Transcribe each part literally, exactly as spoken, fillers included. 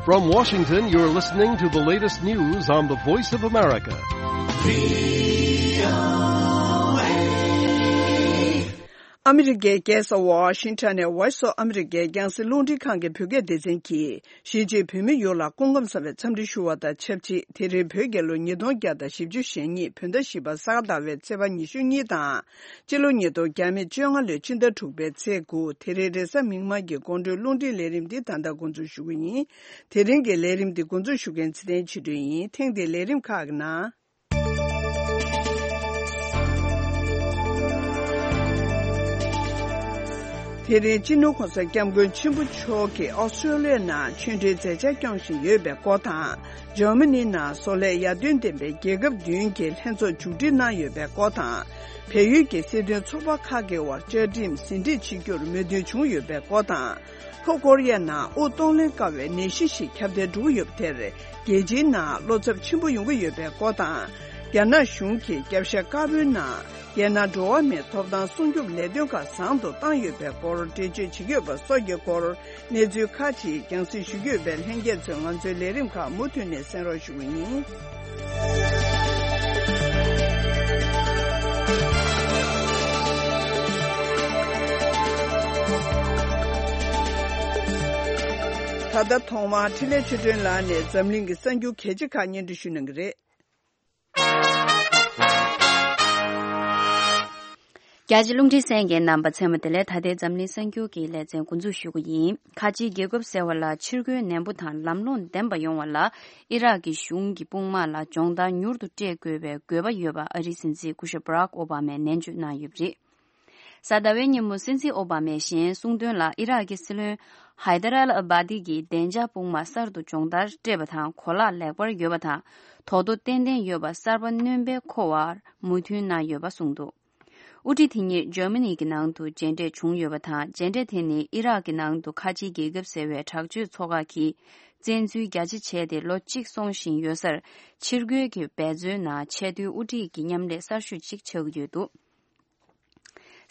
From Washington, you're listening to the latest news on the Voice of America. ཨ་མི་རི་ཀའི་རྒྱལ་ས་ཝ་ཤིང་ཊོན་ནས་Voice of America རྒྱང་སྲིང་རླུང་འཕྲིན་ཁང་གི་བོད་སྐད་སྡེ་ཚན་གྱིས། གཞིས་བྱེས་བོད་མི་ཡོངས་ལ་སྐུ་ཁམས་བཟང་བའི་འཚམས་འདྲི་ཞུ་བ་དང་ཆབས་ཅིག་དེ་རིང་བོད་རྒྱལ་ལོ་ཉིས་སྟོང་བརྒྱ་དང་བཞི་བཅུ་ཞེ་གཉིས་བོད་ཟླ་བཞི་པ་ས་ག་ཟླ་བའི་ཚེས་པ་ཉི་ཤུ་གཉིས་དང་། སྤྱི་ལོ་ཉིས་སྟོང་བརྒྱ་མེད་བཅོ་ལྔ་ལོའི་ཕྱི་ཟླ་དྲུག་པའི་ཚེས་དགུ། དེ་རིང་རེས་གཟའ་མིག་དམར་གྱི་དགོང་དྲོའི་རླུང་འཕྲིན་ལས་རིམ་འདི་ད་ལྟ་འགོ་འཛུགས་ཞུ་གི་ཡིན། དེ་རིང་གི་ལས་རིམ་འདི་འགོ་འཛུགས་ཞུ་མཁན་ཚེ་བརྟན་ཆོས་སྒྲོན་ཡིན། ཐེངས་འདིའི་ལས་རིམ་ཁག་གི་ནང་། དེ་རིང་སྤྱི་ནོར་གོང་ས་སྐྱབས་མགོན་ཆེན་པོ་མཆོག་གིས་ཨོ་སི་ཀྲོ་ལི་ཡའི་ནང་ཆོས་འབྲེལ་མཛད་འཆར་སྐྱོང་བཞིན་ཡོད་པའི་སྐོར་དང་། འཇར་མ་ནིའི་ནང་བཟོ་ལས་ཡར་ཐོན་ལྡན་པའི་རྒྱལ་ཁབ་བདུན་གྱི་ལྷན་ཚོགས་མཇུག་སྒྲིལ་གནང་ཡོད་པའི་སྐོར་དང་། བལ་ཡུལ་གྱི་སྲིད་དོན་ཚོགས་པ་ཁག་གི་དབར་བཅའ་ཁྲིམས་ཟིན་བྲིས་བྱེད་རྒྱུར་མོས་མཐུན་བྱུང་ཡོད་པའི་སྐོར་དང་། ལྷོ་ཀོ་རི་ཡ་ནང་དབུགས་གཏོང་ལེན་དཀའ་བའི་ནད་གཞི་ཞིག་ཁྱབ་གདལ་འགྲོ་གི་ཡོད་པ་དེར། རྒྱལ་སྤྱིའི་ནང་བློ་འཚབ་ཆེན་པོ་ཡོང་གི་ཡོད་པའི་སྐོར་དང་། རྒྱ་ནག་གཞུང་གིས་རྒྱབ་ཤ་དཀར་པོའི་ནང་། རྒྱལ་ནང་འགྲོ་བ་མིའི་ཐོབ་ཐང་སྲུང་སྐྱོབ་ལས་དོན་ཁག་བཟང་དུ་བཏང་ཡོད་པའི་སྐོར་འགྲེལ་བརྗོད་བྱེད་ཀྱི་ཡོད་པ་སོགས་ཀྱི་སྐོར། གནས་ཚུལ་ཁག་ཅིག་རྒྱང་སྲིང་ཞུ་རྒྱུ་ཡོད་པས། ལྷན་རྒྱས་ཚོས་ང་ཚོའི་ལས་རིམ་ཁག་མུ་མཐུད་ནས་གསན་རོགས་ཞུ་གི་ཡིན། ད་ལྟ་ཐོག་མར་འཕྲིན་ལས་ཆོས་སྒྲོན་ལགས་ནས་འཛམ་གླིང་གི་གསར་འགྱུར་གལ་ཆེ་ཁག་སྙན་སྒྲོན་ཞུ་གནང་གི་རེད། རྒྱ་ཆེ་རླུང་འཕྲིན་གསན་མཁན་རྣམ་པ་ཚང་མ་དེ་ལས་ད་ལྟའི་འཛམ་གླིང་གསར་འགྱུར་གྱི་ལེ་ཚན་འགོ་འཛུགས་ཞུ་གི་ཡིན། ཁ་ཆེའི་རྒྱལ་ཁབ་ཟེར་བ་ལ་ཕྱིར་རྒོལ་ནན་པོ་དང་ལམ་ལྷོང་ལྡན་པ་ཡོང་བ་ལ་ཨི་རག་གི་གཞུང་གི་དཔུང་དམག་ལ་སྦྱོང་བརྡར་མྱུར་དུ་སྤྲད་དགོས་པའི་དགོས་པ་ཡོད་པ་ཨ་རིའི་སྲིད་འཛིན་སྐུ་ཞབས་Barack Obama ནས་ནན་བརྗོད་གནང་ཡོད་པ་རེད། གཟའ་ཟླ་བའི་ཉིན་མོ་སྲིད་འཛིན་ཨོ་བྷ་མས་གཞན་གསུངས་དོན་ལ། ཨི་རག་གི་སྲིད་བློན་ཧའི་ད་ར་ཨལ་ཨ་བྷ་དི་གིས་བདེ་འཇགས་དཔུང་དམག་གསར་དུ་སྦྱོང་བརྡར་སྤྲད་པ་དང་གོ་ལག་ལེགས་པར་ཡོད་པ་དང་། དོ་དོ་ཏན་ཏན་ཡོད་པ་གསར་པ་སྣོན་པའི་མཁོ་བར་མོས་མཐུན་གནང་ཡོད་པ་གསུངས་འདུག། དབུ་ཁྲིད་དེ་ཉིད་འཇར་མ་ནི་གི་ནང་དུ་མཇལ་འཕྲད་བྱུང་ཡོད་པ་དང་། མཇལ་འཕྲད་དེ་ནི་ཨི་རག་གི་ནང་དུ་ཁ་ཆེའི་རྒྱལ་ཁབ་ཟེར་བའི་དྲག་སྤྱོད་ཚོགས་ཁག་གིས་བཙན་འཛུལ་རྒྱ་ཆེ་བྱས་ཏེ་ལོ་གཅིག་སོང་བཞིན་ཡོད་སར། ཕྱིར་རྒོལ་གྱི་འབད་བརྩོན་ནང་ཆེས་མཐོའི་དབུ་ཁྲིད་ཀྱི་མཉམ་ལས་གསར་ཤོས་གཅིག་ཆགས་ཀྱི་ཡོད་འདུག།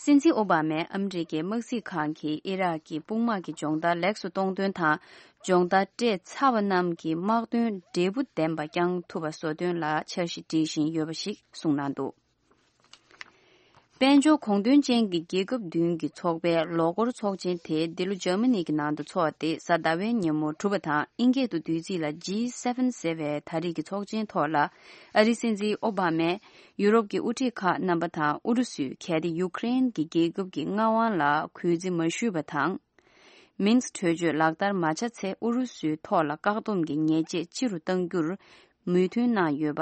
སྲིད་འཛིན་ཨོ་བྷ་མས་ཨ་མི་རི་ཀའི་དམག་སྲིད་ཁང་གིས་ཨི་རག་གི་དཔུང་དམག་གི་སྦྱོང་བརྡར་ལེགས་སུ་གཏོང་དོན་དང་། སྦྱོང་བརྡར་སྤྲད་ཚར་བ་རྣམས་ཀྱི་དམག་དོན་འབྲས་བུ་ལྡན་པ་བསྐྱང་ཐུབ་པ་བཟོ་དོན་ལ་འཆར་གཞི་སྒྲིག་བཞིན་ཡོད་པ་ཞིག་གསུངས་གནང་འདུག། དཔལ་འབྱོར་གོང་ཐོན་ཅན་གྱི་རྒྱལ་ཁབ་བདུན་གྱི་ཚོགས་པའི་ལོ་འཁོར་ཚོགས་ཆེན་དེ་འདི་ལོ་འཇར་མ་ནི་གི་ནང་དུ་འཚོགས་ཏེ། གཟའ་ཟླ་བའི་ཉིན་མོ་གྲུབ་པ་དང་། ཨིན་སྐད་དུ་བསྡུས་ཚིག་ལ་ཇི་སེ་ཝེན་ཟེར་བའི་ད་རེས་ཀྱི་ཚོགས་ཆེན་ཐོག་ལ། ཨ་རིའི་སྲིད་འཛིན་ཨོ་བྷ་མས་ཡུ་རོབ་ཀྱི་དབུ་ཁྲིད་ཁག་རྣམ་པ་དང་། ཨུ་རུ་སུས་གལ་ཏེ་ཡུ་ཀེ་རེན་གྱི་རྒྱལ་ཁབ་ཀྱི་མངའ་དབང་ལ་གུས་བརྩི་མ་ཞུས་པ་དང་། མིན་སི་གྲོས་ཆོད་ལག་བསྟར་མ་བྱས་ཚེ། ཨུ་རུ་སུའི་ཐོག་ལ་བཀག་སྡོམ་གྱི་ཉེས་ཆད་ལྕི་རུ་གཏང་རྒྱུར་མོས་མཐུན་གནང་ཡོད་པ་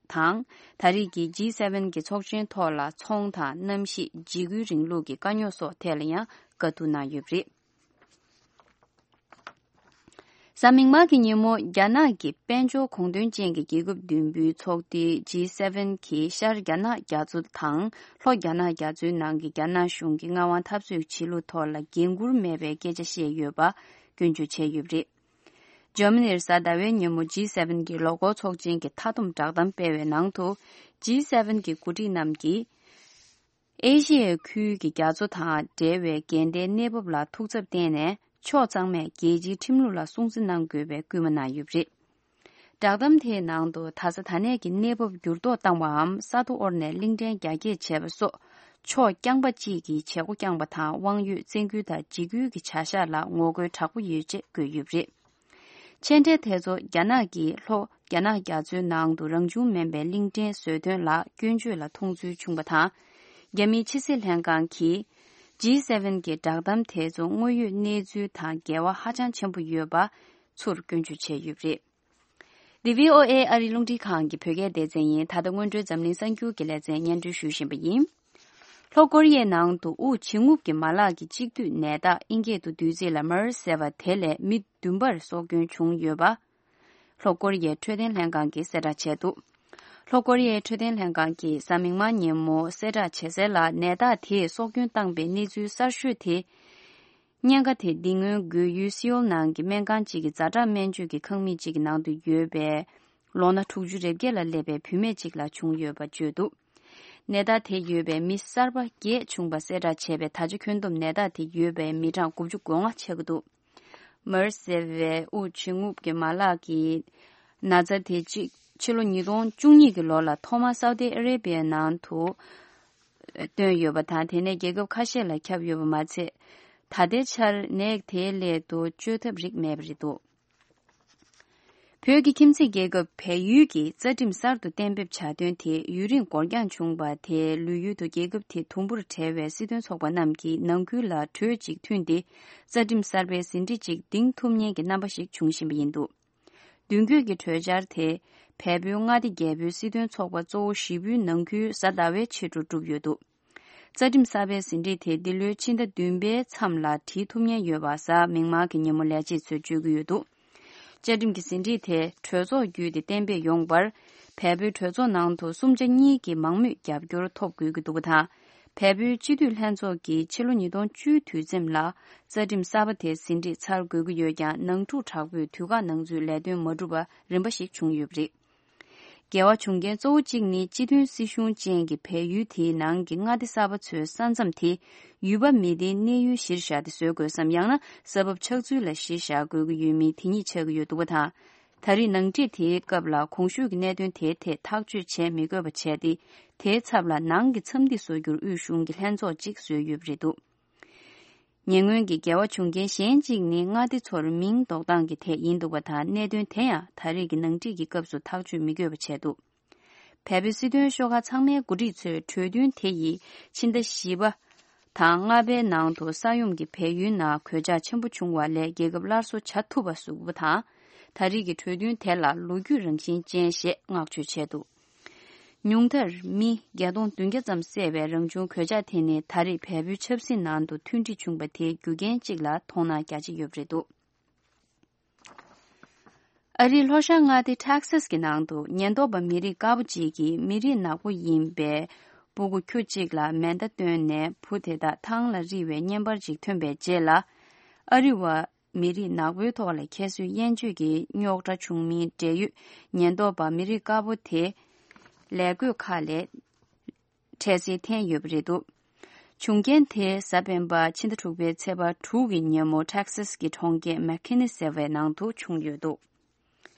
དང་། ད་རེས་ཀྱི་ཇི་སེ་ཝེན་གྱི་ཚོགས་ཆེན་ཐོག་ལ་ཚོང་དང་གནམ་གཤིས། འཇིགས་སྐུལ་རིང་ལུགས་ཀྱི་དཀའ་རྙོག་སོགས་ཐད་ལ་ཡང་བཀའ་བསྡུར་གནང་ཡོད་པ་རེད། གཟའ་མིག་དམར་གྱི་ཉིན་མོ། རྒྱ་ནག་གི་དཔལ་འབྱོར་གོང་ཐོན་ཅན་གྱི་རྒྱལ་ཁབ་བདུན་པོའི་ཚོགས་སྡེ་ཇི་སེ་ཝེན་གྱིས་ཤར་རྒྱ་ནག་རྒྱ་མཚོ་དང་ལྷོ་རྒྱ་ནག་རྒྱ་མཚོའི་ནང་གི་རྒྱ་ནག་གཞུང་གི་མངའ་དབང་འཐབ་རྩོད་བྱེད་ལུགས་ཐོག་ལ་འགན་འཁུར་མེད་པའི་སྐད་ཆ་བཤད་ཡོད་པ་སྐྱོན་བརྗོད་བྱས་ཡོད་པ་རེད། འཇར་མ་ནིར་གཟའ་ཟླ་བའི་ཉིན་མོ་ཇི་སེ་ཝེན་གྱི་ལོ་འཁོར་ཚོགས་ཆེན་གྱི་མཐའ་བསྡོམས་བསྒྲགས་གཏམ་སྤེལ་བའི་ནང་དུ། ཇི་སེ་ཝེན་གྱི་འགོ་ཁྲིད་རྣམས་ཀྱིས། ཨེ་ཤི་ཡའི་ཁུལ་གྱི་རྒྱ་མཚོ་དང་འབྲེལ་བའི་འགལ་ཟླའི་གནས་བབ་ལ་ཐུགས་འཚབ་བསྟན་ནས། ཕྱོགས་ཚང་མས་རྒྱལ་སྤྱིའི་ཁྲིམས་ལུགས་ལ་སྲུང་བརྩི་གནང་དགོས་པའི་སྐུལ་མ་གནང་ཡོད་པ་རེད། བསྒྲགས་གཏམ་དེའི་ནང་དུ། ད་ཆ་ད་ནས་ཀྱི་གནས་བབ་འགྱུར་ལྡོག་བཏང་བའམ། ས་རྡོ་དབོར་ནས་གླིང་ཕྲན་རྒྱ་སྐྱེད་བྱས་པ་སོགས། ཕྱོགས་རྐྱང་པ་གཅིག་གིས་བྱེད་སྒོ་བསྐྱངས་པ་དང་། དབང་ཡོད་བཙན་སྐུལ་དང་འཇིགས་སྐུལ་གྱི་བྱ་གཞག་ལ་ངོ་རྒོལ་དྲག་པོ་ཡོད་ཅེས་བཀོད་ཡོད་པ་རེད། མཆན་འགྲེལ་དེ་ཚོ། རྒྱ་ནག་གིས་ལྷོ་རྒྱ་ནག་རྒྱ་མཚོའི་ནང་དུ་རང་བྱུང་མིན་པའི་གླིང་ཕྲན་བཟོ་དོན་ལ་སྐྱོན་བརྗོད་ལ་མཐོང་ཚུལ་བྱུང་བ་དང་། རྒྱ་མིའི་ཕྱི་སྲིད་ལྷན་ཁང་གིས་ཇི་སེ་ཝེན་གྱི་བསྒྲགས་གཏམ་དེ་ཚོ་དངོས་ཡོད་གནས་ཚུལ་དང་འགལ་བ་ཧ་ཅང་ཆེན་པོ་ཡོད་པ་ཚུར་སྐྱོན་བརྗོད་བྱས་ཡོད་པ་རེད། འདི་བྷི་ཨོ་ཨེ་ཨ་རིའི་རླུང་འཕྲིན་ཁང་གི་བོད་སྐད་སྡེ་ཚན་ཡིན། ད་ལྟ་སྔོན་འགྲོའི་འཛམ་གླིང་གསར་འགྱུར་གྱི་ལེ་ཚན་སྙན་སྒྲོན་ཞུ་བཞིན་པ་ཡིན། ལྷོ་ཀོ་རི་ཡའི་ནང་དུ་དབུགས་འབྱིན་རྔུབ་ཀྱི་མ་ལག་གི་གཅིག་བསྡུས་ནད་རྟགས། ཨིན་སྐད་དུ་བསྡུས་ཚིག་ལ་མར་སི་ཟེར་བ་དེ་ལས་མི་བདུན་པར་སྲོག་སྐྱོན་བྱུང་ཡོད་པ། ལྷོ་ཀོ་རི་ཡའི་འཕྲོད་བསྟེན་ལྷན་ཁང་གིས་གསལ་བསྒྲགས་བྱས་འདུག། ལྷོ་ཀོ་རི་ཡའི་འཕྲོད་བསྟེན་ལྷན་ཁང་གིས་གཟའ་མིག་དམར་ཉིན་མོ་གསལ་བསྒྲགས་བྱས་གསལ་ལ། ནད་རྟགས་དེས་སྲོག་སྐྱོན་བཏང་པའི་གནས་ཚུལ་གསར་ཤོས་དེ། གཉན་ཁ་དེ་འདི་སྔོན་རྒོལ་ཡུལ་སེའུལ་ནང་གི་སྨན་ཁང་གཅིག་གི་ཛ་དྲག་སྨན་བཅོས་ཀྱི་ཁང་མིག་ཅིག་གི་ནང་དུ་ཡོད་པའི་ལོ་ན་དྲུག་ཅུ་རེ་བརྒྱད་ལ་སླེབས་པའི་བུད་མེད་ཅིག་ལ་བྱུང་ཡོད་པ་བརྗོད་འདུག། ནད་རྟགས་དེ་ཡོད་པའི་མི་གསར་པ་བརྒྱད་བྱུང་བ་གསལ་བསྒྲགས་བྱས་པའི། ད་ཆ་ཁྱོན་བསྡོམས་ནད་རྟགས་དེ་ཡོད་པའི་མི་གྲངས་དགུ་བཅུ་གོ་ལྔ་ཆགས་ཀྱི་འདུག། མར་ཟེར་བའི་དབུགས་འབྱིན་རྔུབ་ཀྱི་མ་ལག་གི་ན་ཚ་དེ་གཅིག་ཕྱི་ལོ་ཉིས་སྟོང་བཅུ་གཉིས་ཀྱི་ལོ་ལ་ཐོག་མར་སའུ་ཏི་ཨ་རེ་བྷི་ཡའི་ནང་དུ་བཏོན་ཡོད་པ་དང་། དེ་ནས་རྒྱལ་ཁབ་ཁ་ཤས་ལ་ཁྱབ་ཡོད་པ་མ་ཚད། ད་ལྟའི་ཆར་ནད་དེའི་སླད་དུ་བཅོས་ཐབས་རིགས་མེད་པ་རེད་འདུག་བོད་ཀྱི་ཁྱིམ་མཚེས་རྒྱལ་ཁབ་བལ་ཡུལ་གྱིས་རྩ་ཁྲིམས་གསར་དུ་གཏན་འབེབས་བྱ་དོན་དེ་ཡུན་རིང་འགོར་འགྱངས་བྱུང་བ་དེ་ལུས་ཡུལ་དུ་རྒྱལ་ཁབ་དེ་དུམ་བུར་བྲལ་བའི་སྲིད་དོན་ཚོགས་པ་རྣམས་ཀྱིས་ནང་ཁུལ་ལ་གྲོས་གཅིག་མཐུན་ཏེ། རྩ་ཁྲིམས་གསར་པའི་ཟིན་བྲིས་གཅིག་འདིང་ཐུབ་མཁན་གྱི་རྣམ་པ་ཞིག་འབྱུང་བཞིན་པ་ཡིན་འདུག་མདུན་སྐྱོད་ཀྱི་གྲོས་འཆར་དེ་བལ་པོའི་མངའ་སྡེ་བརྒྱད་པོའི་སྲིད་དོན་ཚོགས་པ་གཙོ་བོ་བཞི་པོའི་ནང་ཁུལ་གཟའ་ཟླ་བའི་ཕྱི་དྲོ་གྲུབ་ཡོད་འདུག་རྩ་ཁྲིམས་གསར་པའི་ཟིན་བྲིས་དེ་འདི་ལོའི་ཕྱི་ཟླ་བདུན་པའི་མཚམས་ལ་བྲིས་ཐུབ་ཉེན་ཡོད་པ་གཟའ་མིག་དམར་གྱི་ཉིན་མོ་ལས་བྱེད་ཚོས་བརྗོད་ཀྱི་ཡོད་འདུག་བཅའ་ཁྲིམས་ཀྱི་ཟིན་བྲིས་དེ་གྲོས་ཚོགས་བརྒྱུད་དེ་གཏན་འབེབས་ཡོང་བར། བལ་པོའི་གྲོས་ཚོགས་ནང་དུ་གསུམ་ཆ་གཉིས་ཀྱི་མང་མོས་རྒྱབ་སྐྱོར་ཐོབ་དགོས་ཀྱི་འདུག་པ་དང་། བལ་པོའི་སྤྱི་འཐུས་ལྷན་ཚོགས་ཀྱིས་ཕྱི་ལོ་ཉིས་སྟོང་བཅུའི་དུས་མཚམས་ལ་རྩ་ཁྲིམས་གསར་པ་དེ་ཟིན་བྲིས་ཚར་དགོས་ཀྱི་ཡོད་ཀྱང་། ནང་འཁྲུག་དྲག་པོས་དུས་བཀག་ནང་ཚུད་ལས་དོན་མ་གྲུབ་པ་རིམ་པ་ཞིག་བྱུང་ཡོད་པ་རེད། འགལ་བ་བྱུང་རྐྱེན་གཙོ་བོ་གཅིག་ནི། སྤྱི་མཐུན་སྲིད་གཞུང་ཅན་གྱི་བལ་ཡུལ་དེའི་ནང་གི་མངའ་སྡེ་གསར་པ་ཚོའི་ས་མཚམས་དེ་ཡུལ་པ་མི་སྡེའི་གནས་ཡུལ་གཞིར་བཞག་སྟེ་བཟོ་དགོས་སམ། ཡང་ན་ས་བབ་ཆགས་ཚུལ་ལ་གཞི་བཞག་དགོས་ཀྱི་ཡོད་མིན་དེ་ཉིད་ཆགས་ཀྱི་ཡོད་འདུག་པ་དང་། ད་རེས་ནང་འགྲིག་དེའི་སྐབས་ལ་གོང་ཞུས་ཀྱི་གནད་དོན་དེའི་ཐད་ཐག་གཅོད་བྱེད་མི་དགོས་པ་བྱས་ཏེ། དེའི་ཚབ་ལ་ནང་གི་འཚམས་འདྲི་བཟོ་རྒྱུར་དབུས་གཞུང་གི་ལྷན་ཚོགས་གཅིག་བཟོས་ཡོད་པ་རེད་འདུག་ཉེ་སྔོན་གྱི་འགལ་བ་བྱུང་རྐྱེན་གཞན་གཅིག་ནི། མངའ་སྡེ་ཚོར་མིང་འདོགས་སྟངས་ཀྱི་ཐད་ཡིན་འདུག་པ་དང་། གནད་དོན་དེ་ཡང་ད་རེས་ཀྱི་ནང་འགྲིག་གི་སྐབས་སུ་ཐག་གཅོད་མི་དགོས་པ་བྱས་འདུག་བལ་པོའི་སྲིད་དོན་ཤོག་ཁག་ཚང་མའི་འགོ་ཁྲིད་ཚོས་གྲོས་མཐུན་དེ་ཡིས་ཕྱི་ཟླ་བཞི་པ་དང་ལྔ་པའི་ནང་དུ་ས་ཡོམ་གྱིས་བལ་ཡུལ་ནང་གོད་ཆག་ཆེན་པོ་བྱུང་བ་ལས་རྒྱལ་ཁབ་སླར་གསོ་བྱ་ཐུབ་པ་བཟོ་དགོས་པ་དང་། ད་རེས་ཀྱི་གྲོས་མཐུན་དེ་ལ་ལོ་རྒྱུས་རང་བཞིན་ཅན་ཞེས་བསྔགས་བརྗོད་བྱས་འདུག་ཉུང་མཐར་མི་བརྒྱད་སྟོང་བདུན་བརྒྱ་ཙམ་བསད་པའི་རང་བྱུང་གོད་ཆག་དེ་ནི་ད་རེས་བལ་པོའི་ཆབ་སྲིད་ནང་དུ་མཐུན་སྒྲིལ་བྱུང་བ་དེའི་རྒྱུ་རྐྱེན་གཅིག་ལ་མཐོང་སྣང་རྒྱ་ཆེ་ཡོད་པ་རེད་འདུག་ཨ་རིའི་ལྷོ་ཤར་མངའ་སྡེ་ཊེག་སཱས་ཀྱི་ནང་དུ་ཉེན་རྟོག་པ་མི་རིགས་དཀར་པོ་གཅིག་གིས་མི་རིགས་ནག་པོ་ཡིན་པའི་སྤུ་གུ་ཁྱུ་གཅིག་ལ་མེ་མདའ་བཏོན་ནས་བུ་དེ་དག་ཐང་ལ་རིལ་བའི་བརྙན་པར་ཅིག་ཐོན་པའི་རྗེས་ལ། ཨ་རི་བ་མི་རིགས་ནག་པོའི་ཐོག་ལ་ཁྱད་གསོད་དབྱེན་བཅོས་ཀྱི་རྙོག་དྲ་བྱུང་མིན་འབྲེལ་ཡོད་ཉེན་རྟོག་པ་མི་རིགས་དཀར་པོ་དེ་ལས་བགོས་ཁག་ལས་འཕྲལ་སེལ་འཐེན་ཡོད་པ་རེད་འདུག་བྱུང་རྐྱེན་དེ་གཟའ་སྤེན་པ་ཕྱི་ཟླ་དྲུག་པའི་ཚེས་པ་དྲུག་གི་ཉིན་མོ་ཊེག་སཱས་ཀྱི་གྲོང་ཁྱེར་མེག་ཁི་ནི་ཟེར་བའི་ནང་དུ་བྱུང་ཡོད་འདུག་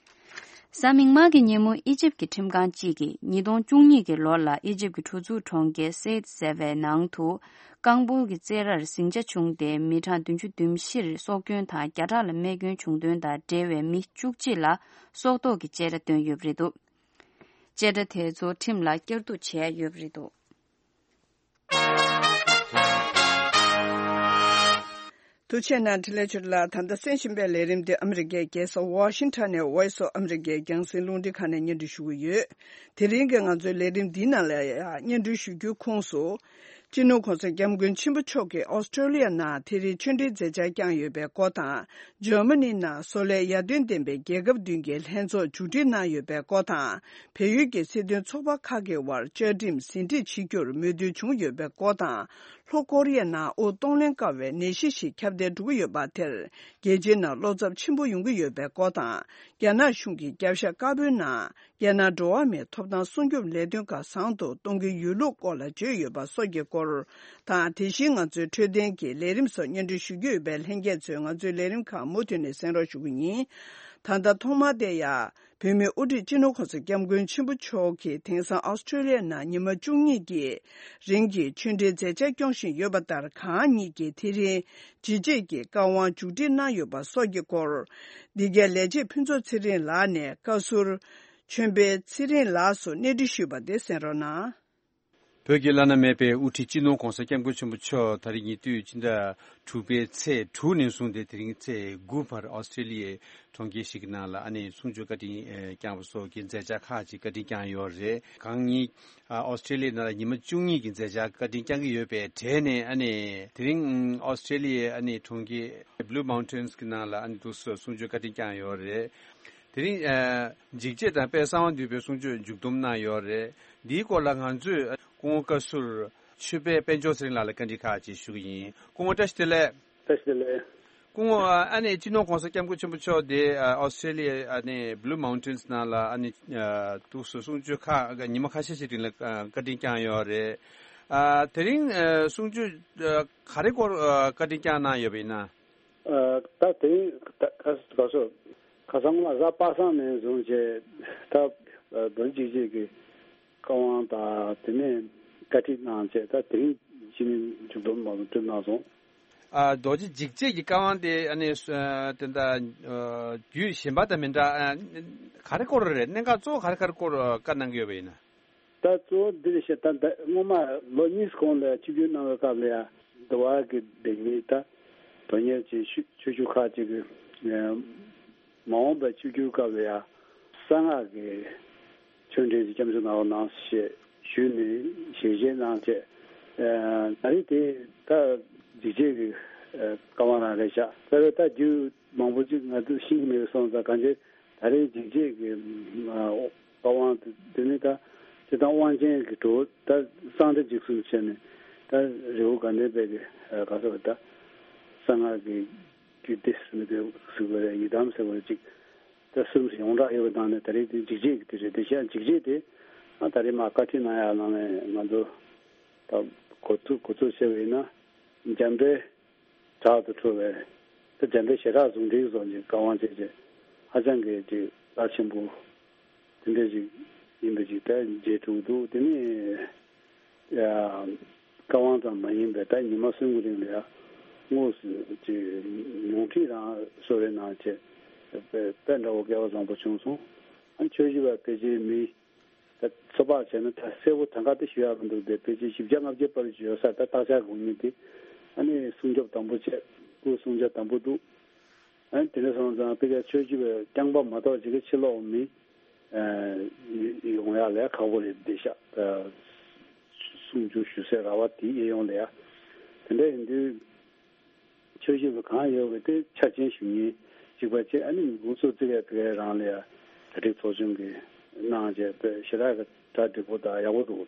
གཟའ་མིག་དམར་གྱི་ཉིན་མོ་ཨི་ཇིབ་ཀྱི་ཁྲིམས་ཁང་གཅིག་གིས་ཉིས་སྟོང་བཅུ་གཉིས་ཀྱི་ལོ་ལ་ཨི་ཇིབ་ཀྱི་གྲུ་ཚུགས་གྲོང་ཁྱེར་སེད་ཟེར་བའི་ནང་དུ་རྐང་སྤོལ་གྱི་རྩེད་རར་ཟིང་ཆ་བྱུང་སྟེ། མི་གྲངས་བདུན་ཅུ་དོན་བཞིར་སྲོག་སྐྱོན་དང་བརྒྱ་ཕྲག་ལ་རྨས་སྐྱོན་བྱུང་དོན་དང་འབྲེལ་བའི་མི་བཅུ་གཅིག་ལ་སྲོག་ཐོག་གི་བཅད་ཁྲ་བཏོན་ཡོད་པ་རེད་འདུག་བཅད་ཁྲ་དེ་ཚོ་ཁྲིམས་ལ་བསྐྱར་གཏུག་བྱས་ཡོད་པ་རེད་འདུག་ཐུགས་རྗེ་གནང་འཕྲིན་ལས་ཆོས་ལགས། ད་ལྟ་གསན་བཞིན་པའི་ལས་རིམ་འདི་ཨ་མི་རི་ཀའི་རྒྱལ་ས་ཝ་ཤིང་ཊོན་ནས་Voice of America་རྒྱང་སྲིང་རླུང་འཕྲིན་ཁང་ནས་སྙན་སྒྲོན་ཞུ་གི་ཡོད། དེ་རིང་གི་ང་ཚོའི་ལས་རིམ་འདིའི་ནང་ལ་ཡང་སྙན་སྒྲོན་ཞུ་རྒྱུའི་ཁོངས་སུ། སྤྱི་ནོར་༸གོང་ས་༸སྐྱབས་མགོན་ཆེན་པོ་མཆོག་གིས་ཨོ་སི་ཀྲོ་ལི་ཡ་ནང་དེ་རིང་ཆོས་འབྲེལ་མཛད་འཆར་བསྐྱངས་ཡོད་པའི་སྐོར་དང་། འཇར་མ་ནི་ནང་བཟོ་ལས་ཡར་ཐོན་ལྡན་པའི་རྒྱལ་ཁབ་བདུན་གྱི་ལྷན་ཚོགས་མཇུག་སྒྲིལ་གནང་ཡོད་པའི་སྐོར་དང་། བལ་ཡུལ་གྱི་སྲིད་དོན་ཚོགས་པ་ཁག་གི་དབར་བཅའ་ཁྲིམས་ཟིན་བྲིས་བྱེད་རྒྱུར་མོས་མཐུན་བྱུང་ཡོད་པའི་སྐོར་དང་། ལྷོ་ཀོ་རི་ཡ་ནང་དབུགས་གཏོང་ལེན་དཀའ་བའི་ནད་གཞི་ཞིག་ཁྱབ་གདལ་འགྲོ་གི་ཡོད་པ་དེར། རྒྱལ་སྤྱིའི་ནང་བློ་འཚབ་ཆེན་པོ་ཡོང་གི་ཡོད་པའི་སྐོར་དང་། རྒྱ་ནག་གཞུང་གི་རྒྱབ་ཤ་དཀར་པོའི་ནང་། རྒྱལ་ནང་འགྲོ་བ་མིའི་ཐོབ་ཐང་སྲུང་སྐྱོབ་ལས་དོན་ཁག་བཟང་དུ་གཏོང་གི་ཡོད་ལུགས་སྐོར་ལ་བརྗོད་ཡོད་པ་སོགས་ཀྱི་སྐོར། དང་། དེ་བཞིན་ང་ཚོའི་འཕྲོད་བསྟེན་གྱི་ལས་རིམ་སོགས་སྙན་སྒྲོན་ཞུ་རྒྱུ་ཡོད་པས། ལྷན་རྒྱས་ཚོས་ང་ཚོའི་ལས་རིམ་ཁག་མུ་མཐུད་ནས་གསན་རོགས་ཞུ་གི་ཡིན། ད་ལྟ་ཐོག་མར་དེ་ཡང་། བོད་མིའི་དབུ་ཁྲིད་སྤྱི་ནོར་༸གོང་ས་༸སྐྱབས་མགོན་ཆེན་པོ་མཆོག་གིས་དེང་སང་ཨོ་སི་ཀྲོ་ལི་ཡ་ནང་ཉི་མ་བཅུ་གཉིས་ཀྱི་རིང་གི་ཆོས་འབྲེལ་མཛད་འཆར་སྐྱོང་བཞིན་ཡོད་པ་ལྟར། གང་ཉིད་ཀྱིས་དེ་རིང་ཇི་བྱེད་ཀྱི་བཀའ་དབང་མཇུག་སྒྲིལ་གནང་ཡོད་པ་སོགས་ཀྱི་སྐོར། འདི་གའི་ལས་བྱེད་ཕུན་ཚོགས་ཚེ་རིང་ལགས་ནས་བཀའ་ཟུར་ཆོས་འཕེལ་ཚེ་རིང་ལགས་སུ་གནས་འདྲི་ཞུས་པ་དེ་གསན་རོགས་གནང་། བོད་ཀྱི་བླ་ན་མེད་པའི་དབུ་ཁྲིད་སྤྱི་ནོར་༸གོང་ས་༸སྐྱབས་མགོན་ཆེན་པོ་མཆོག་ད་རེས་ཉེ་དུས་ཕྱི་ཟླ་དྲུག་པའི་ཚེས་དྲུག་ནས་བཟུང་སྟེ་དེ་རིང་ཚེས་དགུ་བར་ཨོ་སི་ཀྲོ་ལི་ཡའི་གྲོང་ཁྱེར་ཞིག་གི་ནང་ལ་ཨ་ནི་གསུང་ཆོས་བཀའ་དྲིན་ཨེ་བསྐྱངས་པ་སོགས་ཀྱི་མཛད་འཆར་ཁག་ཅིག་བཀའ་དྲིན་བསྐྱངས་ཡོད་རེད། གང་ཉིད་ཨ་ཨོ་སི་ཀྲོ་ལི་ཡའི་ནང་ལ་ཉི་མ་བཅུ་གཉིས་ཀྱི་མཛད་འཆར་བཀའ་དྲིན་བསྐྱངས་ཀྱི་ཡོད་པའི་གྲས་ནས། ཨ་ནི་དེ་རིང་ཨོ་སི་ཀྲོ་ལི་ཡའི་ཨ་ནི་གྲོང་ཁྱེར་Blue Mountains་གི་ནང་ལ་ཨ་ནི་འདུག་སེ་གསུང་ཆོས་བཀའ་དྲིན་བསྐྱངས་ཡོད་རེད། དེ་རིང་ཨ་འཇིགས་བྱེད་དང་དཔལ་གསང་བ་འདུས་པའི་གསུང་ཆོས་མཇུག་བསྡོམས་གནང་ཡོད་རེད། འདིའི་སྐོར་ལ་ང་ཚོས་སྐུ་ངོ་བཀའ་ཟུར་ཆོས་འཕེལ་དཔལ་འབྱོར་ཚེ་རིང་ལགས་ལ་བཀའ་འདྲི་ཁག་ཅིག་ཞུ་གི་ཡིན། སྐུ་ངོ་བཀྲ་ཤིས་བདེ་ལེགས། བཀྲ་ཤིས་བདེ་ལེགས། སྐུ་ངོ་ཨ་ནི་སྤྱི་ནོར་༸གོང་ས་༸སྐྱབས་མགོན་ཆེན་པོ་མཆོག་དེ་ཨ་ཨོ་སི་ཀྲོ་ལི་ཡ་ཨ་ནི་Blue Mountains་ནང་ལ་ཨ་ནི་ཨ་འདུག་སེ་གསུང་ཆོས་ཁག་ཉི་མ་ཁ་ཤས་ཤིག་རིང་ལ་ཨ་བཀའ་དྲིན་བསྐྱངས་ཡོད་རེད། ཨ་དེ་རིང་ཨ་གསུང་ཆོས་ཨ་ག་རེ་སྐོར་ཨ་བཀའ་དྲིན་བསྐྱངས་གནང་ཡོད་པ་ཡིན་ན། ཨ། ད་དེ་ད་ག་ག་སོ་ཁ་སང་ལ་གཟའ་པ་སངས་ནས་བཟུང་བྱས་ད་རྡོ་རྗེ་འཇིགས་བྱེད་ཀྱི་བཀའ་དབང་དང་དེ་ནས་བཀའ་ཁྲིད་གནང་བྱས་ད་དེ་རིང་ཕྱི་ནས་མཇུག་སྡོམ་མ་སོང་གྲུབ་གནང་སོང་། ཨ། རྡོ་རྗེ་འཇིགས་བྱེད་ཀྱི་བཀའ་དབང་དེ་ཨ་ནི་ཨ་དེ་འདྲ་ཨ་རྒྱུད་གཞན་པ་དང་མི་འདྲ་ཨ་ག་རེ་སྐོར་རེད། གནད་འགག་གཙོ་བོ་ག་རེ་ག་རེ་སྐོར་བཀའ་གནང་གི་ཡོད་པ་ཡིན་ན། ད་གཙོ་བོ་འདི་རེད་ཤག་ད་ད་སྔོན་མ་ལོ་གཉིས་གོང་ལ་ཆིབས་བསྒྱུར་གནང་བའི་སྐབས་ལ་ཡ་འདི་བ་གི་ལྡེ་མིག་ད་དོན་གཉེར་གྱི་ཆོས་ཆོས་ཞུ་ཁག་ཅིག་གི་མ་འོངས་པའི་ཆིབས་བསྒྱུར་སྐབས་ལ་ཡ་གསང་སྔགས་ཀྱི་ཆོས་འབྲེལ་གྱི་སྐྱབས་འཇུག་གནང་རོགས་གནང་ཞེས་ཞུས་ནས་ཞལ་བཞེས་གནང་བྱས། ཨ་ད་རེས་དེ་ད་འཇིགས་བྱེད་ཀྱི་ཨ་བཀའ་དབང་རང་རེད་ཤག་ད་རེས་ད་རྒྱུད་མང་པོ་ཅིག་ང་ཚོས་ཤེས་ཀྱི་མེད་པ་སོང་ཙང་གང་ཅི། ད་རེས་འཇིགས་བྱེད་ཀྱི་ཨ་བཀའ་དབང་དེ་ནི་ད་སྤྱིར་བཏང་དབང་ཆེན་གྱི་གྲོགས་ད་གསང་བདེ་འཇིགས་གསུམ་བྱས་ནས་ད་རི་བོ་དགའ་ལྡན་པའི་གི་ཨ་ག་ཟེར་བ་ད་གསང་སྔགས་ཀྱི་རྒྱུད་སྡེ་ཟེར་ནས་ཟེར་བ་རེད། ཡི་དམ་ཟེར་བ་རེད། ཅིག་ད་གསུམ་ཡོངས་གྲགས་ཡོད་པའི་ནང་ནས་ད་རེས་དེ་འཇིགས་བྱེད་ཀྱི་དེ་རེད། དེ་བཞིན་འཇིགས་བྱེད་དེ་ཨ་ད་རེས་མ་བཀའ་ཁྲིད་གནང་ཡག་ནང་ནས་ང་ཚོ་ད་གོ་ཚུགས་གོ་ཚུགས་བྱས་པ་ཡིན་ན་འཇམ་དཔལ་དྲག་ཏུ་འཕྲོ་བའི་ད་འཇམ་དཔལ་ཞེ་དྲག་ཟུང་འབྲེལ་སོགས་ཀྱི་བཀའ་དབང་བྱས་རྗེས་ཧ་ཅང་གི་ཅིག་རླབས་ཆེན་པོ་དེ་འདྲ་ཞིག་ཡིན་པ་ཅིག་ད་མཇལ་ཐུབ་འདུག་དེ་ནས་ཡ་བཀའ་དབང་ཙམ་མ་ཡིན་པའི་ད་ཉི་མ་གསུམ་གྱི་རིང་ལ་ཡ་དངོས་སུ་ཅིག་ཉུང་ཁྲིད་རང་གསོལ་རས་གནང་བྱས་དཔེ་དཔེ་འདྲ་བོ་སྐལ་བ་བཟང་པོ་བྱུང་སོང་། ཨ་ཆོས་ཞུ་བ་ཕལ་ཆེར་མི། ད་ཚོད་དཔག་བྱས་ན་ད་གསལ་པོ་ད་ག་དེ་ཞུ་ཡག་མི་འདུག་དེ་ཕལ་ཆེར་བཞི་བརྒྱ་ལྔ་བརྒྱ་བར་ཡོད་ས་ད་བརྟག་དཔྱད་དགོས་ངེས་དེ། ཨ་ནི་སྲུང་སྐྱོབ་དམ་པོ་བྱས་སྐུ་སྲུང་བྱ་དམ་པོ་འདུག་ཨ་ནི་དེ་འདྲ་སོང་ཙང་ཕལ་ཆེར་ཆོས་ཞུ་བའི་རྐྱང་པ་མ་གཏོགས་ཅིག་གི་ཕྱི་ལོགས་མི་ཡོང་ཡག་ལས་ཁག་པོ་རེད་བསྡད་ཤག་ད་གསུང་ཆོས་ཞུ་སའི་ར་བ་དེ་གཡས་གཡོན་ལ་ཡ་དེ་འདྲ་ཡིན་དུས། ཆོས་ཞུ་བ་གང་ཡོད་པ་དེ་ཆ་ཅན་ཞུ་མཁན་གཅིག་པ་བྱས། ཨ་ནི་འགོ་གཙོ་ཙི་གེ་དེ་གའི་རང་ལ་ཡ་གྲ་སྒྲིག་ཚོགས་ཆུང་གིས་གནང་བྱས་དཔེ་ཞེ་དྲག་གི་གྲ་འགྲིག་པོ་དང་ཡག་པོ་འདུག་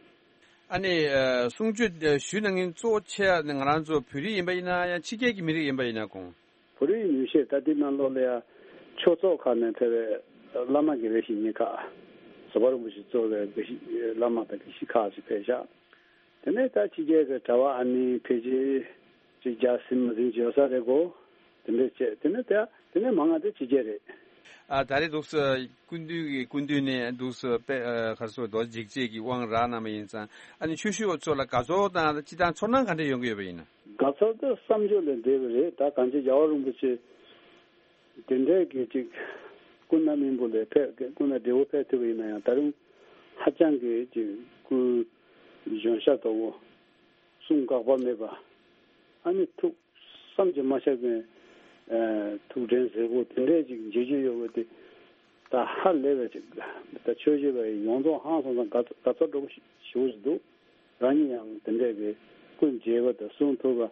ཨ་ནི་ཨ་གསུང་ཆོས་ཨ་ཞུ་གནང་མཁན་གཙོ་བོ་ཆེ་བ་ནི་ང་རང་ཚོ་བོད་རིགས་ཡིན་པ་ཡིན་ན་ཡང་ཕྱི་རྒྱལ་གྱི་མི་རིགས་ཡིན་པ་ཡིན་ན་གོང་། བོད་རིགས་ཉུང་ཤས་ད་ལྟའི་ནང་ལོགས་ལ་ཡ་ཆོས་ཚོགས་ཁག་ནས་ཕེབས་པའི་བླ་མ་དགེ་བའི་བཤེས་གཉེན་ཁག་བཟོད་པ་རིན་པོ་ཆེ་གཙོས་པའི་དགེ་བཤེས་བླ་མ་དང་དགེ་བཤེས་ཁག་ཅིག་ཕེབས་ཤག་དེ་ནས་ད་ཕྱི་རྒྱལ་གྱི་གྲྭ་པ་ཨ་ནི་ཕལ་ཆེར་ཅིག་བརྒྱ་ཟིན་མ་ཟིན་ཅིག་ཡོད་ས་རེད་གོ། དེ་འདྲས་བྱས་དེ་ནས་ད་དེ་ནས་མང་ང་དེ་ཕྱི་རྒྱལ་རེད། ཨ་ད་རེས་འདུག་སེ་སྐུ་མདུན་གྱི་སྐུ་མདུན་ནས་འདུག་སེ་དཔེ་ཨ་ག་རེ་ཟེར་རྡོ་རྗེ་འཇིགས་བྱེད་ཀྱི་དབང་རག་གནང་བ་ཡིན་ཙང་ཨ་ནི་ཆོས་ཞུ་བ་ཚོ་ལ་དགའ་ཚོར་དང་སྤྱིར་བཏང་ཚོར་སྣང་ག་འདྲས་ཡོང་གི་ཡོད་པ་ཡིན་ན། དགའ་ཚོར་དེ་བསམ་བརྗོད་ལས་འདས་པ་རེད། ད་གང་ཅི་རྒྱལ་བ་རིན་པོ་ཆེ་དེ་འདྲས་ཀྱི་ཅིག་སྐུ་ན་སྨིན་པོ་ལས་ཕེབས་སྐུ་ན་བགྲེས་པོ་ཕེབས་ཐུབ་པ་ཡིན་ན་ཡང་ད་རུང་ཧ་ཅང་གི་ཅིག་སྐུ་གཞོན་ཤ་དོག་པོ། གསུང་དགག་པ་མེད་པ། ཨ་ནི་ཐུགས་བསམ་གྱིས་མ་ཆགས་པའི་ཨ་ཐུགས་དྲན་གཟིགས་པོ་དེ་འདྲས་ཅིག་མཇལ་རྒྱུ་ཡོད་པ་དེ་ད་ཧ་ལས་པའི་ཅིག་ད་ཆོས་ཞུ་བའི་ཡོངས་རྫོགས་ཧང་སངས་སངས་དགའ་དགའ་ཚོར་འདྲ་པོ་ཞེ་པོ་ཞིག་འདུག་རང་ཉིད་ཡང་དེ་འདྲས་ཀྱི་སྐུ་མཇལ་བ་དང་གསུང་ཐོས་པ།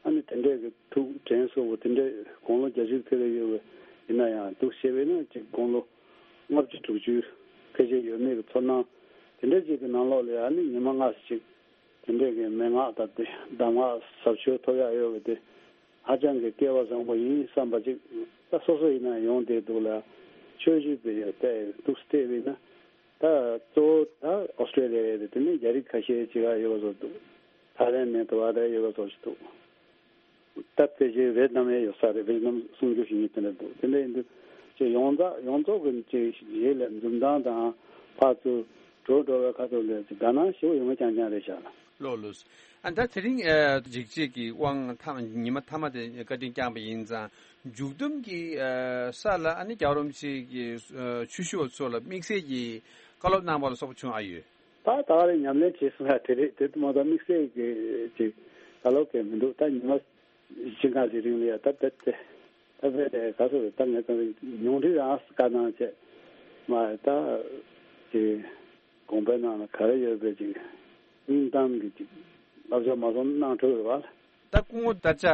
ཨ་ནི་དེ་འདྲས་ཀྱི་ཐུགས་དྲན་གསོ་བོ་དེ་འདྲས་དགུང་ལོ་བརྒྱད་ཅུ་ཕེབས་ཀྱི་ཡོད་པ་ཡིན་ན་ཡང་འདུག་བྱས་པས་ན་ཅིག་དགུང་ལོ་ལྔ་བཅུ་དྲུག་ཅུ་ཕལ་ཆེར་ཡོད་མེད་ཀྱི་ཚོར་སྣང་དེ་འདྲས་ཅིག་གི་ནང་ལོགས་ལ་ཨ་ནི་ཉི་མ་ལྔ་ཙམ་ཅིག་དེ་འདྲས་ཀྱི་མན་ངག་དང་དེ་གདམས་ངག་ཟབ་ཆོས་ཐོབ་ཡག་ཡོད་པ་དེ་ཧ་ཅང་གི་སྐལ་བ་བཟང་པོ་ཡིན་བསམ་པ་ཅིག་ད་སོ་སོ་ཡིན་ན་ཡོང་བསྡད་འདུག་ལ་ཆོས་ཞུ་བའི་ཡོད་དེ་འདུག་བལྟས་པས་ན། ད་གཙོ་བོ་ད་ཨོ་སི་ཀྲེ་ལི་ཡ་རེད། དེ་ནས་རྒྱ་རིགས་ཁ་ཤས་ཅིག་ཡོད་པ་བཟོ་འདུག་ཐའི་ལེན་ནས་དུ་བ་ད་ཡོད་པ་བཟོ་ཞིག་འདུག་ད་ཕལ་ཆེར་ཝེ་ཏི་ནམ་ཡང་ཡོད་ས་རེད། ཝེ་ཏི་ནམ་གསུང་ཆོས་ཞུ་མཁན་དེ་འདྲ་འདུག་དེ་འདྲ་ཡིན་དུས་ཅིག་ཡོངས་རྫོགས་ཡོངས་རྫོགས་ཀྱི་ཅིག་ཡིད་ལ་འཛུམ་མདངས་དང་ཕར་ཚུར་འགྲོ་འགྲོ་བའི་ཁ་ཐུག་ལ་ཅིག་དགའ་སྣང་ཞེ་པོ་ཡོང་གི་རྐྱང་རྐྱང་རེད་ཤག་ལ། ལགས་ལགས། ཨ་ད་དེ་རིང་ཨ་འཇིགས་བྱེད་ཀྱི་དབང་ཐ་ཉི་མ་མཐའ་མ་དེ་བཀའ་དྲིན་བསྐྱངས་པ་ཡིན་ཙང་མཇུག་བསྡོམས་ཀྱི་ཨ་ས་ལ་ཨ་ནི་རྒྱལ་བ་རིན་པོ་ཆེ་གི་ཨ་ཆོས་ཞུ་བ་ཚོ་ལ་དམིགས་བསལ་གྱི་བཀའ་སློབ་གནང་བ་ལ་སོགས་པ་བྱུང་ཨ་ཡོད། ད་ད་རེས་ཉམས་ལེན་བྱས་སོང་ཡ་དེ་རེད། དེ་མ་གཏོགས་དམིགས་བསལ་གྱི་ཅིག་བཀའ་སློབ་གས་མི་འདུག་ད་ཉི་མ་བཞི་ལྔ་ཞིག་རིང་ལ་ཡ་ད་ད་དེ་ད་བས་དེ་ག་ཚོད་རེད། ད་ངས་ད་ཉུང་འཕྲི་རང་བཀའ་གནང་བྱས་མ་ད་ཅིག་དགོངས་པའི་ནང་ལ་ག་རེ་ཡོད་པའི་ཅིག་སྙིང་གཏམ་གྱི་ཅིག་བསླབ་བྱ་མ་སོང་གནང་འཕྲོ་ཡོད་པ། ད་སྐུ་ངོ་དར་ལྕག་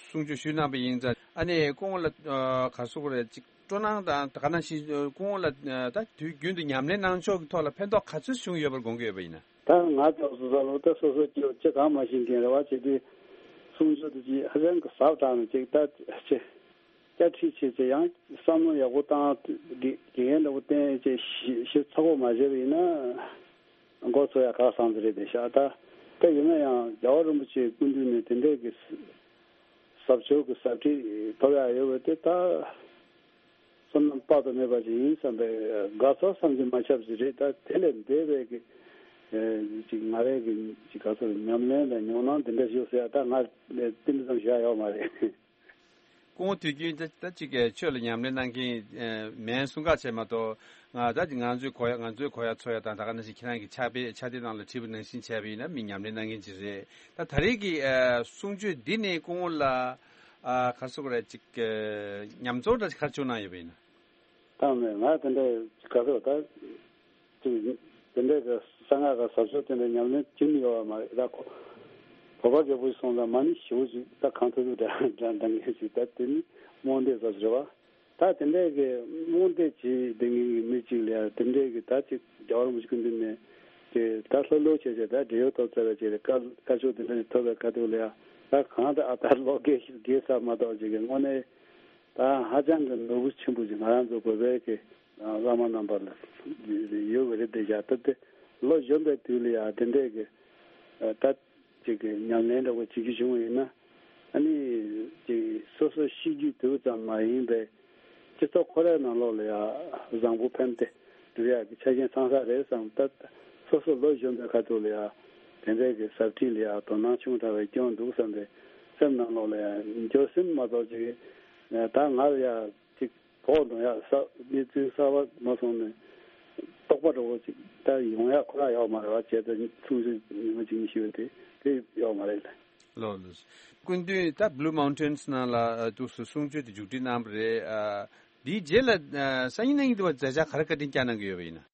གསུང་ཆོས་ཞུས་གནང་བ་ཡིན་ཙང་ཨ་ནི་སྐུ་ངོ་ལ་ག་སོག་རེད་ཅིག་སྤྲོ་སྣང་དང་ག་ནང་བཞིན་སྐུ་ངོ་ལ་ད་དུས་རྒྱུན་དུ་ཉམས་ལེན་གནང་ཕྱོགས་ཀྱི་ཐོག་ལ་ཕན་ཐོགས་ག་ཚོད་བྱུང་ཡོད་པར་དགོངས་ཀྱི་ཡོད་པ་ཡིན་ན། ད་ང་ཚོ་སོ་སོ་ལོ་ད་སོ་སོ་ཅི་ཅི་གང་མ་ཤེས་མཁན་རེ་བ་བྱེད་དུས་གསུང་ཆོས་དུ་ཅི་ཧ་ཅང་གི་ཟབ་དྲགས་ནས་ཅིག་ད་ཅི་བསྐྱར་ཁྲིད་བྱེད་ཅི་ཡང་བསམ་བློ་ཡག་པོ་བཏང་དགེ་རྒན་འདྲ་པོ་བསྟེན་ཅི་ཞིབ་ཚགས་པོ་མ་བྱས་པ་ཡིན་ན་མགོ་ཚོས་ཡ་ཁག་སང་ཟེར་རེད་དེ་ཤག་ད་ད་ཡིན་ན་ཡང་རྒྱལ་བ་རིན་པོ་ཆེའི་སྐུ་མདུན་ནས་དེ་འདྲས་ཀྱི་ ཟབ་ཆོས་ཀྱི་ཟབ་ཁྲིད་ཐོབ་ཡག་ཡོད་པ་དེ་ད་བསོད་ནམས་དཔག་ཏུ་མེད་པ་ཞིག་ཡིན་བསམ་པའི་དགའ་ཚོར་བསམ་གྱིས་མ་ཁྱབ་ཞིག་རེད། ད་དེ་ལས་འདས་པའི་གི་ཅིག་ང་རའི་གི་ཅིག་ག་ཚོད་ཉམས་ལེན་དང་ཉམས་སྣང་འདི་འདྲ་ཞིག་ཟེར་ཡ་ད་ང་དེ་འདྲ་ཙམ་ཞུ་ཡ་ཡོད་མ་རེད། སྐུ་ངོ་དུས་རྒྱུན་ད་ད་ཅིག་གི་ཆོས་ལ་ཉམས་ལེན་གནང་མཁན་མིན་གསུང་ག་བྱས་མ་གཏོགས། ང་ད་ཅིག་ང་ཚོའི་གོ་ཡ་ང་ཚོའི་གོ་ཡ་ཚོར་ཡ་དང་ད་ག་ནང་བཞིན་ཁྱེད་རང་གི་ཕྱག་དཔེ་ཕྱག་དེབ་ནང་ལ་བྲིས་པ་ནང་བཞིན་བྱས་པ་ཡིན་ན་མི་ཉམས་ལེན་གནང་མཁན་ཅིག་རེད། ད་ད་རེས་ཀྱི་གསུང་ཆོས་འདི་ནས་སྐུ་ངོ་ལ་ག་རེ་ཟེར་དགོས་རེད། ཅིག་ཉམས་ཚོར་འདྲ་ཞིག་ག་རེ་བྱུང་གནང་ཡོད་པ་ཡིན་ན། ད་མེད། ང་དེ་འདྲ་ག་ཚོད་ད་ཅིག་དེ་འདྲའི་གི་གསང་སྔགས་གི་ཟབ་ཆོས་དེ་འདྲ་ཉམས་ལེན་བྱེད་མི་ཡོད་པ་མ་རེད། ད་ཁོ་བོད་པ་རྒད་པོ་ཞིག་སོང་ཙང་མ་ཎི་ཞེ་པོ་ཅིག་ད་གང་ཐུབ་ཐུབ་འདྲ་འདྲ་འདྲ་མཁན་ཞིག་ད་དེ་ནི་རྨོངས་དད་ཟབ་ཟེར་བ། ད་དེ་འདྲའི་གི་རྨོངས་དད་བྱེད་བསྡད་མཁན་གི་མི་གཅིག་ལ་ཡ་དེ་འདྲའི་གི་ད་ཅིག་རྒྱལ་བ་རིན་པོ་ཆེ་སྐུ་མདུན་ནས་དེ་ད་ལྷོད་ལྷོད་བྱས་བྱས་ད་བགྲེས་ཡོལ་ཐོབ་ཚར་བ་བྱས་ཏེ་བཀའ་བཀའ་ཆོས་དེ་འདྲ་ཞིག་ཐོབ་པའི་ཁ་ཐུག་ལ་ཡ་ད་གང་ད་ཨ་ད་ལོ་རྒས་རྒས་ཚར་མ་གཏོགས་ཅིག་གི་དངོས་གནས། ད་ཧ་ཅང་གི་ནོར་བུ་ཆེན་པོ་ཞིག་ང་རང་ཚོ་བོད་པའི་གི་བླ་མ་རྣམ་པ་ལ་ཡོད་པ་རེད། དེ་བཞག་སྟབས་དེ་ལོ་གཞོན་པའི་དུས་ལ་ཡང་དེ་འདྲའི་གི་ད་ཅིག་གི་ཉམས་ལེན་འདྲ་བོ་བྱེད་རྒྱུ་བྱུང་བ་ཡིན་ན། ཨ་ནི་ཅིག་སོ་སོ་ཤི་རྒྱུའི་དུས་ཙམ་མ་ཡིན་པའི་སྤྱི་ཚོགས་ཁོ་རའི་ནང་ལོགས་ལ་ཡང་བཟང་པོ་ཕན་བདེ་འགྲུབ་ཡག་གི་ཆ་རྐྱེན་ཚང་ས་རེད་བསམ། ད་སོ་སོ་ལོ་གཞོན་པའི་ཁ་ཐུག་ལ་ཡང་དེ་འདྲའི་གི་ཟབ་ཁྲིད་ལ་ཡང་དོ་སྣང་ཆུང་དྲགས་པའི་སྐྱོན་འདུག་བསམ་པའི་སེམས་ནང་ལོགས་ལ་ཡང་འགྱོད་སེམས་མ་གཏོགས་ཅིག་ད་ང་ལ་ཡང་ཅིག་བོགས་འདོན་ཡག་ས་གནས་ཚུལ་གསར་པ་མ་སོང་ནས་རྟོག་པ་འདྲ་བོ་ཅིག་ད་ཡོང་ཡག་ཁོ་ར་ཡོག་མ་རེད་བ། བྱས་ཙང་ཆུང་ཆུང་ཉི་མ་གཅིག་གཉིས་ཤི་བ་དེ་དེ་ཡོག་མ་རེད་ལ། ལོ་ལོ། སྐུ་མདུན་ད་Blue Mountains་ནང་ལ་ཨ་ཏུ་སུ་གསུང་ཆོས་དེ་མཇུག་སྒྲིལ་གནང་བ་རེད། ཨ་དེའི་རྗེས་ལ་ཨ་སང་ཉིན་གནངས་ཉིན་དུ་བ་མཛད་འཆར་ག་རེ་བཀའ་དྲིན་བསྐྱངས་གནང་གི་ཡོད་པ་ཡིན་ན།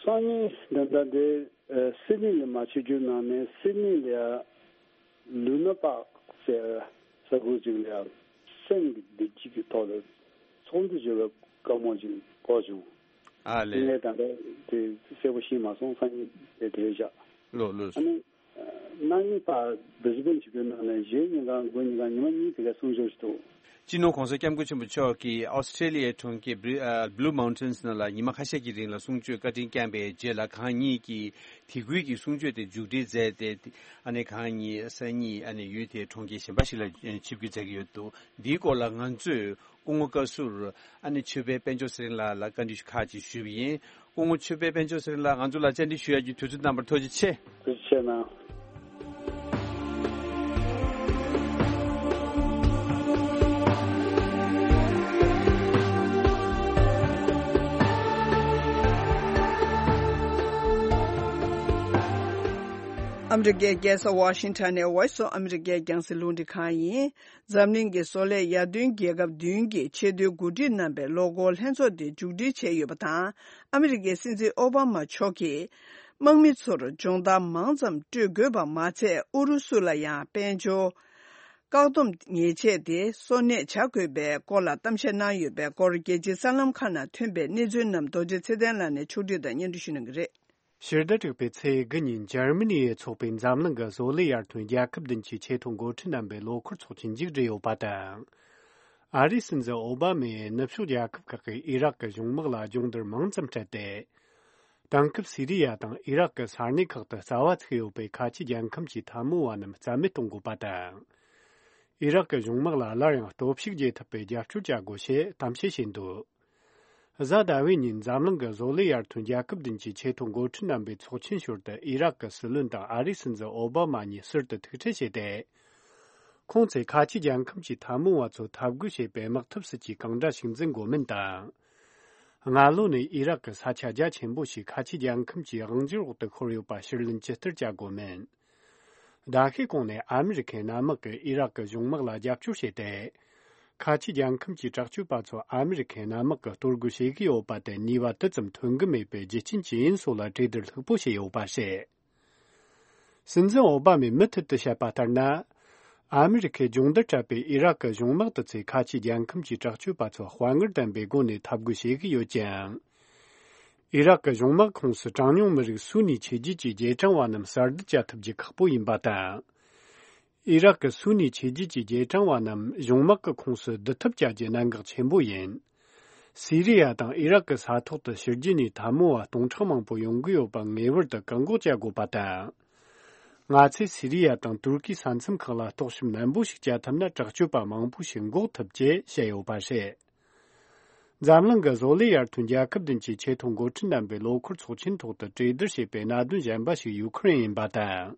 སང་ཉིན་ད་ལྟ་འདི་ཨ་སིད་ནི་ལ་མ་ཆིབས་བསྒྱུར་གནང་ནས་སིད་ནི་ལ་ཡ་ལུ་ན་པག་ཟེར་ས་ཁུལ་ཅིག་ལ་ཡ་སེམས་ཀྱི་བདེ་སྐྱིད་ཀྱི་ཐོག་ལ་ཚོགས་འདུ་བྱེད་པའི་བཀའ་མོལ་ཅིག་གོ་བྱུང་། ཨ་དེ་ལས། ངས་ད་ལྟ་དེ་གསལ་པོ་ཤེས་མ་སོང་། སང་ཉིན་དེ་དེ་རེད་བཞག་ལོ་ལོ། ཨ་ནི་གནངས་ཉིན་ཕར་Brisbane་ཆིབས་བསྒྱུར་གནང་ནས་གཞེས་ཉིན་གང་དགུན་ཉིན་གང་ཉི་མ་གཉིས་དེ་ག་གསུང་ཆོས་ཞིག་འདུག་སྤྱི་ནོར་༸གོང་ས་༸སྐྱབས་མགོན་ཆེན་པོ་མཆོག་གིས་ཨོ་སི་ཁྲེ་ལི་ཡའི་གྲོང་ཁྱེར་Bri- ཨ་Blue Mountains་ནང་ལ་ཉི་མ་ཁ་ཤས་ཀྱི་རིང་ལ་གསུང་ཆོས་བཀའ་དྲིན་བསྐྱངས་པའི་རྗེས་ལ་གང་ཉིད་ཀྱིས་དེ་ཁུལ་གྱི་གསུང་ཆོས་དེ་མཇུག་སྒྲིལ་མཛད་དེ། ཨ་ནི་གང་ཉིད་སང་ཉིན་ཨ་ནི་ཡུལ་དེའི་གྲོང་ཁྱེར་གཞན་པ་ཞིག་ལ་ཆིབས་བསྒྱུར་མཛད་ཀྱི་ཡོད་འདུག་འདིའི་སྐོར་ལ་ང་ཚོས་སྐུ་ངོ་བཀའ་ཟུར་ཨ་ནི་ཆོས་འཕེལ་དཔལ་འབྱོར་ཚེ་རིང་ལགས་ལ་བཀའ་འདྲི་ཁག་ཅིག་ཞུས་པ་ཡིན། སྐུ་ངོ་ཆོས་འཕེལ་དཔལ་འབྱོར་ཚེ་རིང་ལགས་ང་ཚོ་ལ་བཅར་འདྲི་ཞུ་ཡ་གྱི་དུས་ཚོད་གནང་བར་ཐུགས་རྗེ་ཆེ། ཐུགས་རྗེ་ཆེ་གནང་། ཨ་མི་རི་ཀའི་རྒྱལ་ས་ཝ་ཤིང་ཊོན་ནས་Voice of America་རྒྱང་སྲིང་རླུང་འཕྲིན་ཁང་ཡིན། འཛམ་གླིང་གི་བཟོ་ལས་ཡར་ཐོན་རྒྱལ་ཁབ་བདུན་གྱི་ཆེས་མཐོའི་འགོ་ཁྲིད་རྣམ་པའི་ལོ་འཁོར་ལྷན་ཚོགས་དེ་མཇུག་སྒྲིལ་བྱས་ཡོད་པ་དང་། ཨ་མི་རི་ཀའི་སྲིད་འཛིན་ཨོ་བྷ་མ་མཆོག་གིས་དམག་མི་ཚོར་སྦྱོང་བརྡར་མང་ཙམ་སྤྲོད་དགོས་པ་མ་ཚད། ཨུ་རུ་སུ་ལ་ཡང་དཔལ་འབྱོར་བཀག་སྡོམ་ཉེས་ཆད་དེ་གསོ་གནས་བྱ་དགོས་པའི་སྐོར་ལ་གཏམ་བཤད་གནང་ཡོད་པའི་སྐོར། རྒྱལ་སྤྱིའི་གསར་ལམ་ཁག་ནང་ཐོན་པའི་གནས་ཚུལ་རྣམས་རྡོ་རྗེ་ཚེ་བརྟན་ལགས་ནས་ཕྱོགས་སྒྲིག་དང་སྙན་སྒྲོན་ཞུ་གནང་གི་རེད། ཕྱི་ཟླ་དྲུག་པའི་ཚེས་དགུ་ཉིན་འཇར་མ་ནི་ཡས་འཚོགས་པའི་འཛམ་གླིང་གི་བཟོ་ལས་ཡར་ཐོན་རྒྱལ་ཁབ་བདུན་གྱི་ཆེས་མཐོའི་འགོ་ཁྲིད་རྣམ་པའི་ལོ་འཁོར་ཚོགས་ཆེན་མཇུག་བསྒྲིལ་ཡོད་པ་དང་། ཨ་རིའི་སྲིད་འཛིན་ཨོ་བྷ་མས་ནུབ་ཕྱོགས་རྒྱལ་ཁབ་ཁག་གིས་ཨི་རག་གི་གཞུང་དམག་ལ་སྦྱོང་བརྡར་མང་ཙམ་སྤྲད་དེ། དེང་སྐབས་སི་རི་ཡ་དང་ཨི་རག་གི་ས་གནས་ཁག་ཏུ་རྩ་བ་ཚུགས་ཡོད་པའི་ཁ་ཆེ་རྒྱལ་ཁམས་ཀྱི་འཐབ་མོ་བ་རྣམས་རྩ་མེད་གཏོང་དགོས་པ་དང་། ཨི་རག་གི་གཞུང་དམག་ལ་སླར་ཡང་སྟོབས་ཤུགས་རྒྱས་ཐུབ་པའི་རྒྱབ་སྐྱོར་བྱ་དགོས་ཞེས་གཏམ་བཤད་བྱས་འདུག་གཟའ་ཟླ་བའི་ཉིན་འཛམ་གླིང་གི་བཟོ་ལས་ཡར་ཐོན་རྒྱལ་ཁབ་བདུན་གྱི་ཆེས་མཐོའི་འགོ་ཁྲིད་རྣམ་པའི་ཚོགས་ཆེན་ཞོར་དུ་ཨི་རག་གི་སྲིད་བློན་དང་ཨ་རིའི་སྲིད་འཛིན་ཨོ་བྷ་མ་གཉིས་ཟུར་དུ་ཐུག་འཕྲད་བྱས་ཏེ། ཁོང་ཚོས་ཁ་ཆེ་རྒྱལ་ཁམས་ཀྱི་འཐབ་མོ་བ་ཚོ་འཐབ་རྒོལ་བྱེད་པའི་དམག་འཐབ་སྲིད་ཇུས་གང་འདྲ་ཞིག་འཛིན་དགོས་མིན་དང་། སྔ་ལོ་ནས་ཨི་རག་གི་ས་ཆ་རྒྱ་ཆེན་པོ་ཞིག་ཁ་ཆེ་རྒྱལ་ཁམས་ཀྱི་དབང་སྒྱུར་འོག་ཏུ་ཤོར་ཡོད་པ་ཕྱིར་ལེན་ཇི་ལྟར་བྱ་དགོས་མིན། ཟླ་ཤས་གོང་ནས་ཨ་མི་རི་ཁའི་གནམ་དམག་གིས་ཨི་རག་གི་གཞུང་དམག་ལ་རྒྱབ་སྐྱོར་བྱས་ཏེ། ཁ་ཆེ་རྒྱལ་ཁམས་ཀྱི་དྲག་སྤྱོད་པ་ཚོ་ཨ་མི་རི་ཁའི་གནམ་དམག་གིས་གཏོར་རྒོལ་བྱེད་ཀྱི་ཡོད་པ་དེ་ནུས་པ་དེ་ཙམ་ཐོན་གྱི་མེད་པའི་རྒྱུ་རྐྱེན་ཅི་ཡིན་སོགས་ལ་གྲོས་བསྡུར་ལྷུག་པོ་བྱས་ཡོད་པ་རེད། སྲིད་འཛིན་ཨོ་བྷ་མས་མུ་མཐུད་དུ་བཤད་པ་ལྟར་ན། ཨ་མི་རི་ཁས་སྦྱོང་བརྡར་སྤྲད་པའི་ཨི་རག་གི་གཞུང་དམག་དེ་ཚོས་ཁ་ཆེ་རྒྱལ་ཁམས་ཀྱི་དྲག་སྤྱོད་པ་ཚོ་དཔའ་ངར་ལྡན་པའི་སྒོ་ནས་འཐབ་རྒོལ་བྱེད་ཀྱི་ཡོད་ཅིང་། ཨི་རག་གི་གཞུང་དམག་ཁོངས་སུ་གྲངས་ཉུང་མི་རིགས་སུ་ནི་ཆོས་བརྒྱུད་ཀྱི་རྗེས་འབྲང་བ་རྣམས་གསར་སྡུད་བྱ་ཐུབ་རྒྱུ་ཁག་པོ་ཡིན་པ་དང་། ཨི་རག་གི་སུ་ནི་ཆོས་བརྒྱུད་ཀྱི་རྗེས་འབྲང་བ་རྣམས་གཞུང་དམག་གི་ཁོངས་སུ་བསྡུ་ཐབས་བྱ་རྒྱུ་གནད་འགག་ཆེན་པོ་ཡིན། སི་རི་ཡ་དང་ཨི་རག་གི་ས་ཐོག་ཏུ་ཕྱི་རྒྱལ་ནས་འཐབ་མོ་བ་སྟོང་ཕྲག་མང་པོ་ཡོང་གི་ཡོད་པ་ངེས་པར་དུ་བཀག་འགོག་བྱ་དགོས་པ་དང་། ང་ཚོས་སི་རི་ཡ་དང་ཏུར་ཀིའི་ས་མཚམས་ཁག་ལ་གཏོར་བཤིག་ནན་པོ་ཞིག་བྱ་ཐུབ་ན། དྲག་སྤྱོད་པ་མང་པོ་ཞིག་འགོག་ཐུབ་ཅེས་བཤད་ཡོད་པ་རེད། འཛམ་གླིང་གི་བཟོ་ལས་ཡར་ཐོན་རྒྱལ་ཁབ་བདུན་གྱི་ཆེས་མཐོའི་འགོ་ཁྲིད་རྣམ་པའི་ལོ་འཁོར་ཚོགས་ཆེན་ཐོག་ཏུ་གྲོས་བསྡུར་བྱས་པའི་གནད་དོན་གཞན་པ་ཞིག་ཡུ་ཁུ་རེན་ཡིན་པ་དང་།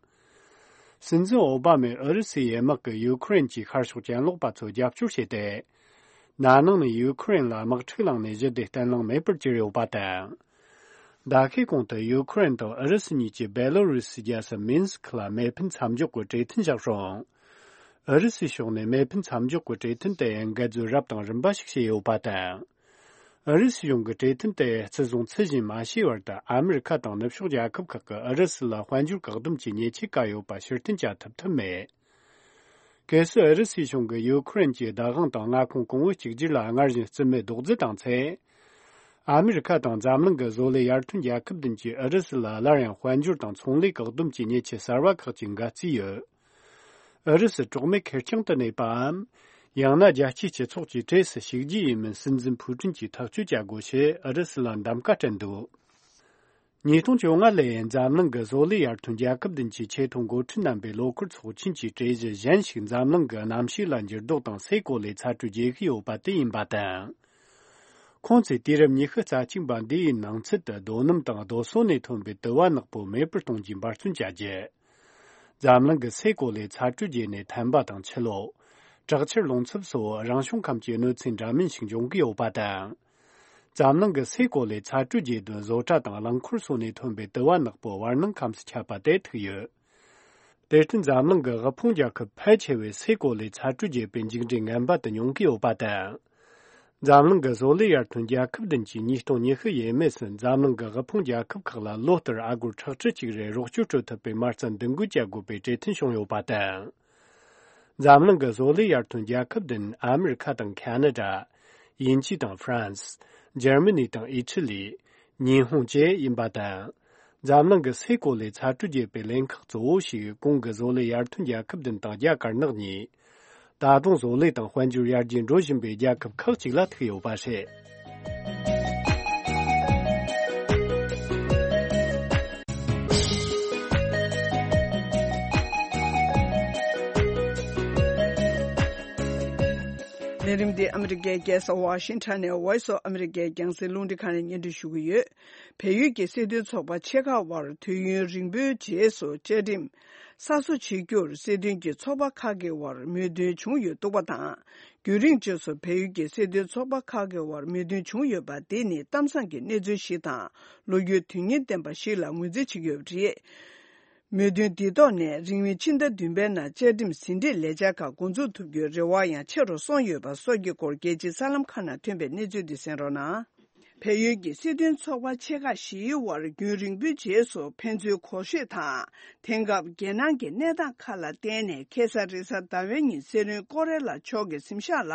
སྲིད་འཛིན་ཨོ་བྷ་མས་ཨུ་རུ་སུའི་དམག་གིས་ཡུ་ཁུ་རེན་གྱི་ཤར་ཕྱོགས་གྱེན་ལོག་པ་ཚོ་རྒྱབ་སྐྱོར་བྱས་ཏེ། ན་ནིང་ནས་ཡུ་ཁུ་རེན་ལ་དམག་འཁྲུག་བསླངས་ནས་གཞི་དེ་བརྟན་ལྷིང་མེད་པར་གྱུར་ཡོད་པ་དང་། ཟླ་ཤས་གོང་དུ་ཡུ་ཁུ་རེན་དང་ཨུ་རུ་སུ་གཉིས་ཀྱིས་བེ་ལོ་རུ་སི་རྒྱལ་ས་མིན་སི་ཁི་ལ་མེ་འཕེན་མཚམས་འཇོག་གི་གྲོས་མཐུན་བཞག་རུང་། ཨུ་རུ་སུའི་ཕྱོགས་ནས་མེ་འཕེན་མཚམས་འཇོག་གི་གྲོས་མཐུན་དེ་འགལ་འཛོལ་རབ་དང་རིམ་པ་ཞིག་བྱས་ཡོད་པ་དང་། ཨུ་རུ་སུ་གཞུང་གིས་གྲོས་མཐུན་དེ་བརྩི་སྲུང་ཚུལ་བཞིན་མ་བྱས་བར་དུ། ཨ་མི་རི་ཁ་དང་ནུབ་ཕྱོགས་རྒྱལ་ཁབ་ཁག་གིས་ཨུ་རུ་སུ་ལ་དཔལ་འབྱོར་བཀག་སྡོམ་གྱི་ཉེས་ཆད་བཀལ་ཡོད་པ་ཕྱིར་འཐེན་བྱ་ཐུབ་ཐབས་མེད། གལ་སྲིད་ཨུ་རུ་སུའི་གཞུང་གིས་ཡུ་ཁུ་རེན་གྱི་བདག་དབང་དང་མངའ་ཁོངས་གོང་བུ་གཅིག་གྱུར་ལ་སྔར་བཞིན་རྩིས་མེད་རྡོག་རྫིས་བཏང་ཚེ། ཨ་མི་རི་ཁ་དང་འཛམ་གླིང་གི་བཟོ་ལས་ཡར་ཐོན་རྒྱལ་ཁབ་བདུན་གྱིས་ཨུ་རུ་སུ་ལ་སླར་ཡང་དཔལ་འབྱོར་དང་ཚོང་ལས་བཀག་སྡོམ་གྱི་ཉེས་ཆད་གསར་བ་ཁག་ཅིག་འགལ་རྩིས་ཡོད། ཨུ་རུ་སུ་གྲོགས་མེད་ཁེར་རྐྱང་དུ་གནས་པའམ། ཡང་ན་རྒྱལ་སྤྱིའི་སྤྱི་ཚོགས་ཀྱི་གྲས་སུ་ཞུགས་རྒྱུ་ཡིན་མིན་སྲིད་འཛིན་ཕུའུ་ཀྲིན་གྱིས་ཐག་གཅོད་བྱ་དགོས་ཞེས་ཨུ་རུ་སུ་ལ་གདམ་ག་སྤྲད་འདུག། ཉིས་སྟོང་བཅོ་ལྔ་ལོའི་འཛམ་གླིང་གི་བཟོ་ལས་ཡར་ཐོན་རྒྱལ་ཁབ་བདུན་གྱི་ཆེས་མཐོའི་འགོ་ཁྲིད་རྣམ་པའི་ལོ་འཁོར་ཚོགས་ཆེན་གྱི་གྲོས་གཞི་གཞན་ཞིག་འཛམ་གླིང་གི་གནམ་གཤིས་ལ་འགྱུར་ལྡོག་དང་སའི་གོ་ལའི་ཚ་དྲོད་རྒྱས་ཀྱི་ཡོད་པ་དེ་ཡིན་པ་དང་། ཁོང་ཚོས་དུས་རབས་ཉི་ཤུ་རྩ་གཅིག་པ་འདིའི་ནང་ཚུད་དུ་རྡོ་སྣུམ་དང་རྡོ་སོལ་ནས་ཐོན་པའི་དུ་བ་ནག་པོ་མེད་པར་གཏོང་རྒྱུའི་འབད་བརྩོན་བྱ་རྒྱུ། འཛམ་གླིང་གི་སའི་གོ་ལའི་ཚ་དྲོད་རྒྱས་ནས་ཐན་པ་དང་ཆུ་ལོག། དྲག་ཆར་རླུང་འཚུབ་སོགས་རང་བྱུང་ཁམས་ཀྱི་གནོད་འཚེ་འདྲ་མིན་ཞིག་འབྱུང་གི་ཡོད་པ་དང་། འཛམ་གླིང་གི་སའི་གོ་ལའི་ཚ་དྲོད་རྒྱས་དོན་བཟོ་གྲྭ་དང་རླངས་འཁོར་སོགས་ནས་ཐོན་པའི་དུ་བ་ནག་པོ་བར་སྣང་ཁམས་སུ་ཁྱབ་པ་དེ་ཐུག་ཡོད། དེར་བརྟེན་འཛམ་གླིང་གི་དབུལ་ཕོངས་རྒྱལ་ཁབ་ཕལ་ཆེ་བས་སའི་གོ་ལའི་ཚ་དྲོད་རྒྱས་པའི་མཇུག་འབྲས་ངན་པ་དེ་མྱོང་གི་ཡོད་པ་དང་། འཛམ་གླིང་གི་བཟོ་ལས་ཡར་ཐོན་རྒྱལ་ཁབ་བདུན་གྱིས་ཉིས་སྟོང་ཉི་ཤུ་ཡས་མས་སུ་འཛམ་གླིང་གི་དབུལ་ཕོངས་རྒྱལ་ཁབ་ཁག་ལ་ལོ་ལྟར་ཨ་སྒོར་ཁྲག་ཁྲི་གཅིག་རེ་རོགས་སྐྱོར་སྤྲོད་ཐུབ་པའི་མ་རྩ་འདུ་འགོད་བྱ་དགོས་པའི་གྲོས་མཐུན་བྱུང་ཡོད་པ་དང་། འཛམ་གླིང་གི་བཟོ་ལས་ཡར་ཐོན་རྒྱལ་ཁབ་བདུན་ཨ་མི་རི་ཁ་དང་ཁ་ན་ཌ། དབྱིན་ཇི་དང་ཧྥ་རན་སི། འཇར་མ་ནི་དང་ཨི་ཊ་ལི། ཉི་ཧོང་བཅས་ཡིན་པ་དང་། འཛམ་གླིང་གི་སའི་གོ་ལའི་ཚ་དྲོད་རྒྱས་པའི་ལན་ཁག་གཙོ་བོ་ཞིག་གོང་གི་བཟོ་ལས་ཡར་ཐོན་རྒྱལ་ཁབ་བདུན་དང་རྒྱ་དཀར་ནག་གཉིས། ད་དུང་བཟོ་ལས་དང་དཔལ་འབྱོར་ཡར་རྒྱས་འགྲོ་བཞིན་པའི་རྒྱལ་ཁབ་ཁག་ཅིག་ལ་ཐུག་ཡོད་པ་རེད། ལས་རིམ་འདི་ཨ་མི་རི་ཀའི་རྒྱལ་ས་ཝ་ཤིང་ཊོན་ནས་Voice of America རྒྱང་སྲིང་རླུང་འཕྲིན་ཁང་ནས་སྙན་སྒྲོན་ཞུ་གི་ཡོད། བལ་ཡུལ་གྱི་སྲིད་དོན་ཚོགས་པ་ཆེ་ཁག་དབར་དུས་ཡུན་རིང་པོའི་རྗེས་སུ་བཅའ་ཁྲིམས་གསར་བཟོ་བྱེད་རྒྱུར་སྲིད་དོན་གྱི་ཚོགས་པ་ཁག་གི་དབར་མོས་མཐུན་བྱུང་ཡོད་འདུག་པ་དང་། རྒྱུན་རིང་རྗེས་སུ་བལ་ཡུལ་གྱི་སྲིད་དོན་ཚོགས་པ་ཁག་གི་དབར་མོས་མཐུན་བྱུང་ཡོད་པ་འདི་ནི་གཏམ་བཟང་གི་གནས་ཚུལ་ཞིག་དང་། ལོ་རྒྱུས་དོན་སྙིང་ལྡན་པ་ཞིག་ལ་ངོས་འཛིན་བྱེད་ཀྱི་ཡོད་པ་རེད། མོས་མཐུན་འདི་ཐོག་ནས་རིང་མིན་ཕྱི་ཟླ་བདུན་པའི་ནང་བཅའ་ཁྲིམས་ཟིན་བྲིས་ལས་འཆར་ཁག་འགོ་འཛུགས་ཐུབ་རྒྱུའི་རེ་བ་ཡང་ཆེ་རུ་སོང་ཡོད་པ་སོགས་ཀྱི་སྐོར་རྒྱལ་སྤྱིའི་གསར་ལམ་ཁག་ནང་ཐོན་པའི་གནས་ཚུལ་འདི་གསན་རོགས་གནང་། བལ་ཡུལ་གྱི་སྲིད་དོན་ཚོགས་པ་ཆེ་ཁག་བཞིའི་དབར་རྒྱུན་རིང་པོའི་རྗེས་སུ་ཕན་ཚུན་གོ་ཤེས་དང་། དེང་སྐབས་རྒྱལ་ནང་གི་གནས་སྟངས་ཁག་ལ་བརྟེན་ནས་ཁ་སང་རེས་གཟའ་ཟླ་བའི་ཉིན་སྲིད་བློན་ཀོ་རེ་ལ་མཆོག་གི་གཟིམ་ཤག་ལ་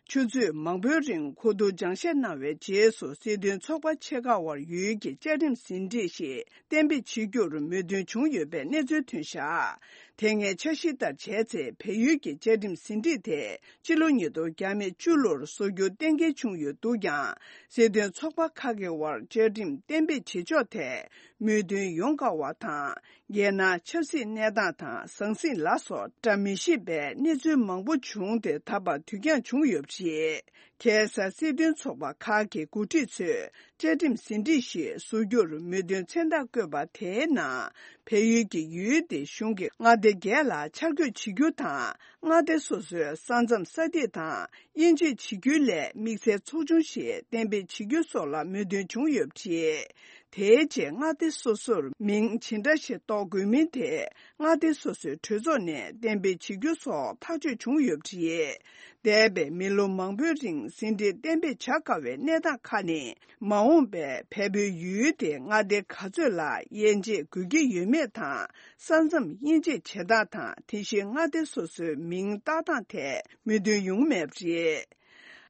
ཆུ་ཚོད་མང་པོའི་རིང་གོ་བསྡུར་སྦྱང་བཤད་གནང་བའི་རྗེས་སུ་སྲིད་དོན་ཚོགས་པ་ཆེ་ཁག་དབར་ཡུལ་གྱི་བཅའ་ཁྲིམས་ཟིན་བྲིས་ཤིག་གཏན་འབེབས་བྱེད་རྒྱུར་མོས་མཐུན་བྱུང་ཡོད་པའི་གནས་ཚུལ་ཐོན་བཞག་དེ་སྔའི་འཆར་གཞི་ལྟར་བྱས་ཚེ་བལ་ཡུལ་གྱི་བཅའ་ཁྲིམས་ཟིན་བྲིས་དེ་སྤྱི་ལོ་ཉིས་སྟོང་བརྒྱ་མེད་བཅུ་ལོར་བཟོ་རྒྱུ་གཏན་འཁེལ་བྱུང་ཡོད་འདུག་ཀྱང་། སྲིད་དོན་ཚོགས་པ་ཁག་གི་དབར་བཅའ་ཁྲིམས་གཏན་འབེབས་བྱེད་ཕྱོགས་ཐད་མོས་མཐུན་ཡོང་དཀའ་བ་དང་། རྒྱལ་ནང་ཆབ་སྲིད་གནས་སྟངས་དང་ཟང་ཟིང་ལ་སོགས་བཀྲ་མི་ཤིས་པའི་གནས་ཚུལ་མང་པོ་བྱུང་སྟེ་ད་བར་དུས་འགྱངས་བྱུང་ཡོད་པ་རེད། ཁ་སང་སྲིད་དོན་ཚོགས་པ་ཁག་གི་འགོ་ཁྲིད་ཚོས་བཅའ་ཁྲིམས་ཟིན་བྲིས་ཤིག་བཟོ་རྒྱུར་མོས་མཐུན་མཚན་རྟགས་བཀོད་པ་དེའི་ནང་། བལ་ཡུལ་གྱི་ཡུལ་དེའི་གཞུང་གི་མངའ་སྡེ་བརྒྱད་ལ་འཆར་འགོད་བྱེད་རྒྱུ་དང་། མངའ་སྡེ་སོ་སོའི་ས་མཚམས་ས་ཐིག་དང་དབྱེ་འབྱེད་བྱེད་རྒྱུའི་སླད་དམིགས་བསལ་ཚོགས་ཆུང་ཞིག་གཏན་འབེབས་བྱེད་རྒྱུ་སོགས་ལ་མོས་མཐུན་བྱུང་ཡོད་པ་རེད། དེའི་རྗེས་མངའ་སྡེ་སོ་སོར་མིང་ཇི་འདྲ་ཞིག་འདོགས་དགོས་མིན་དེ་མངའ་སྡེ་སོ་སོའི་གྲོས་ཚོགས་ནས་གཏན་འབེབས་བྱེད་རྒྱུ་སོགས་ཐག་གཅོད་བྱུང་ཡོད་པ་རེད། འདས་པའི་མི་ལོ་མང་པོའི་རིང་ཟིན་བྲིས་གཏན་འབེབས་བྱ་དཀའ་བའི་གནས་སྟངས་ཁག་ནི། མ་འོངས་པའི་བལ་པོའི་ཡུལ་དེ་མངའ་སྡེ་ག་ཚོད་ལ་དབྱེ་འབྱེད་དགོས་ཀྱི་ཡོད་མེད་དང་། ས་མཚམས་དབྱེ་འབྱེད་བྱེད་སྟངས་དང་། དེ་བཞིན་མངའ་སྡེ་སོ་སོའི་མིང་བཏགས་སྟངས་ཐད་མོས་མཐུན་ཡོང་མེད་པ་རེད།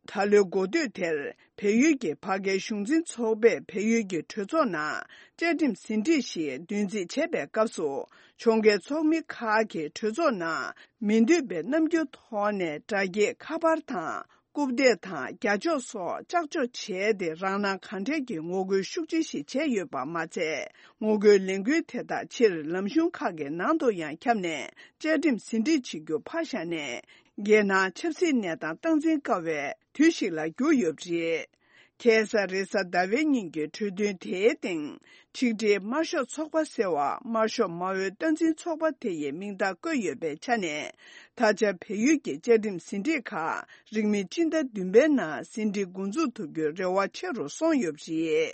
ད་ལོའི་འགོ་སྟོད་དེར་བལ་ཡུལ་གྱི་བར་བརྒལ་གཞུང་འཛིན་ཚོགས་པས་བལ་ཡུལ་གྱི་གྲོས་ཚོགས་ནང་བཅའ་ཁྲིམས་ཟིན་བྲིས་ཤིག་བསྡུ་རྩིས་བྱས་པའི་སྐབས་སུ། ཕྱོགས་འགལ་ཚོགས་མི་ཁག་གིས་གྲོས་ཚོགས་ནང་མི་འདོད་པའི་རྣམ་འགྱུར་ཐོག་ནས་དྲ་རྒྱའི་ཁ་པར་དང་། རྐུབ་སྟེགས་དང་རྒྱ་ལྕོག་སོགས་ལྕགས་འཇོག་བྱས་ཏེ། རང་སྣང་གང་དྲན་གྱིས་ངོ་རྒོལ་ཤུགས་ཆེ་ཞིག་བྱས་ཡོད་པ་མ་ཚད། ངོ་རྒོལ་ལས་འགུལ་དེ་དག་ཕྱིར་ལམ་གཞུང་ཁག་གི་ནང་དུ་ཡང་ཁྱབ་ནས། བཅའ་ཁྲིམས་ཟིན་བྲིས་བྱེད་རྒྱུ་ཕར་བཞག་ནས། རྒྱལ་ནང་ཆབ་སྲིད་གནས་སྟངས་སྟངས་འཛིན་དཀའ་བའི་དུས་ཤིག་ལ་གྱུར་ཡོད་པ་རེད། ཁ་སང་རེས་གཟའ་ཟླ་བའི་ཉིན་གྱི་གྲོས་མཐུན་དེའི་སྟེང་། ཆིག་སྒྲིལ་དམར་ཤོག་ཚོགས་པ་ཟེར་བ། དམར་ཤོག་མ་འོས་སྟངས་འཛིན་ཚོགས་པ་དེ་ཡི་མིང་རྟགས་བཀོད་ཡོད་པའི་ཆ་ནས། ད་ཆ་བལ་ཡུལ་གྱི་བཅའ་ཁྲིམས་ཟིན་བྲིས་ཁག་རིང་མིན་སྤྱི་ཟླ་བདུན་པའི་ནང་ཟིན་བྲིས་འགོ་འཛུགས་ཐུབ་རྒྱུའི་རེ་བ་ཆེ་རུ་སོང་ཡོད་པ་རེད།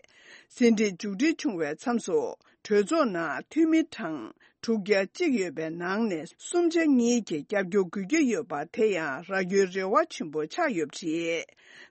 ཟིན་བྲིས་མཇུག་སྒྲིལ་བྱུང་བའི་མཚམས་སུ། གྲོས་ཚོགས་ནང་འཐུས་མི་གྲངས་དྲུག་བརྒྱ་གཅིག་ཡོད་པའི་ནང་ནས་སུམ་ཆ་གཉིས་ཀྱིས་རྒྱབ་སྐྱོར་དགོས་ཀྱི་ཡོད་པ་དེ་ཡང་རག་རྒྱུའི་རེ་བ་ཆེན་པོ་ཆགས་ཡོད་པ་རེད།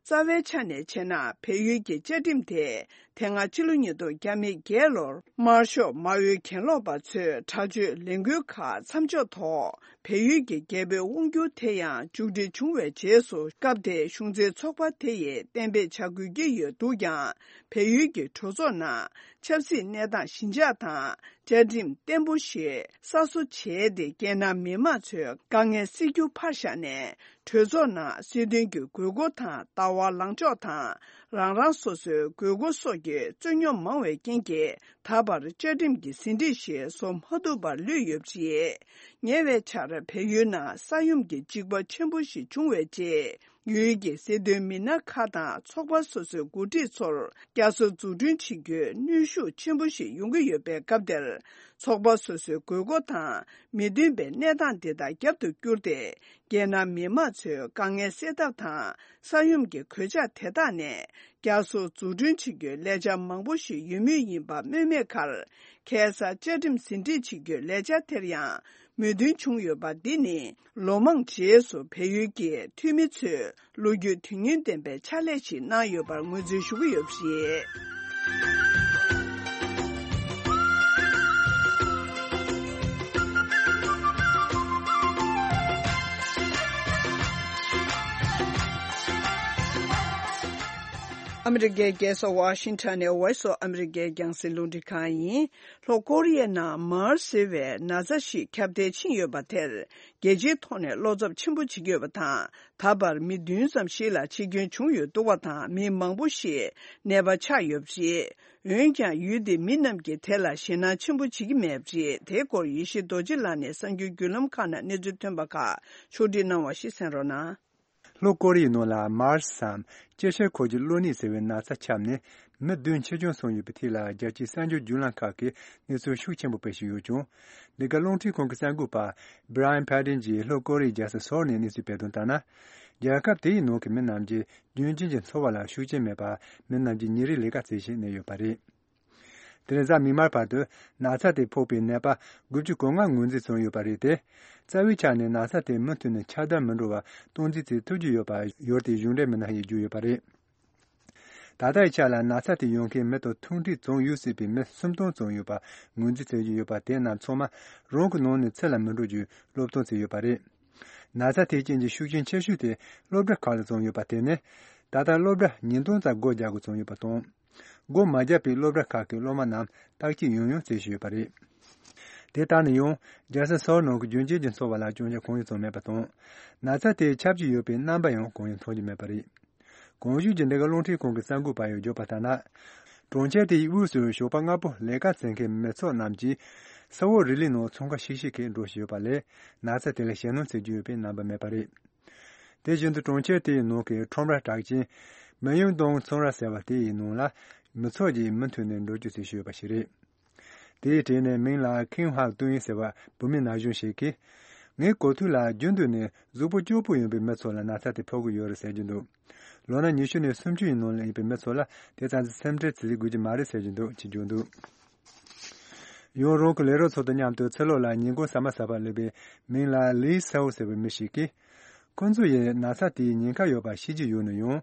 རྩ་བའི་ཆ་ནས་བྱས་ན། བལ་ཡུལ་གྱི་བཅའ་ཁྲིམས་དེ་དེ་སྔ་ཕྱི་ལོ་ཉིས་སྟོང་བརྒྱ་མེད་བརྒྱད་ལོར་དམར་ཤོག་མ་འོས་གྱེན་ལོག་པ་ཚོས་དྲག་སྤྱོད་ལས་འགུལ་ཁག་མཚམས་འཇོག་ཐོག་བལ་ཡུལ་གྱི་རྒྱལ་པོའི་དབང་སྒྱུར་དེ་ཡང་མཇུག་སྒྲིལ་བྱུང་བའི་རྗེས་སུ། སྐབས་དེའི་གཞུང་འཛིན་ཚོགས་པ་དེ་ཡིས་གཏན་འབེབས་བྱ་དགོས་ཀྱི་ཡོད་འདུག་ཀྱང་། བལ་ཡུལ་གྱི་གྲོས་ཚོགས་ནང་ཆབ་སྲིད་གནས་སྟངས་ཞི་འཇགས་དང་། བཅའ་ཁྲིམས་བརྟན་པོ་ཞིག་གསར་བཟོ་བྱས་ཏེ། རྒྱལ་ནང་མི་མང་ཚོའི་དཀའ་ངལ་སེལ་རྒྱུ་ཕར་བཞག་ནས། གྲོས་ཚོགས་ནང་སྲིད་དོན་གྱི་དགོས་མཁོ་དང་། ལྟ་བ་ལངས་ཕྱོགས་དང་། རང་རང་སོ་སོའི་དགོས་མཁོ་སོགས་ཀྱི་རྩོད་རྙོག་མང་བའི་རྐྱེན་གྱིས། ད་བར་བཅའ་ཁྲིམས་ཀྱི་ཟིན་བྲིས་ཤིག་བཟོ་མ་ཐུབ་པར་ལུས་ཡོད་པ་རེད། ཉེ་བའི་ཆར་བལ་ཡུལ་ནང་ས་ཡོམ་གྱི་འཇིགས་པ་ཆེན་པོ་ཞིག་བྱུང་བའི་རྗེས། ཡུལ་གྱི་སྲིད་དོན་མི་སྣ་ཁག་དང་ཚོགས་པ་སོ་སོའི་འགོ་ཁྲིད་ཚོར་བསྐྱར་གསོ་འཛུགས་སྐྲུན་བྱེད་རྒྱུའི་གནོན་ཤུགས་ཆེན་པོ་ཞིག་ཡོང་གི་ཡོད་པའི་སྐབས་དེར། ཚོགས་པ་སོ་སོའི་དགོས་མཁོ་དང་མི་མཐུན་པའི་གནས་སྟངས་འདི་དག་རྒྱབ་ཏུ་བསྐྱུར་ཏེ། རྒྱལ་ནང་མི་མང་ཚོའི་དཀའ་ངལ་སེལ་ཐབས་དང་། ས་ཡོམ་གྱི་གོད་ཆག་དེ་དག་ནས་བསྐྱར་གསོ་འཛུགས་སྐྲུན་བྱེད་རྒྱུའི་ལས་འཆར་མང་པོ་ཞིག་ཡོད་མུས་ཡིན་པ་སྨོས་མེད་ཁར། ཁ་སང་བཅའ་ཁྲིམས་ཟིན་བྲིས་བྱེད་རྒྱུའི་ལས་འཆར་དེར་ཡང་མོས་མཐུན་བྱུང་ཡོད་པ་འདི་ནི། ལོ་མང་རྗེས་སུ་བལ་ཡུལ་གྱི་འཐུས་མི་ཚོས་ལོ་རྒྱུས་དོན་སྙིང་ལྡན་པའི་ཕྱག་ལས་ཤིག་གནང་ཡོད་པར་ངོས་འཛིན་ཞུ་གི་ཡོད་པ་རེད། ཨ་མི་རི་ཀའི་རྒྱལ་ས་ཝ་ཤིང་ཊོན་ནས་Voice of America རྒྱང་སྲིང་རླུང་འཕྲིན་ཁང་ཡིན། ལྷོ་ཀོ་རི་ཡའི་ནང་མཱར་ཟེར་བའི་ན་ཚ་ཞིག་ཁྱབ་གདལ་ཕྱིན་ཡོད་པ་དེར། རྒྱལ་སྤྱིའི་ཐོག་ནས་བློ་འཚབ་ཆེན་པོ་བྱེད་ཀྱི་ཡོད་པ་དང་། ད་བར་མི་བདུན་ཙམ་ཞིག་ལ་འཆི་སྐྱོན་བྱུང་ཡོད་འདུག་པ་དང་། མི་མང་པོ་ཞིག་ནད་པ་ཆགས་ཡོད་པ་རེད། འོན་ཀྱང་། ཡུལ་དེའི་མི་རྣམས་ཀྱིས་དེ་ལ་ཞེད་སྣང་ཆེན་པོ་བྱེད་ཀྱི་མེད་པ་རེད། དེའི་སྐོར་ཡེ་ཤེས་རྡོ་རྗེ་ལགས་ནས་གསར་འགྱུར་བརྒྱུད་ལམ་ཁག་ནང་གནས་ཚུལ་ཐོན་པ་ཁག་ཕྱོགས་སྒྲིག་གནང་བ་ཞིག་གསན་རོགས་གནང་། ལྷོ་ཀོ་རི་ཡའི་ནང་ལ་མཱར་སམ་སྐྱི་བཤལ་འཁོར་གྱི་གློ་ནད་ཟེར་བའི་ན་ཚ་ཁྱབ་ནས་མི་བདུན་འཆི་སྐྱོན་སོང་ཡོད་པའི་ཐད་ལ། རྒྱལ་སྤྱིའི་གསར་འགྱུར་བརྒྱུད་ལམ་ཁག་གིས་གནས་ཚུལ་ཤུགས་ཆེན་པོ་སྤེལ་བཞིན་ཡོད་ཀྱང་། འདི་ག་རླུང་འཕྲིན་ཁང་གི་གསར་འགོད་པ་Brian Padden གྱིས་ལྷོ་ཀོ་རི་ཡའི་རྒྱལ་ས་སོལ་ནས་གནས་ཚུལ་སྤེལ་དོན་ལྟར་ན། རྒྱལ་ཁབ་དེ་ཡི་ནང་གི་མི་རྣམས་ཀྱི་རྒྱུན་གཅིག་གི་འཚོ་བ་ལ་ཤུགས་རྐྱེན་མེད་པར། མི་རྣམས་ཀྱིས་ཉིན་རེའི་ལས་ཀ་བྱེད་བཞིན་གནས་ཡོད་པ་རེད། དེ་རིང་གཟའ་མིག་དམར་བར་དུ་ན་ཚ་དེ་ཕོག་པའི་ནད་པ་དགུ་བཅུ་གོ་ལྔ་ངོས་འཛིན་བྱུང་ཡོད་པ་རེད་དེ། རྩ་བའི་ཆ་ནས་ན་ཚ་དེ་མུ་མཐུད་ནས་ཁྱབ་གདལ་མི་འགྲོ་བར་སྟངས་འཛིན་བྱེད་ཐུབ་ཀྱི་ཡོད་པ་ཡུལ་དེའི་གཞུང་འབྲེལ་མི་སྣ་ཡིས་བརྗོད་ཡོད་པ་རེད། ད་ལྟའི་ཆ་ལ་ན་ཚ་དེ་ཡོང་མཁན་མི་དང་ཐུག་འཕྲད་བྱུང་ཡོད་སྲིད་པའི་མི་སུམ་སྟོང་ཙམ་ཡོད་པ་ངོས་འཛིན་བྱེད་ཀྱི་ཡོད་པ། དེ་རྣམས་ཚང་མ་རང་གི་ནང་ནས་ཕྱི་ལ་མི་འགྲོ་རྒྱུའི་སློབ་སྟོན་བྱས་ཡོད་པ་རེད། ན་ཚ་དེའི་རྐྱེན་གྱིས་ཤུགས་རྐྱེན་ཆེ་ཤོས་དེ་སློབ་གྲྭ་ཁག་ལ་བྱུང་ཡོད་པ་དེ་ནི། ད་ལྟ་སློབ་གྲྭ་ཉིས་སྟོང་ཙམ་སྒོ་རྒྱག་དགོས་བྱུང་ཡོད་པ་དང་། སྒོ་མ་བརྒྱབ་པའི་སློབ་གྲྭ་ཁག་གི་སློབ་མ་རྣམས་བརྟག་དཔྱད་ཡང་ཡང་བྱེད་བཞིན་ཡོད་པ་རེད། དེ་ལྟར་ན་ཡང་རྒྱལ་ས་སོལ་ནང་གི་རྒྱུན་གཅིག་གི་འཚོ་བ་ལ་སྐྱོན་ཆ་གང་ཡང་བྱུང་མེད་པ་དང་། ན་ཚ་དེ་ཁྱབ་ཀྱི་ཡོད་པའི་རྣམ་པ་ཡང་གང་ཡང་མཐོང་རྒྱུ་མེད་པ་རེད། གོང་ཞུས་ཀྱི་འདི་ག་རླུང་འཕྲིན་ཁང་གི་གསར་འགོད་པ་ཡིས་བརྗོད་པ་ལྟར་ན། གྲོང་ཁྱེར་དེའི་དབུས་སུ་ཞོགས་པ་སྔ་པོ་ལས་ཀ་བྱེད་མཁན་མི་ཚོགས་རྣམས་ཀྱིས་ས་འོག་རི་ལི་ནང་འཚང་ཁ་ཤིག་ཤིག་གིས་འགྲོ་བཞིན་ཡོད་པ་ལས། ན་ཚ་དེ་ལ་ཞེད་སྣང་བྱེད་རྒྱུ་ཡོད་པའི་རྣམ་པ་མེད་པ་རེད། དེ་བཞིན་དུ་གྲོང་ཁྱེར་དེའི་ནང་གི་ཁྲོམ་ར་གྲགས་ཅན་མི་ཡུང་དོང་ཚོང་ར་ཟེར་བ་དེ་ཡི་ནང་ལ་མི་ཚོགས་ཀྱིས་མུ་མཐུད་ནས་འགྲོ་སྐྱོད་བྱེད་བཞིན་ཡོད་པ་ཞིག་རེད། དེའི་གྲས་ནས་མིང་ལ་ཁིང་ཧག་ཏུན་ཡིན་ཟེར་བ་བུད་མེད་ན་གཞོན་ཞིག་གིས། ངའི་གོ་ཐོས་ལ་རྒྱུན་དུ་ནས་གཟུགས་པོ་སྐྱོ་པོ་ཡིན་པའི་མི་ཚོ་ལ་ན་ཚ་དེ་ཕོག་གི་ཡོད་རེད་ཟེར་གྱི་འདུག་ལོ་ན་ཉི་ཤུ་ནས་སུམ་ཅུ་ཡི་ནང་ལ་ཡིན་པའི་མི་ཚོ་ལ་དེ་ཙམ་གྱི་སེམས་ཁྲལ་བྱེད་དགོས་ཀྱི་མ་རེད་ཟེར་གྱི་འདུག་ཅེས་བརྗོད་འདུག་ཡང་རང་གི་ལས་རོགས་ཚོ་དང་མཉམ་དུ་ཚུར་ལོག་ལ་ཉིན་གུང་ཟ་མ་ཟ་བར་སླེབས་པའི་མིང་ལ་ལི་སའོ་ཟེར་བའི་མི་ཞིག་གིས། ཁོ་ཚོ་ཡིས་ན་ཚ་དེའི་ཉེན་ཁ་ཡོད་པ་ཤེས་ཀྱི་ཡོད་ན་ཡང་།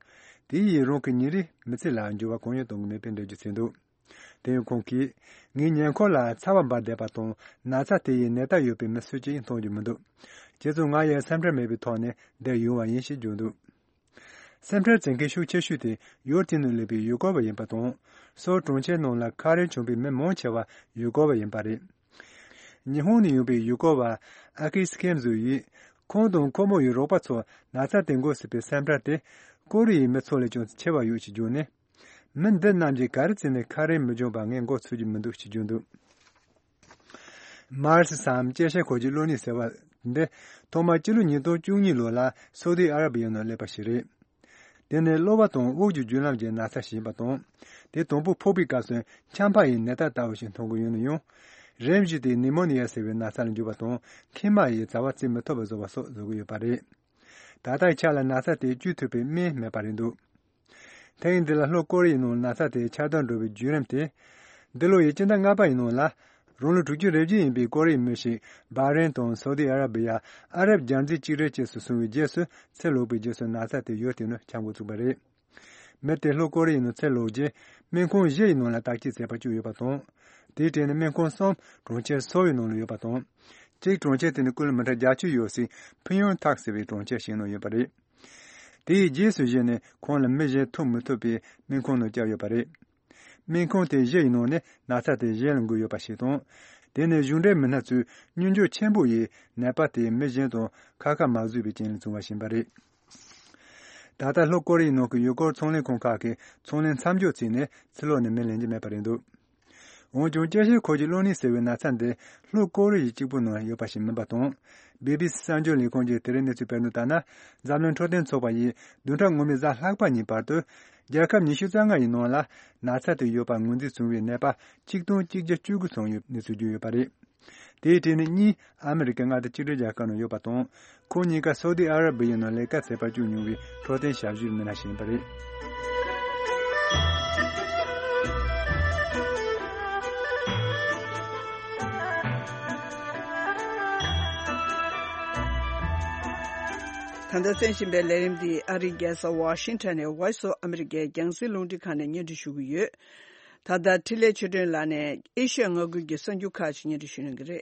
དེ་ཡིས་རང་གི་ཉིན་རེའི་མི་ཚེ་ལ་འགྱུར་བ་གང་ཡང་གཏོང་གི་མེད་པའི་འགྲེལ་བརྗོད་བྱས་འདུག་དེ་ཡང་ཁོང་གིས། ངའི་ཉེ་འཁོར་ལ་ཚ་བ་འབར་བསྡད་པ་དང་ན་ཚ་དེ་ཡི་ནད་རྟགས་ཡོད་པའི་མི་སུ་གཅིག་མཐོང་རྒྱུ་མི་འདུག་བྱས་ཙང་ང་ཡང་སེམས་ཁྲལ་མེད་པའི་ཐོག་ནས་བསྡད་ཡོང་བ་ཡིན་ཞེས་བརྗོད་འདུག་སེམས་ཁྲལ་བྱེད་མཁན་ཤུགས་ཆེ་ཤོས་དེ་ཡུལ་དེ་ནས་སླེབས་པའི་ཡུལ་སྐོར་བ་ཡིན་པ་དང་། སོལ་གྲོང་ཁྱེར་ནང་ལ་ཁ་རས་གྱོན་པའི་མི་མང་ཆེ་བ་ཡུལ་སྐོར་བ་ཡིན་པ་རེད། ཉི་ཧོང་ནས་ཡོང་པའི་ཡུལ་སྐོར་བ་ཨ་ཀི་སི་ཁེམ་ཟུ་ཡིས། ཁོང་དང་ཁོ་མོ་ཡི་རོགས་པ་ཚོ་ན་ཚ་དེ་འགོས་སྲིད་པའི་སེམས་ཁྲལ་དེ་ཀོ་རི་ཡའི་མི་ཚོ་ལས་ཀྱང་ཆེ་བ་ཡོད་ཅེས་བརྗོད་ནས། མི་འདི་རྣམས་ཀྱིས་ག་རེ་བྱས་ནས་ཁ་རས་མི་གྱོན་པ་ངས་མགོ་ཚོས་ཀྱི་མི་འདུག་ཅེས་བརྗོད་འདུག། མར་སི་སམ་སྐྱེ་ཤེས་ཁོར་གྱི་གློ་ནད་ཟེར་བ་འདི་ཐོག་མར་སྤྱི་ལོ་ཉིས་སྟོང་བཅུ་གཉིས་ལོ་ལ་སོ་དི་ཨ་ར་བི་ཡའི་ནང་སླེབས་པ་ཞིག་རེད། དེ་ནི་གློ་བ་དང་དབུགས་ཀྱི་རྒྱུན་ལམ་གྱི་ན་ཚ་ཞིག་ཡིན་པ་དང་། དེ་དང་པོ་ཕོག་པའི་སྐབས་སུ་ཆམ་པ་ཡི་ནད་རྟགས་ལྟ་བུ་ཞིག་མཐོང་གི་ཡོད་ན་ཡང་། རིམ་བཞིན་དེ་ནི་མོ་ནི་ཡ་ཟེར་བའི་ན་ཚ་ལ་འགྱུར་བ་དང་མཁལ་མ་ཡི་རྩ་བ་བཙིར་མི་ཐུབ་པ་བཟོ་བ་སོགས་བཟོ་གི་ཡོད་པ་རེད། ད་ལྟའི་ཆ་ལ་ན་ཚ་དེ་བཅོས་ཐུབ་པའི་སྨན་མེད་པ་རེད་འདུག། དེ་ཡིན་དུས་ལྷོ་ཀོ་རི་ཡའི་ནང་ན་ཚ་དེ་ཁྱབ་གདལ་འགྲོ་བའི་བརྒྱུད་རིམ་དེ། འདི་ལོ་ཡི་སྤྱི་ཟླ་ལྔ་པ་ཡི་ནང་ལ། རང་ལོ་དྲུག་ཅུ་རེ་བརྒྱད་ཡིན་པའི་ཀོ་རི་ཡའི་མི་ཞིག་བྷ་རེན་དང་སོ་དི་ཨ་ར་བི་ཡ། ཨ་རབ་རྒྱལ་མཛེས་གཅིག་སྒྲིལ་བཅས་སུ་སོང་བའི་རྗེས་སུ་ཚེ་ལོག་པའི་རྗེས་སུ་ན་ཚ་དེ་ཡོད་དེ་ནི་ཁྱབ་འགོ་ཚུགས་པ་རེད། མི་དེ་ལྷོ་ཀོ་རི་ཡའི་ནང་ཚེ་ལོག་རྗེས་སྨན་ཁང་བཞི་ཡི་ནང་ལ་བརྟག་དཔྱད་མཛད་པ་བཅུག་ཡོད་པ་དང་། དེའི་གྲས་ནས་སྨན་ཁང་གསུམ་གྲོང་ཁྱེར་སོའོ་ཡི་ནང་ལ་ཡོད་པ་དང་། གཅིག་གྲོང་ཁྱེར་དེ་ནས་ཀི་ལོ་མི་ཊར་བརྒྱད་ཅུ་ཡོད་སའི་ཕིང་ཡོན་ཐག་ཟེར་བའི་གྲོང་ཁྱེར་ཞིག་ནང་ཡོད་པ་རེད། དེའི་རྗེས་སུ་གཞིགས་ནས་ཁོང་ལ་མི་གཞན་ཐུག་མི་ཐུབ་པའི་སྨན་ཁང་ནང་བསྐྱལ་ཡོད་པ་རེད། སྨན་ཁང་དེ་བཞི་ཡི་ནང་ནས་ན་ཚ་དེ་གཞན་ལ་འགོས་ཡོད་པ་ཞིག་དང་། དེ་ནས་གཞུང་འབྲེལ་མི་སྣ་ཚོས་སྙོན་འཇུག་ཆེན་པོ་ཡིས་ནད་པ་དེའི་མི་གཞན་དང་ཁ་ཁ་མ་བཟོས་པའི་རྐྱེན་ལས་བྱུང་བ་ཡིན་པ་རེད། ད་ལྟ་ལྷོ་ཀོ་རི་ཡའི་ནང་གི་ཡུལ་སྐོར་ཚོང་ལས་ཁང་ཁག་གིས་ཚོང་ལས་མཚམས་འཇོག་བྱས་ནས་ཕྱི་ལོགས་ནས་མི་ལེན་གྱི་མེད་པ་རེད་འདུག། འོན་ཀྱང་། སྐྱེ་ཤི་འཁོར་གྱི་གློ་ནད་ཟེར་བའི་ན་ཚ་འདི་ལྷོ་ཀོ་རི་ཡ་གཅིག་པུ་ནང་ཡོད་པ་ཞིག་མིན་པ་དང་། བི་བི་སི་གསར་འགྱུར་ལས་ཁང་གིས་དེ་རིང་གནས་ཚུལ་སྤེལ་དོན་ལྟར་ན། འཛམ་གླིང་འཕྲོད་བསྟེན་ཚོགས་པ་ཡིས་བདུན་ཕྲག་སྔོན་མའི་གཟའ་ལྷག་པ་ཉིན་བར་དུ། རྒྱལ་ཁབ་ཉི་ཤུ་རྩ་ལྔ་ཡི་ནང་ལ་ན་ཚ་དེ་ཡོད་པ་ངོས་འཛིན་བྱུང་བའི་ནད་པ་ཆིག་སྟོང་གཅིག་བརྒྱ་བཅུ་དགུ་ཚང་ཡོད་གནས་ཚུལ་བརྗོད་ཡོད་པ་རེད། དེའི་གྲས་ནས་གཉིས་ཨ་མི་རི་ཀའི་མངའ་སྡེ་གཅིག་སྒྲིལ་རྒྱལ་ཁབ་ནང་ཡོད་པ་དང་། ཁོང་གཉིས་ཀ་སོ་དི་ཨ་ར་བི་ཡའི་ནང་ལས་ཀ་མཛད་པར་བཅུག་མྱོང་བའི་འཕྲོད་བསྟེན་ཞབས་ཞུའི་མི་སྣ་ཞིག་ཡིན་པ་རེད། ད་ལྟ་གསན་བཞིན་པའི་ལས་རིམ་འདི་ཨ་རིའི་རྒྱལ་ས་ཝ་ཤིང་ཊོན་ནས་Voice of America་རྒྱང་སྲིང་རླུང་འཕྲིན་ཁང་ནས་སྙན་སྒྲོན་ཞུ་གི་ཡོད། ད་ལྟ་འཕྲིན་ལས་ཆོས་སྒྲོན་ལགས་ནས་ཨེ་ཤི་ཡ་མངའ་ཁུལ་གྱི་གསར་འགྱུར་ཁག་ཅིག་སྙན་སྒྲོན་ཞུ་གནང་གི་རེད།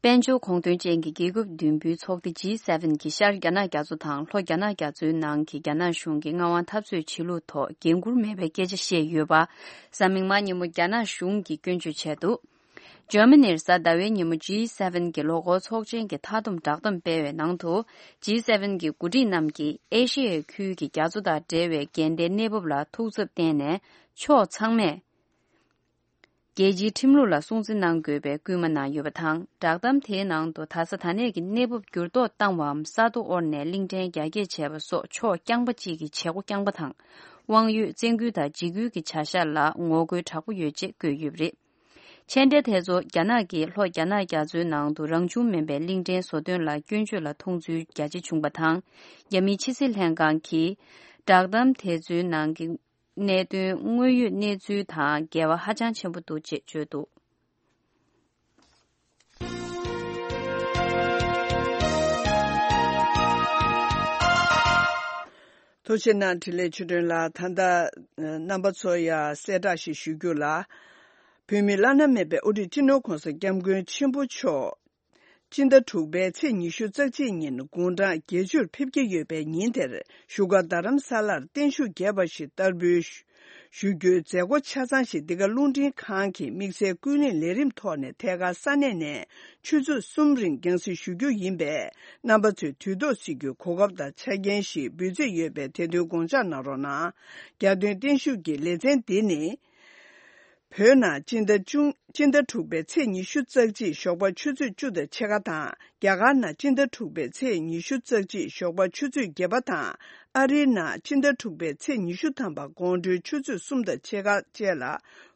དཔལ་འབྱོར་གོང་དོན་ཅན་གྱི་རྒྱལ་ཁབ་བདུན་པོའི་ཚོགས་སྡེ་ཇི་སེ་ཝེན་གྱིས་ཤར་རྒྱ་ནག་རྒྱ་མཚོ་དང་ལྷོ་རྒྱ་ནག་རྒྱ་མཚོའི་ནང་གི་རྒྱ་ནག་གཞུང་གི་མངའ་དབང་འཐབ་རྩོད་བྱེད་ལུགས་ཐོག་འགན་འཁུར་མེད་པའི་སྐད་ཆ་བཤད་ཡོད་པ། གཟའ་མིག་དམར་ཉིན་མོ་རྒྱ་ནག་གཞུང་གིས་སྐྱོན་བརྗོད་བྱས་འདུག། འཇར་མ་ནིར་གཟའ་ཟླ་བའི་ཉིན་མོ་ཇི་སེ་ཝེན་གྱི་ལོ་འཁོར་ཚོགས་ཆེན་གྱི་མཐའ་བསྡོམས་བསྒྲགས་གཏམ་སྤེལ་བའི་ནང་དུ། ཇི་སེ་ཝེན་གྱི་འགོ་ཁྲིད་རྣམས་ཀྱིས་ཨེ་ཤེ་ཡའི་ཁུལ་གྱི་རྒྱ་མཚོ་དང་འབྲེལ་བའི་འགལ་ཟླའི་གནས་བབ་ལ་ཐུགས་འཚབ་བསྟན་ནས། ཕྱོགས་ཚང་མས་རྒྱལ་སྤྱིའི་ཁྲིམས་ལུགས་ལ་སྲུང་བརྩི་གནང་དགོས་པའི་སྐུལ་མ་གནང་ཡོད་པ་དང་། བསྒྲགས་གཏམ་དེའི་ནང་དུ། ད་ཆ་ད་ནས་ཀྱི་གནས་བབ་འགྱུར་ལྡོག་བཏང་བའམ་ས་རྡོ་བོར་ནས་གླིང་ཕྲན་རྒྱ་སྐྱེད་བྱས་པ་སོགས་ཕྱོགས་རྐྱང་པ་གཅིག་གི་བྱེད་སྒོ་རྐྱང་པ་དང་། དབང་ཡོད་བཙན་སྐུལ་དང་འཇིགས་སྐུལ་གྱི་བྱ་གཞག་ལ་ངོ་རྒོལ་དྲག་པོ་ཡོད་ཅེས་བཀོད་ཡོད་པ་རེད། མཆན་འགྲེལ་དེ་ཚོ་རྒྱ་ནག་གིས་ལྷོ་རྒྱ་ནག་རྒྱ་མཚོའི་ནང་དུ་རང་བྱུང་མིན་པའི་གླིང་ཕྲན་བཟོ་དོན་ལ་སྐྱོན་བརྗོད་ལ་མཐོང་ཚུལ་རྒྱ་ཆེ་བྱུང་བ་དང་། རྒྱ་མིའི་ཕྱི་སྲིད་ལྷན་ཁང་གིས་བསྒྲགས་གཏམ་དེ་ཚོའི་ནང་གི་གནད་དོན་དངོས་ཡོད་གནས་ཚུལ་དང་འགལ་བ་ཧ་ཅང་ཆེན་པོ་འདུག་ཅེས་བརྗོད་འདུག། ཐུགས་རྗེ་གནང་། འཕྲིན་ལས་ཆོས་སྒྲོན་ལགས། ད་ལྟ་རྣམ་པ་ཚོ་ཡ་གསལ་བསྒྲགས་ཤིག་ཞུ་རྒྱུ་ལ། བོད་མིའི་བླ་ན་མེད་པའི་དབུ་ཁྲིད་སྤྱི་ནོར་༧གོང་ས་༧སྐྱབས་མགོན་ཆེན་པོ་མཆོག་སྤྱི་ཟླ་དྲུག་པའི་ཚེས་ཉི་ཤུ་རྩ་གཅིག་ཉིན་དགུང་གྲངས་བརྒྱད་ཅུར་ཕེབས་ཀྱི་ཡོད་པའི་ཉིན་དེར་བཞུགས་སྒར་རྡ་རམ་ས་ལར་བརྟན་བཞུགས་རྒྱས་པ་ཞིག་བསྟར་འབུལ་ཞུ་རྒྱུའི་མཛད་སྒོ་ཆ་ཚང་ཞིག་འདི་ག་རླུང་འཕྲིན་ཁང་གི་དམིགས་བསལ་ཀུན་གླེང་ལས་རིམ་ཐོག་ནས་ཐད་ཀར་ས་གནས་ནས་ཆུ་ཚོད་གསུམ་རིང་རྒྱང་སྲིང་ཞུ་རྒྱུ་ཡིན་པས། རྣམ་པ་ཚོས་དུས་ཐོག་གཟིགས་རྒྱུའི་གོ་སྐབས་དང་ཆ་རྐྱེན་ཞིག་འབུལ་རྩིས་ཡོད་པས། དེ་དོན་དགོངས་འཇགས་གནང་རོགས་གནང་། རྒྱལ་དོན་བརྟན་བཞུགས་ཀྱི་ལེ་ཚན་འདི་ནི། བོད་ནང་སྤྱི་ཟླ་བཅུ། སྤྱི་ཟླ་དྲུག་པའི་ཚེས་ཉི་ཤུ་རྩ་གཅིག་ཞོགས་པ་ཆུ་ཚོད་བཅུ་དང་ཕྱེད་ཀ་དང་། རྒྱ་གར་ནང་སྤྱི་ཟླ་དྲུག་པའི་ཚེས་ཉི་ཤུ་རྩ་གཅིག་ཞོགས་པ་ཆུ་ཚོད་བརྒྱད་པ་དང་། ཨ་རིའི་ནང་སྤྱི་ཟླ་དྲུག་པའི་ཚེས་ཉི་ཤུ་ཐམ་པ་དགོང་དྲོའི་ཆུ་ཚོད་གསུམ་དང་ཕྱེད་ཀ་བཅས་ལ་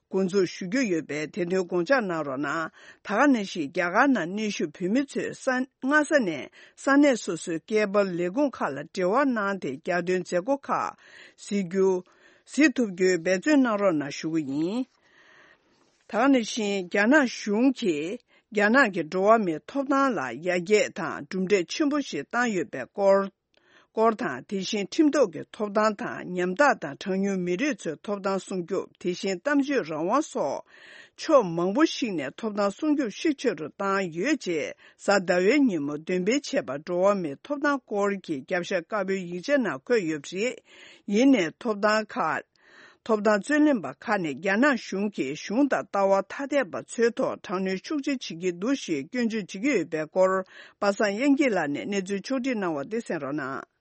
འགོ་འཛུགས་ཞུ་རྒྱུ་ཡོད་པས། དེ་དོན་དགོངས་འཇགས་གནང་རོགས་གནང་། ད་ག་ནང་བཞིན་རྒྱ་གར་ནང་གནས་བཞུགས་བོད་མི་ཚོས་ས། སྔ་ས་ནས་ས་གནས་སོ་སོའི་སྐད་འབོར་ལས་ཁུངས་ཁག་ལ་འབྲེལ་བ་གནང་སྟེ། རྒྱལ་དོན་མཛད་སྒོ་ཁག་གཟིགས་རྒྱུ། གཟིགས་ཐུབ་རྒྱུའི་འབད་བརྩོན་གནང་རོགས་གནང་ཞུ་གི་ཡིན། ད་ག་ནང་བཞིན་རྒྱ་ནག་གཞུང་གིས་རྒྱ་ནག་གི་འགྲོ་བ་མིའི་ཐོབ་ཐང་ལ་ཡར་རྒྱས་དང་གྲུབ་འབྲས་ཆེན་པོ་ཞིག་བཏང་ཡོད་པའི་སྐོར། སྐོར་དང་། དེ་བཞིན་ཁྲིམས་ཐོག་གི་ཐོབ་ཐང་དང་། ཉམ་ཐག་དང་གྲངས་ཉུང་མི་རིགས་ཚོའི་ཐོབ་ཐང་སྲུང་སྐྱོབ། དེ་བཞིན་གཏམ་བརྗོད་རང་དབང་སོགས་ཕྱོགས་མང་པོ་ཞིག་ནས་ཐོབ་ཐང་སྲུང་སྐྱོབ་ཤུགས་ཆེ་རུ་བཏང་ཡོད་ཅེས་གཟའ་ཟླ་བའི་ཉིན་མོ་འདོན་སྤེལ་བྱས་པ་འགྲོ་བ་མིའི་ཐོབ་ཐང་སྐོར་གྱི་རྒྱབ་ཤ་དཀར་པོའི་ཡིག་ཆ་ནང་འཁོད་ཡོད་པ་རེད། ཡིན་ནའི་ཐོབ་ཐང་ཁག་ཐོབ་ཐང་རྩོད་ལེན་པ་ཁག་ནས་རྒྱ་ནག་གཞུང་གིས་གཞུང་དང་ལྟ་བ་ཐ་དད་པ་ཚོའི་ཐོག་དྲག་གནོན་ཤུགས་ཆེ་བྱེད་ཀྱི་འདུག་ཞེས་སྐྱོན་བརྗོད་བྱེད་ཀྱི་ཡོད་པའི་སྐོར། པ་སངས་དབྱངས་སྐྱིད་ལགས་ནས་གནས་ཚུལ་ཕྱོགས་སྒྲིག་གནང་བ་དེ་གསན་རོགས་གནང་།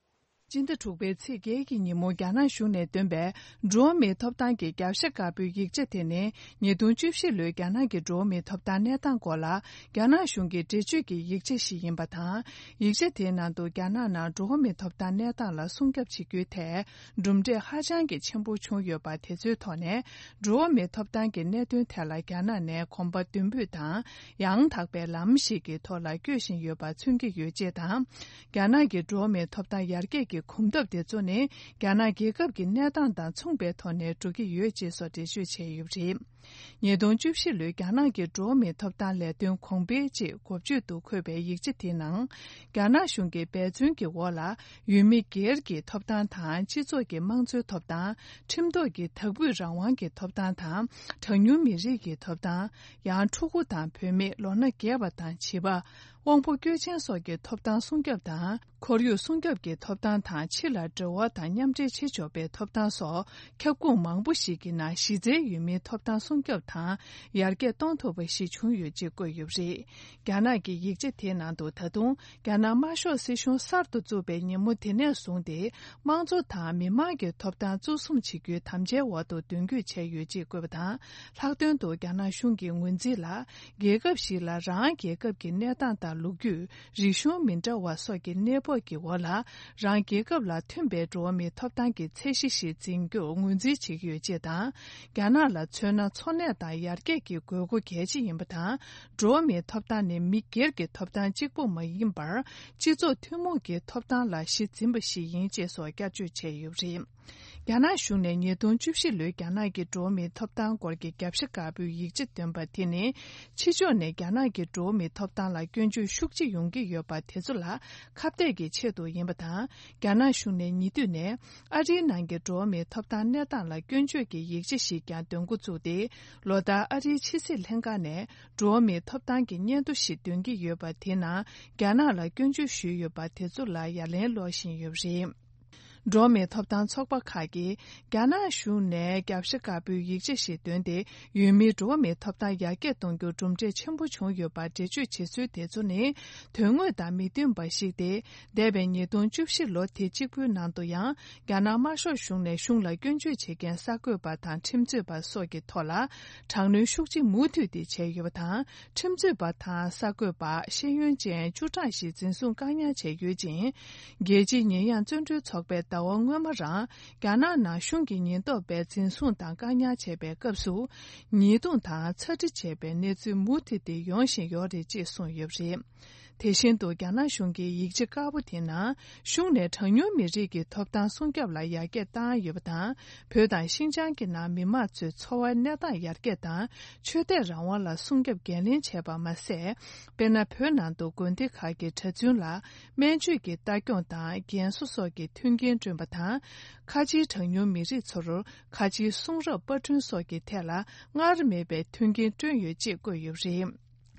སྤྱི་ཟླ་དྲུག་པའི་ཚེས་བརྒྱད་ཀྱི་ཉིན་མོ་རྒྱ་ནག་གཞུང་ནས་བཏོན་པའི་འགྲོ་བ་མིའི་ཐོབ་ཐང་གི་རྒྱབ་ཤ་དཀར་པོའི་ཡིག་ཆ་དེ་ནི། ཉིས་སྟོང་བཅུ་བཞི་ལོའི་རྒྱ་ནག་གི་འགྲོ་བ་མིའི་ཐོབ་ཐང་གནས་སྟངས་སྐོར་ལ་རྒྱ་ནག་གཞུང་གི་འགྲེལ་བརྗོད་ཀྱི་ཡིག་ཆ་ཞིག་ཡིན་པ་དང་། ཡིག་ཆ་དེའི་ནང་དུ་རྒྱ་ནག་ནང་འགྲོ་བ་མིའི་ཐོབ་ཐང་གནས་སྟངས་ལ་སྲུང་སྐྱོབ་བྱེད་རྒྱུའི་ཐད་གྲུབ་འབྲས་ཧ་ཅང་གི་ཆེན་པོ་བྱུང་ཡོད་པ་དེ་ཚོའི་ཐོག་ནས། འགྲོ་བ་མིའི་ཐོབ་ཐང་གི་གནད་དོན་ཐད་ལ་རྒྱ་ནག་ནས་གོམ་པ་མདུན་སྤོས་དང་། ཡང་དག་པའི་ལམ་ཞིག་གི་ཐོག་ལ་བསྐྱོད་བཞིན་ཡོད་པ་མཚོན་གྱི་ཡོད་ཅེས་དང་། རྒྱ་ནག་གི་འགྲོ་བ་མིའི་ཐོབ་ཐང་ཡར་རྒྱས་ཀྱི་གོམ་སྟབས་དེ་ཚོ་ནི། རྒྱ་ནག་རྒྱལ་ཁབ་ཀྱི་གནས་སྟངས་དང་མཚུངས་པའི་ཐོག་ནས་འགྲོ་གི་ཡོད་ཅེས་སོགས་འགྲེལ་བརྗོད་བྱས་ཡོད་པ་རེད། ཉིས་སྟོང་བཅུ་བཞི་ལོའི་རྒྱ་ནག་གི་འགྲོ་བ་མིའི་ཐོབ་ཐང་ལས་དོན་གོང་འཕེལ་ཅེས་འགོ་བརྗོད་དུ་འཁོད་པའི་ཡིག་ཆ་དེའི་ནང་། རྒྱ་ནག་གཞུང་གི་འབད་བརྩོན་གྱི་འོག་ལ། ཡུལ་མི་སྒེར་གྱི་ཐོབ་ཐང་དང་། སྤྱི་ཚོགས་ཀྱི་དམངས་གཙོའི་ཐོབ་ཐང་། ཁྲིམས་ཐོག་གི་དག་སྤུས་རང་དབང་གི་ཐོབ་ཐང་དང་། གྲངས་ཉུང་མི་རིགས་ཀྱི་ཐོབ་ཐང་། ཡང་ཕྲུ་གུ་དང་བུད་མེད། ལོ་ན་རྒས་པ་དང་བྱིས་པ། དབང་པོ་སྐྱོན་ཅན་སོགས་ཀྱི་ཐོབ་ཐང་སྲུང་སྐྱོབ་དང་། ཁོར་ཡུག་སྲུང་སྐྱོབ་ཀྱི་ཐོབ་ཐང་དང་། ཕྱི་ལ་འབྲེལ་བ་དང་མཉམ་འབྲེལ་བྱེད་ཆོག་པའི་ཐོབ་ཐང་སོགས། ཁྱབ་ཁོངས་མང་པོ་ཞིག་གི་ནང་། གཞི་རྩའི་ཡུལ་མིའི་ཐོབ་ཐང་སྲུང་སྐྱོབ་དང་ཡར་རྒྱས་གཏོང་ཐུབ་པ་ཞིག་བྱུང་ཡོད་ཅེས་བཀོད་ཡོད་པ་རེད། རྒྱ་ནག་གི་ཡིག་ཆ་དེའི་ནང་དུ། ད་དུང་རྒྱ་ནག་དམར་ཤོག་སྲིད་གཞུང་གསར་དུ་བཙུགས་པའི་ཉིན་མོ་དེ་ནས་བཟུང་སྟེ། དམངས་གཙོ་དང་མི་དམངས་ཀྱི་ཐོབ་ཐང་གཙོ་བཟུང་བྱེད་རྒྱུའི་དམ་བཅའི་འོག་ཏུ་མདུན་སྐྱོད་བྱས་ཡོད་ཅེས་བཀོད་པ་དང་། ལྷག་དོན་དུ། རྒྱ་ནག་གཞུང་གི་ངོས་འཛིན་ལ། རྒྱལ་ཁབ་ཞིག་ལ་རང་རྒྱལ་ཁབ་ཀྱི་གནས་སྟངས་དང་། ལོ་རྒྱུས། རིག་གཞུང་མི་འདྲ་བ་སོགས་ཀྱི་གནས་བབ་ཀྱི་འོག་ལ། རང་རྒྱལ་ཁབ་ལ་མཐུན་པའི་འགྲོ་བ་མིའི་ཐོབ་ཐང་གི་ཚད་གཞི་ཞིག་འཛིན་རྒྱུར་ངོས་འཛིན་བྱེད་ཀྱི་ཡོད་ཅེས་དང་། རྒྱ་ནག་ལ་མཚོན་ན། འཚོ་གནས་དང་ཡར་རྒྱས་ཀྱི་དགོས་མཁོ་གལ་ཆེ་ཡིན་པ་དང་། འགྲོ་བ་མིའི་ཐོབ་ཐང་ནི་མི་སྒེར་གྱི་ཐོབ་ཐང་གཅིག་པུ་མ་ཡིན་པར། སྤྱི་ཚོགས་ཐུན་མོང་གི་ཐོབ་ཐང་ལ་གཞི་འཛིན་པ་ཞིག་ཡིན་ཅེས་སོགས་བསྐྱར་བརྗོད་བྱས་ཡོད་པ་རེད། རྒྱ་ནག་གཞུང་ནས་ཉིས་སྟོང་བཅུ་བཞི་ལོའི་རྒྱ་ནག་གི་འགྲོ་བ་མིའི་ཐོབ་ཐང་སྐོར་གྱི་རྒྱབ་ཤ་དཀར་པོའི་ཡིག་ཆ་བཏོན་པ་དེ་ནི། ཕྱི་ཕྱོགས་ནས་རྒྱ་ནག་གི་འགྲོ་བ་མིའི་ཐོབ་ཐང་ལ་སྐྱོན་བརྗོད་ཤུགས་ཆེ་ཡོང་གི་ཡོད་པ་དེ་ཚོ་ལ་ཁ་གཏད་ཀྱི་ཆེད་དུ་ཡིན་པ་དང་། རྒྱ་ནག་གཞུང་ནས་ཉེ་དུས་ནས་ཨ་རིའི་ནང་གི་འགྲོ་བ་མིའི་ཐོབ་ཐང་གནས་སྟངས་ལ་སྐྱོན་བརྗོད་ཀྱི་ཡིག་ཆ་ཞིག་ཀྱང་འདོན་འགོ་བཙུགས་ཏེ། ལོ་ལྟར་ཨ་རིའི་ཕྱི་སྲིད་ལྷན་ཁང་ནས་འགྲོ་བ་མིའི་ཐོབ་ཐང་གི་སྙན་ཐོ་ཞིག་འདོན་གྱི་ཡོད་པ་དེའི་ནང་། རྒྱ་ནག་ལ་སྐྱོན་བརྗོད་ཞུས་ཡོད་པ་དེ་ཚོ་ལ་ཡ་ལན་སློག་བཞིན་ཡོད་པ་རེད། འགྲོ་བ་མིའི་ཐོབ་ཐང་ཚོགས་པ་ཁག་གིས། རྒྱ་ནག་གཞུང་ནས་རྒྱབ་ཤ་དཀར་པོའི་ཡིག་ཆ་ཞིག་བཏོན་ཏེ། ཡུལ་མིའི་འགྲོ་བ་མིའི་ཐོབ་ཐང་ཡར་རྒྱས་གཏོང་རྒྱུར་གྲུབ་འབྲས་ཆེན་པོ་བྱུང་ཡོད་པར་འགྲེལ་བརྗོད་བྱེད་ཚུལ་དེ་ཚོ་ནི། དོན་དངོས་དང་མི་མཐུན་པ་ཞིག་སྟེ། འདས་པའི་ཉིས་སྟོང་བཅུ་བཞི་ལོ་དེ་གཅིག་པུའི་ནང་དུ་ཡང་། རྒྱ་ནག་དམར་ཤོག་གཞུང་ནས་གཞུང་ལ་སྐྱོན་བརྗོད་བྱེད་མཁན་གསར་འགོད་པ་དང་ཁྲིམས་རྩོད་པ་སོགས་ཀྱི་ཐོག་ལ། དྲག་གནོན་ཤུགས་ཆེ་མུ་མཐུད་དེ་བྱས་ཡོད་པ་དང་། ཁྲིམས་རྩོད་པ་དང་གསར་འགོད་པ་ཤེས་ཡོན་ཅན་བཅུ་གྲངས་ཤིག་འཛིན་བཟུང་བཀག་ཉར་བྱས་ཡོད་ཅིང་། རྒྱལ་སྤྱིའི་ཉེས་ཡངས་བཙོན་གྲོལ་ཚོགས་པས་ཟླ་བ་སྔོན་མ་རང་རྒྱ་ནག་ནང་གཞུང་གི་ཉེན་རྟོག་པས་འཛིན་བཟུང་དང་བཀག་ཉར་བྱས་པའི་སྐབས་སུ། ཉེས་རྡུང་དང་ཚ་འདྲི་བྱས་པའི་གནས་ཚུལ་མུ་མཐུད་དེ་ཡོང་བཞིན་ཡོད་རེད་ཅེས་གསུངས་ཡོད་པ་རེད། དེ་བཞིན་དུ། རྒྱ་ནག་གཞུང་གི་ཡིག་ཆ་དཀར་པོ་དེའི་ནང་། གཞུང་ནས་གྲངས་ཉུང་མི་རིགས་ཀྱི་ཐོབ་ཐང་སྲུང་སྐྱོབ་ལ་ཡར་རྒྱས་བཏང་ཡོད་པ་དང་། བོད་དང་ཤིན་ཅང་གི་ནང་མི་མང་ཚོའི་འཚོ་བའི་གནས་སྟངས་ཡར་རྒྱས་དང་། ཆོས་དད་རང་དབང་ལ་སྲུང་སྐྱོབ་འགན་ལེན་བྱས་པ་མ་ཟད། དཔེར་ན། བོད་ནང་དུ་དགོན་སྡེ་ཁག་གི་གྲྭ་བཙུན་ལ་སྨན་བཅོས་ཀྱི་ལྟ་སྐྱོང་དང་རྒན་གསོ་སོགས་ཀྱི་མཐུན་རྐྱེན་བསྐྲུན་པ་དང་། ཁ་ཆེའི་གྲངས་ཉུང་མི་རིགས་ཚོར་ཁ་ཆེའི་གསུང་རབ་པར་སྐྲུན་སོགས་ཀྱི་ཐད་ལ་སྔར་མེད་པའི་མཐུན་རྐྱེན་བསྐྲུན་ཡོད་ཅེས་བཀོད་ཡོད་པ་རེད།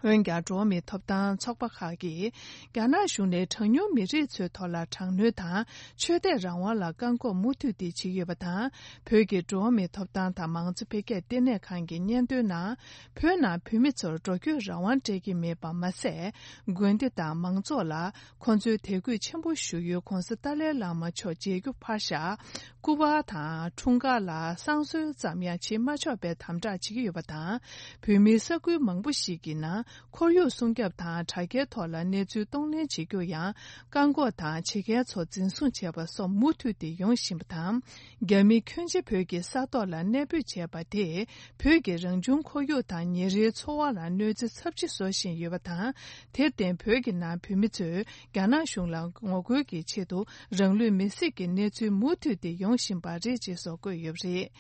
འོན་ཀྱང་། འགྲོ་བ་མིའི་ཐོབ་ཐང་ཚོགས་པ་ཁག་གིས། རྒྱ་ནག་གཞུང་ནས་གྲངས་ཉུང་མི་རིགས་ཚོའི་ཐོག་ལ་དྲག་གནོན་དང་། ཆོས་དད་རང་དབང་ལ་བཀག་འགོག་མུ་མཐུད་དེ་བྱེད་ཡོད་པ་དང་། བོད་ཀྱི་འགྲོ་བ་མིའི་ཐོབ་ཐང་དང་མང་གཙོ་འཕེལ་རྒྱས་ལྟེ་གནས་ཁང་གི་སྙན་ཐོའི་ནང་། བོད་ནང་བོད་མི་ཚོར་འགྲོ་སྐྱོད་རང་དབང་སྤྲད་ཀྱི་མེད་པ་མ་ཟད། དགོན་སྡེ་དང་མང་ཚོགས་ལ། ཁོང་ཚོའི་དད་གུས་ཆེན་པོ་ཞུ་ཡུལ་༧གོང་ས་ཏཱ་ལའི་བླ་མ་མཆོག་མཇལ་རྒྱུ་ཕར་བཞག་སྐུ་པར་དང་། འཁྲུངས་སྐར་ལ། བསང་གསོལ་ཙམ་ཡང་བྱེད་མ་ཆོག་པའི་དམ་དྲག་བྱེད་ཀྱི་ཡོད་པ་དང་། བོད་མིའི་ས་ཁུལ་མང་པོ་ཞིག་གི་ནང་། ཁོར་ཡུག་སྲུང་སྐྱོབ་དང་དྲ་རྒྱའི་ཐོག་ལ་གནས་ཚུལ་གཏོང་ལེན་བྱེད་རྒྱུར་ཡང་། བཀག་འགོག་དང་། བྱེད་མཁན་ཚོ་འཛིན་བཟུང་བྱས་པ་སོགས་མུ་མཐུད་དེ་ཡོང་བཞིན་པ་དང་། རྒྱ་མི་ཁྱོན་ཆེ་བོད་ཀྱི་ས་ཐོག་ལ་གནས་སྤོས་བྱས་པ་དེས། བོད་ཀྱི་རང་བྱུང་ཁོར་ཡུག་དང་ཉིན་རེའི་འཚོ་བ་ལ་གནོད་འཚེ་ཚབས་ཆེ་བཟོ་བཞིན་ཡོད་པ་དང་། དེར་བརྟེན། བོད་ཀྱི་ནང་བོད་མི་ཚོས། རྒྱ་ནག་གཞུང་ལ་ངོ་རྒོལ་གྱི་ཆེད་དུ། རང་ལུས་མེར་སྲེག་གི་གནས་ཚུལ་མུ་མཐུད་དེ་ཡོང་བཞིན་པ་རེད་ཅེས་སོགས་བཀོད་ཡོད་པ་རེད།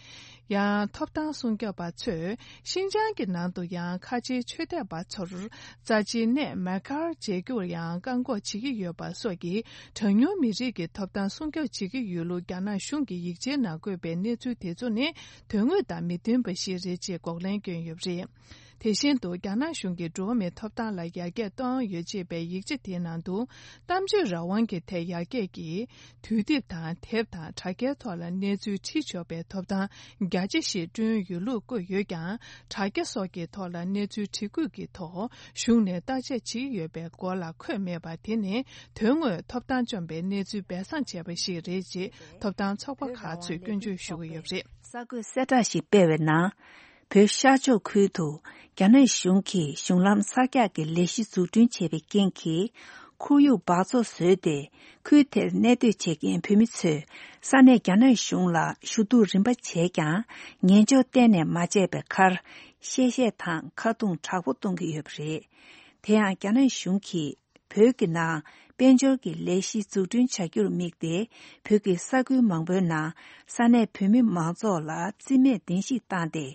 ཡང་། ཐོབ་ཐང་སྲུང་སྐྱོབ་པ་ཚོས། ཤིན་ཅང་གི་ནང་དུ་ཡང་། ཁ་ཆེའི་ཆོས་དད་པ་ཚོར། རྩ་ཆེའི་གནས་མེ་ཀར་མཇལ་རྒྱུར་ཡང་བཀག་འགོག་བྱེད་ཀྱི་ཡོད་པ་སོགས་ཀྱི། གྲངས་ཉུང་མི་རིགས་ཀྱི་ཐོབ་ཐང་སྲུང་སྐྱོབ་བྱེད་ཀྱི་ཡོད་ལུགས། རྒྱ་ནག་གཞུང་གི་ཡིག་ཆའི་ནང་བཀོད་པའི་གནས་ཚུལ་དེ་ཚོ་ནི། དོན་དངོས་དང་མི་མཐུན་པ་ཞིག་རེད་ཅེས་འགོག་ལན་བསྐྱོན་ཡོད་པ་རེད། དེ་བཞིན་དུ་རྒྱ་ནག་གཞུང་གིས་འགྲོ་བ་མིའི་ཐོབ་ཐང་ལ་ཡར་རྒྱས་གཏོང་ཡོད་ཅེས་པའི་ཡིག་ཆ་དེའི་ནང་དུ། གཏམ་བརྗོད་རང་དབང་གི་ཐད་ཡར་རྒྱས་ཀྱིས་དུས་དེབ་དང་དེབ་དང་དྲ་རྒྱའི་ཐོག་ལ་གནས་ཚུལ་བྲིས་ཆོག་པའི་ཐོབ་ཐང་རྒྱ་ཆེ་ཞིག་བསྐྲུན་ཡོད་ལུགས་བཀོད་ཡོད་ཀྱང་། དྲ་རྒྱ་སོགས་ཀྱི་ཐོག་ལ་གནས་ཚུལ་བྲིས་དགོས་ཀྱི་ཐོག་གཞུང་ནས་བརྟག་དཔྱད་བྱེད་ཀྱི་ཡོད་པའི་སྐོར་ལ་འཁོད་མེད་པ་དེ་ནི་དོན་དངོས་ཐོབ་ཐང་བཅོམ་པའི་གནས་ཚུལ་སྦས་གསང་བྱས་པ་ཞིག་རེད་ཅེས་ཐོབ་ཐང་ཚོགས་པ་ཁག་ཚོས་སྐྱོན་བརྗོད་ཞུ་གི་ཡོད་པ་རེད། གསར་འགོད་གསལ་བསྒྲགས་ཤིག་སྤེལ་བའི་ནང་། བོད་ཤར་ཕྱོགས་ཁུལ་དུ་རྒྱ་ནག་གཞུང་གིས་གཞུང་ལམ་གསར་རྒྱག་གི་ལས་གཞི་འཛུགས་སྐྲུན་བྱས་པའི་རྐྱེན་གྱིས། ཁོར་ཡུག་འབག་བཙོག་བཟོས་ཏེ། ཁུལ་དེར་གནས་སྡོད་བྱེད་མཁན་བོད་མི་ཚོས་ས་གནས་རྒྱ་ནག་གཞུང་ལ་ཞུ་གཏུག་རིམ་པ་བྱས་ཀྱང་། ཉན་འཇོག་གཏན་ནས་མ་བྱས་པའི་ཁར། གཤེ་གཤེད་དང་ཁ་རྡུང་དྲག་པོ་གཏོང་གི་ཡོད་པ་རེད། དེ་ཡང་རྒྱ་ནག་གཞུང་གིས། བོད་ཀྱི་ནང་དཔལ་འབྱོར་གྱི་ལས་གཞི་འཛུགས་སྐྲུན་བྱ་རྒྱུར་དམིགས་ཏེ། བོད་ཀྱི་ས་ཁུལ་མང་པོའི་ནང་ས་གནས་བོད་མི་མང་ཚོགས་ལ་རྩིས་མེད་བདེན་བཞིག་བཏང་སྟེ།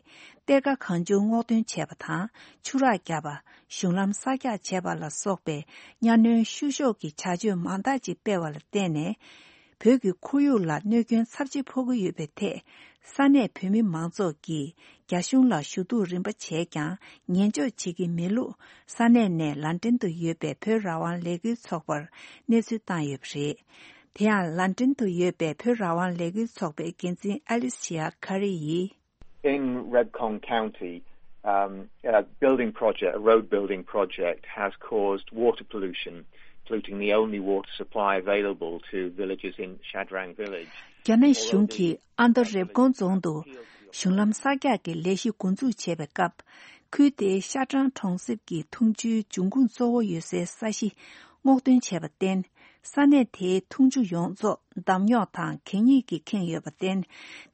གཏེར་ཁ་གང་བྱུང་སྔོག་འདོན་བྱས་པ་དང་། ཆུ་རགས་བརྒྱབ་པ། གཞུང་ལམ་གསར་རྒྱག་བྱས་པ་ལ་སོགས་པའི་གཉའ་གནོན་བཤུ་གཞོག་གི་བྱ་སྤྱོད་མང་དག་ཅིག་སྤེལ་བ་ལ་བརྟེན་ནས། བོད་ཀྱི་ཁོར་ཡུག་ལ་གནོད་སྐྱོན་ཚབས་ཆེ་ཕོག་གི་ཡོད་པའི་ཐད། ས་གནས་བོད་མི་མང་ཚོགས་ཀྱིས་རྒྱ་གཞུང་ལ་ཞུ་གཏུག་རིམ་པ་བྱས་ཀྱང་ཉན་འཇོག་བྱེད་ཀྱི་མེད་ལུགས། ས་གནས་ནས་ལན་ཀྲན་དུ་ཡོད་པའི་བོད་རང་དབང་ལས་འགུལ་ཚོགས་པར་གནས་ཚུལ་བཏང་ཡོད་པ་རེད། དེ་ཡང་ལན་ཀྲན་དུ་ཡོད་པའི་བོད་རང་དབང་ལས་འགུལ་ཚོགས་པའི་འགན་འཛིན་ཨ་ལི་སི་ཡ་ཁ་རི་ཡིས། In Rebkong County, um, a building project, a road building project, has caused water pollution, polluting the only water supply available to villagers in Shadrang village. རྒྱ་ནག་གཞུང་གིས་ཨ་མདོ་རེབ་ཀོང་རྫོང་དུ་གཞུང་ལམ་གསར་རྒྱག་གི་ལས་གཞི་འགོ་འཛུགས་བྱས་པའི་སྐབས། ཁུལ་དེའི་ཤ་ཀྲང་གྲོང་གསེབ་ཀྱི་འཐུང་ཆུའི་འབྱུང་ཁུངས་གཙོ་བོ་ཡོད་སའི་ས་གཞི་སྔོག་འདོན་བྱས་པར་བརྟེན། ས་གནས་དེའི་འཐུང་ཆུ་ཡོངས་རྫོགས་འདམ་རྙོག་དང་གད་སྙིགས་ཀྱིས་ཁེངས་ཡོད་པར་བརྟེན།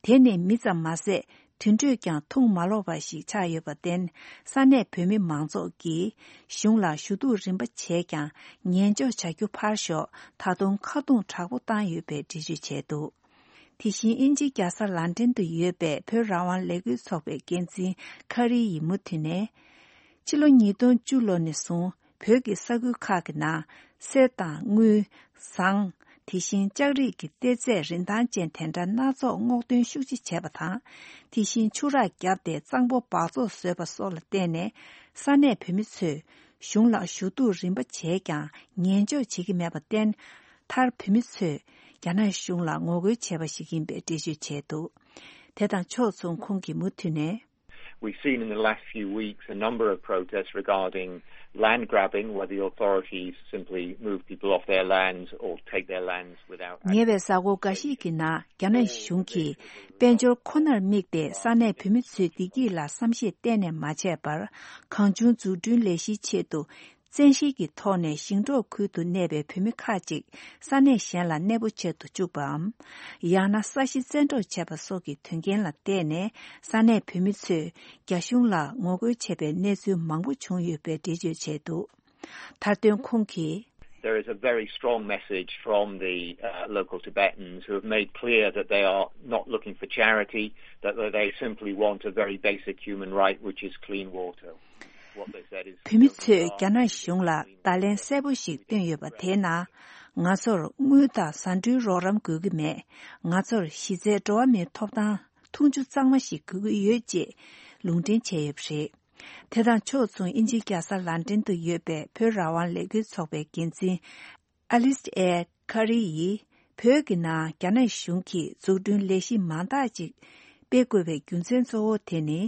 དེ་ནི་མི་ཙམ་མ་ཟད། དུད་འགྲོས་ཀྱང་འཐུང་མ་ལོག་པ་ཞིག་ཆགས་ཡོད་པར་བརྟེན། ས་གནས་བོད་མི་མང་ཚོགས་ཀྱིས་གཞུང་ལ་ཞུ་གཏུག་རིམ་པ་བྱས་ཀྱང་ཉན་འཇོག་བྱ་རྒྱུ་ཕར་ཞོག་ད་དུང་ཁ་རྡུང་དྲག་པོ་བཏང་ཡོད་པའི་འགྲེལ་བརྗོད་བྱས་འདུག་དེ་བཞིན་དབྱིན་ཇིའི་རྒྱལ་ས་ལན་ཀྲན་དུ་ཡོད་པའི་བོད་རང་དབང་ལས་འགུལ་ཚོགས་པའི་འགན་འཛིན་ཁ་རི་ཡིས་མུ་མཐུད་ནས། ཕྱི་ལོ་ཉིས་སྟོང་བཅུ་ལོ་ནས་བཟུང་བོད་ཀྱི་ས་ཁུལ་ཁག་གི་ནང་གསེར་དང་དངུལ། ཟངས། དེ་བཞིན་ལྕགས་རིགས་ཀྱི་གཏེར་རྫས་རིན་ཐང་ཅན་དེ་འདྲ་སྣ་ཚོགས་སྔོག་འདོན་ཤུགས་ཆེ་བྱས་པ་དང་། དེ་བཞིན་ཆུ་རགས་བརྒྱབ་སྟེ་གཙང་པོ་འབག་བཙོག་བཟོས་པ་སོགས་ལ་བརྟེན་ནས་ས་གནས་བོད་མི་ཚོས་གཞུང་ལ་ཞུ་གཏུག་རིམ་པ་བྱས་ཀྱང་ཉན་འཇོག་བྱེད་ཀྱི་མེད་པར་བརྟེན། མཐར་བོད་མི་ཚོས་རྒྱ་ནག་གཞུང་ལ་ངོ་རྒོལ་བྱས་པ་ཞིག་ཡིན་པའི་འགྲེལ་བརྗོད་བྱས་འདུག་དེ་དང་ཕྱོགས་མཚུངས་ཁོང་གིས་མུ་མཐུད་ནས། We've seen in the last few weeks a number of protests regarding land grabbing, where the authorities simply move people off their lands or take their lands without ཉེ་བའི་གཟའ་འཁོར་འགའ་ཞིག་གི་ནང་རྒྱ་ནག་གཞུང་གིས་དཔལ་འབྱོར་ཁོ་ནར་དམིགས་ཏེ་ས་གནས་བོད་མི་ཚོའི་བདེ་སྐྱིད་ལ་བསམ་ཤེས་གཏན་ནས་མ་བྱས་པར། གང་བྱུང་འཛུགས་སྐྲུན་ལས་གཞིའི་ཆེད་དུ། བཙན་ཤེད་ཀྱི་ཐོག་ནས་ཞིང་འབྲོག་ཁུལ་དུ་གནས་པའི་བོད་མི་ཁག་ཅིག་ས་གནས་གཞན་ལ་གནས་སྤོ་བྱེད་དུ་བཅུག་པའམ། ཡང་ན་ས་གཞི་བཙན་འཕྲོག་བྱས་པ་སོགས་ཀྱི་དོན་རྐྱེན་ལ་བརྟེན་ནས་ས་གནས་བོད་མི་ཚོས་རྒྱ་གཞུང་ལ་ངོ་རྒོལ་བྱས་པའི་གནས་ཚུལ་མང་པོ་བྱུང་ཡོད་པའི་འགྲེལ་བརྗོད་བྱས་འདུག་མཐར་དོན་ཁོང་གིས། There is a very strong message from the uh, local Tibetans who have made clear that they are not looking for charity, that they simply want a very basic human right, which is clean water. What they said is བོད་མི་ཚོས་རྒྱ་ནག་གཞུང་ལ་བརྡ་ལན་གསལ་པོ་ཞིག་བཏོན་ཡོད་པ་དེའི་ནང་། ང་ཚོར་དངུལ་དང་བཟའ་འབྲུའི་རོགས་རམ་དགོས་ཀྱི་མེད། ང་ཚོར་གཞི་རྩའི་འགྲོ་བ་མིའི་ཐོབ་ཐང་འཐུང་ཆུ་གཙང་མ་ཞིག་དགོས་ཀྱི་ཡོད་ཅེས་ལུང་འདྲེན་བྱས་ཡོད་པ་རེད། དེ་དང་ཕྱོགས་མཚུངས་དབྱིན་ཇིའི་རྒྱལ་ས་ལན་ཀྲན་དུ་ཡོད་པའི་བོད་རང་དབང་ལས་འགུལ་ཚོགས་པའི་འགན་འཛིན་ཨ་ལིས་ཨེ་ཁ་རི་ཡིས། བོད་ཀྱི་ནང་རྒྱ་ནག་གཞུང་གིས་འཛུགས་སྐྲུན་ལས་གཞི་མང་དག་ཅིག་སྤེལ་དགོས་པའི་རྒྱུ་མཚན་གཙོ་བོ་དེ་ནི།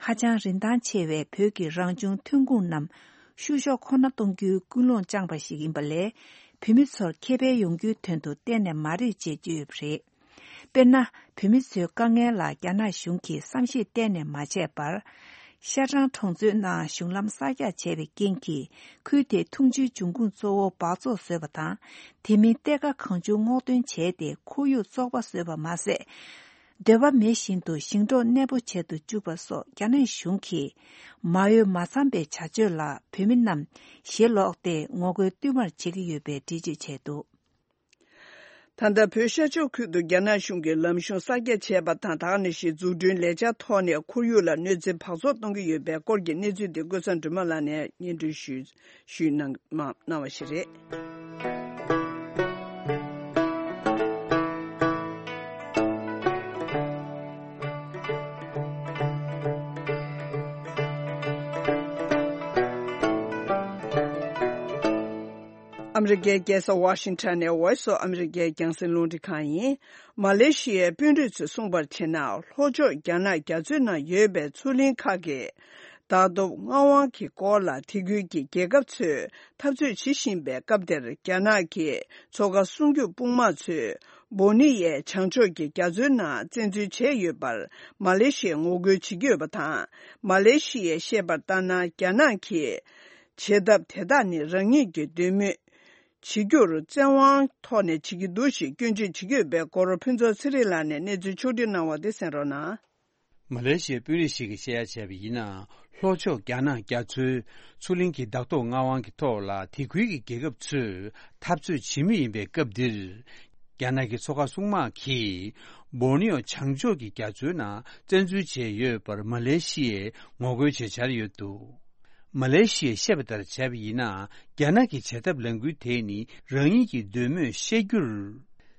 ཧ་ཅང་རིན་ཐང་ཆེ་བའི་བོད་ཀྱི་རང་བྱུང་ཐོན་ཁུངས་རྣམས་བཤུ་གཞོག་ཁོ་ན་གཏོང་རྒྱུའི་ཀུན་སློང་བཅངས་པ་ཞིག་ཡིན་པ་ལས། བོད་མི་ཚོར་ཁེ་ཕན་ཡོང་རྒྱུའི་དོན་དུ་གཏན་ནས་མ་རེད་ཅེས་བརྗོད་ཡོད་པ་རེད། དཔེར་ན། བོད་མི་ཚོའི་དཀའ་ངལ་ལ་རྒྱ་ནག་གཞུང་གིས་བསམ་ཤེས་གཏན་ནས་མ་བྱས་པར། ཤ་ཀྲང་གྲོང་ཚོའི་ནང་གཞུང་ལམ་གསར་རྒྱག་བྱས་པའི་རྐྱེན་གྱིས། ཁུལ་དེའི་འཐུང་ཆུའི་འབྱུང་ཁུངས་གཙོ་བོ་འབག་བཙོག་བཟོས་པ་དང་། དེ་མིན་གཏེར་ཁ་གང་བྱུང་སྔོག་འདོན་བྱས་ཏེ། ཁོར་ཡུག་བཙོག་པ་བཟོས་པ་མ་ཟད། འདོད་པ་མེད་བཞིན་དུ་ཞིང་འབྲོག་གནས་སྤོ་བྱེད་དུ་བཅུག་པ་སོགས། རྒྱ་ནག་གཞུང་གིས་མ་འོས་མ་འཚམ་པའི་བྱ་སྤྱོད་ལ། བོད་མི་རྣམས་ཞེ་ལོག་སྟེ་ངོ་རྒོལ་བསྟུད་མར་བྱེད་ཀྱི་ཡོད་པའི་འགྲེལ་བརྗོད་བྱས་འདུག་ད་ལྟ་བོད་ཤར་ཕྱོགས་ཁུལ་དུ་རྒྱ་ནག་གཞུང་གིས་ལམ་གཞུང་གསར་རྒྱག་བྱས་པ་དང་། ད་ག་ནང་བཞིན་འཛུགས་སྐྲུན་ལས་འཆར་ཐོག་ནས་ཁོར་ཡུག་ལ་གནོད་འཚེ་འབག་བཙོག་གཏོང་གི་ཡོད་པའི་སྐོར་གྱི་གནས་ཚུལ་དེ་ཀུན་བཟང་སྒྲོལ་མ་ལགས་ནས་སྙན་སྒྲོན་ཞུས་ཞུས་གནང་མ་གནང་བ་ཞིག་རེད། ཨ་མི་རི་ཀའི་རྒྱལ་ས་ཝ་ཤིང་ཊོན་ནས་Voice of America རྒྱང་སྲིང་རླུང་འཕྲིན་ཁང་ཡིན། མ་ལེ་ཤི་ཡའི་དཔོན་རིགས་ཚོས་གསུངས་པར་བྱས་ན། ལྷོ་ཕྱོགས་རྒྱ་ནག་རྒྱ་མཚོའི་ནང་ཡོད་པའི་མཚོ་གླིང་ཁག་གི་བདག་ཐོབ་མངའ་དབང་གི་སྐོར་ལ་དེ་ཁུལ་གྱི་རྒྱལ་ཁབ་ཚོས་འཐབ་རྩོད་བྱེད་བཞིན་པའི་སྐབས་དེར། རྒྱ་ནག་གི་མཚོ་ཁ་སྲུང་སྐྱོབ་དཔུང་དམག་ཚོས་སྦོ་ནི་ཡའི་བྱང་ཕྱོགས་ཀྱི་རྒྱ་མཚོའི་ནང་བཙན་འཛུལ་བྱས་ཡོད་པར་མ་ལེ་ཤི་ཡས་ངོ་རྒོལ་བྱེད་ཀྱི་ཡོད་པ་དང་། མ་ལེ་ཤི་ཡས་བཤད་པར་ལྟར་ན། རྒྱ་ནག་གིས་བྱེད་ཐབས་དེ་དག་ནི་རང་ཉིད་ཀྱི་འདོད་མོས་བྱེད་རྒྱུར་བཙན་དབང་ཐོག་ནས་བྱེད་ཀྱི་འདུག་ཞེས་སྐྱོན་བརྗོད་བྱེད་ཀྱི་ཡོད་པའི་སྐོར། ཕུན་ཚོགས་ཚེ་རིང་ལགས་ནས་གནས་ཚུལ་ཕྱོགས་བསྒྲིགས་གནང་བ་དེ་གསན་རོགས་གནང་། མ་ལེ་ཤི་ཡའི་དཔོན་རིགས་ཤིག་གིས་བཤད་ཡ་བྱས་པ་ཡིན་ན། ལྷོ་ཕྱོགས་རྒྱ་ནག་རྒྱ་མཚོའི་མཚོ་གླིང་གི་བདག་ཐོབ་མངའ་དབང་གི་ཐོག་ལ་དེ་ཁུལ་གྱི་རྒྱལ་ཁབ་ཚོས་འཐབ་རྩོད་བྱེད་མུས་ཡིན་པའི་སྐབས་འདིར། རྒྱ་ནག་གི་མཚོ་ཁ་སྲུང་དམག་གིས་སྦོར་ནི་ཡོ་བྱང་ཕྱོགས་ཀྱི་རྒྱ་མཚོའི་ནང་བཙན་འཛུལ་བྱས་ཡོད་པར་མ་ལེ་ཤི་ཡས་ངོ་རྒོལ་བྱེད་འཆར་ཡོད་འདུག་མ་ལེ་ཤི་ཡས་བཤད་པ་ལྟར་བྱས་པ་ཡིན་ན། རྒྱ་ནག་གི་བྱེད་ཐབས་ལས་འགུལ་དེ་ནི་རང་ཉིད་ཀྱི་འདོད་མོས་བཤད་རྒྱུར་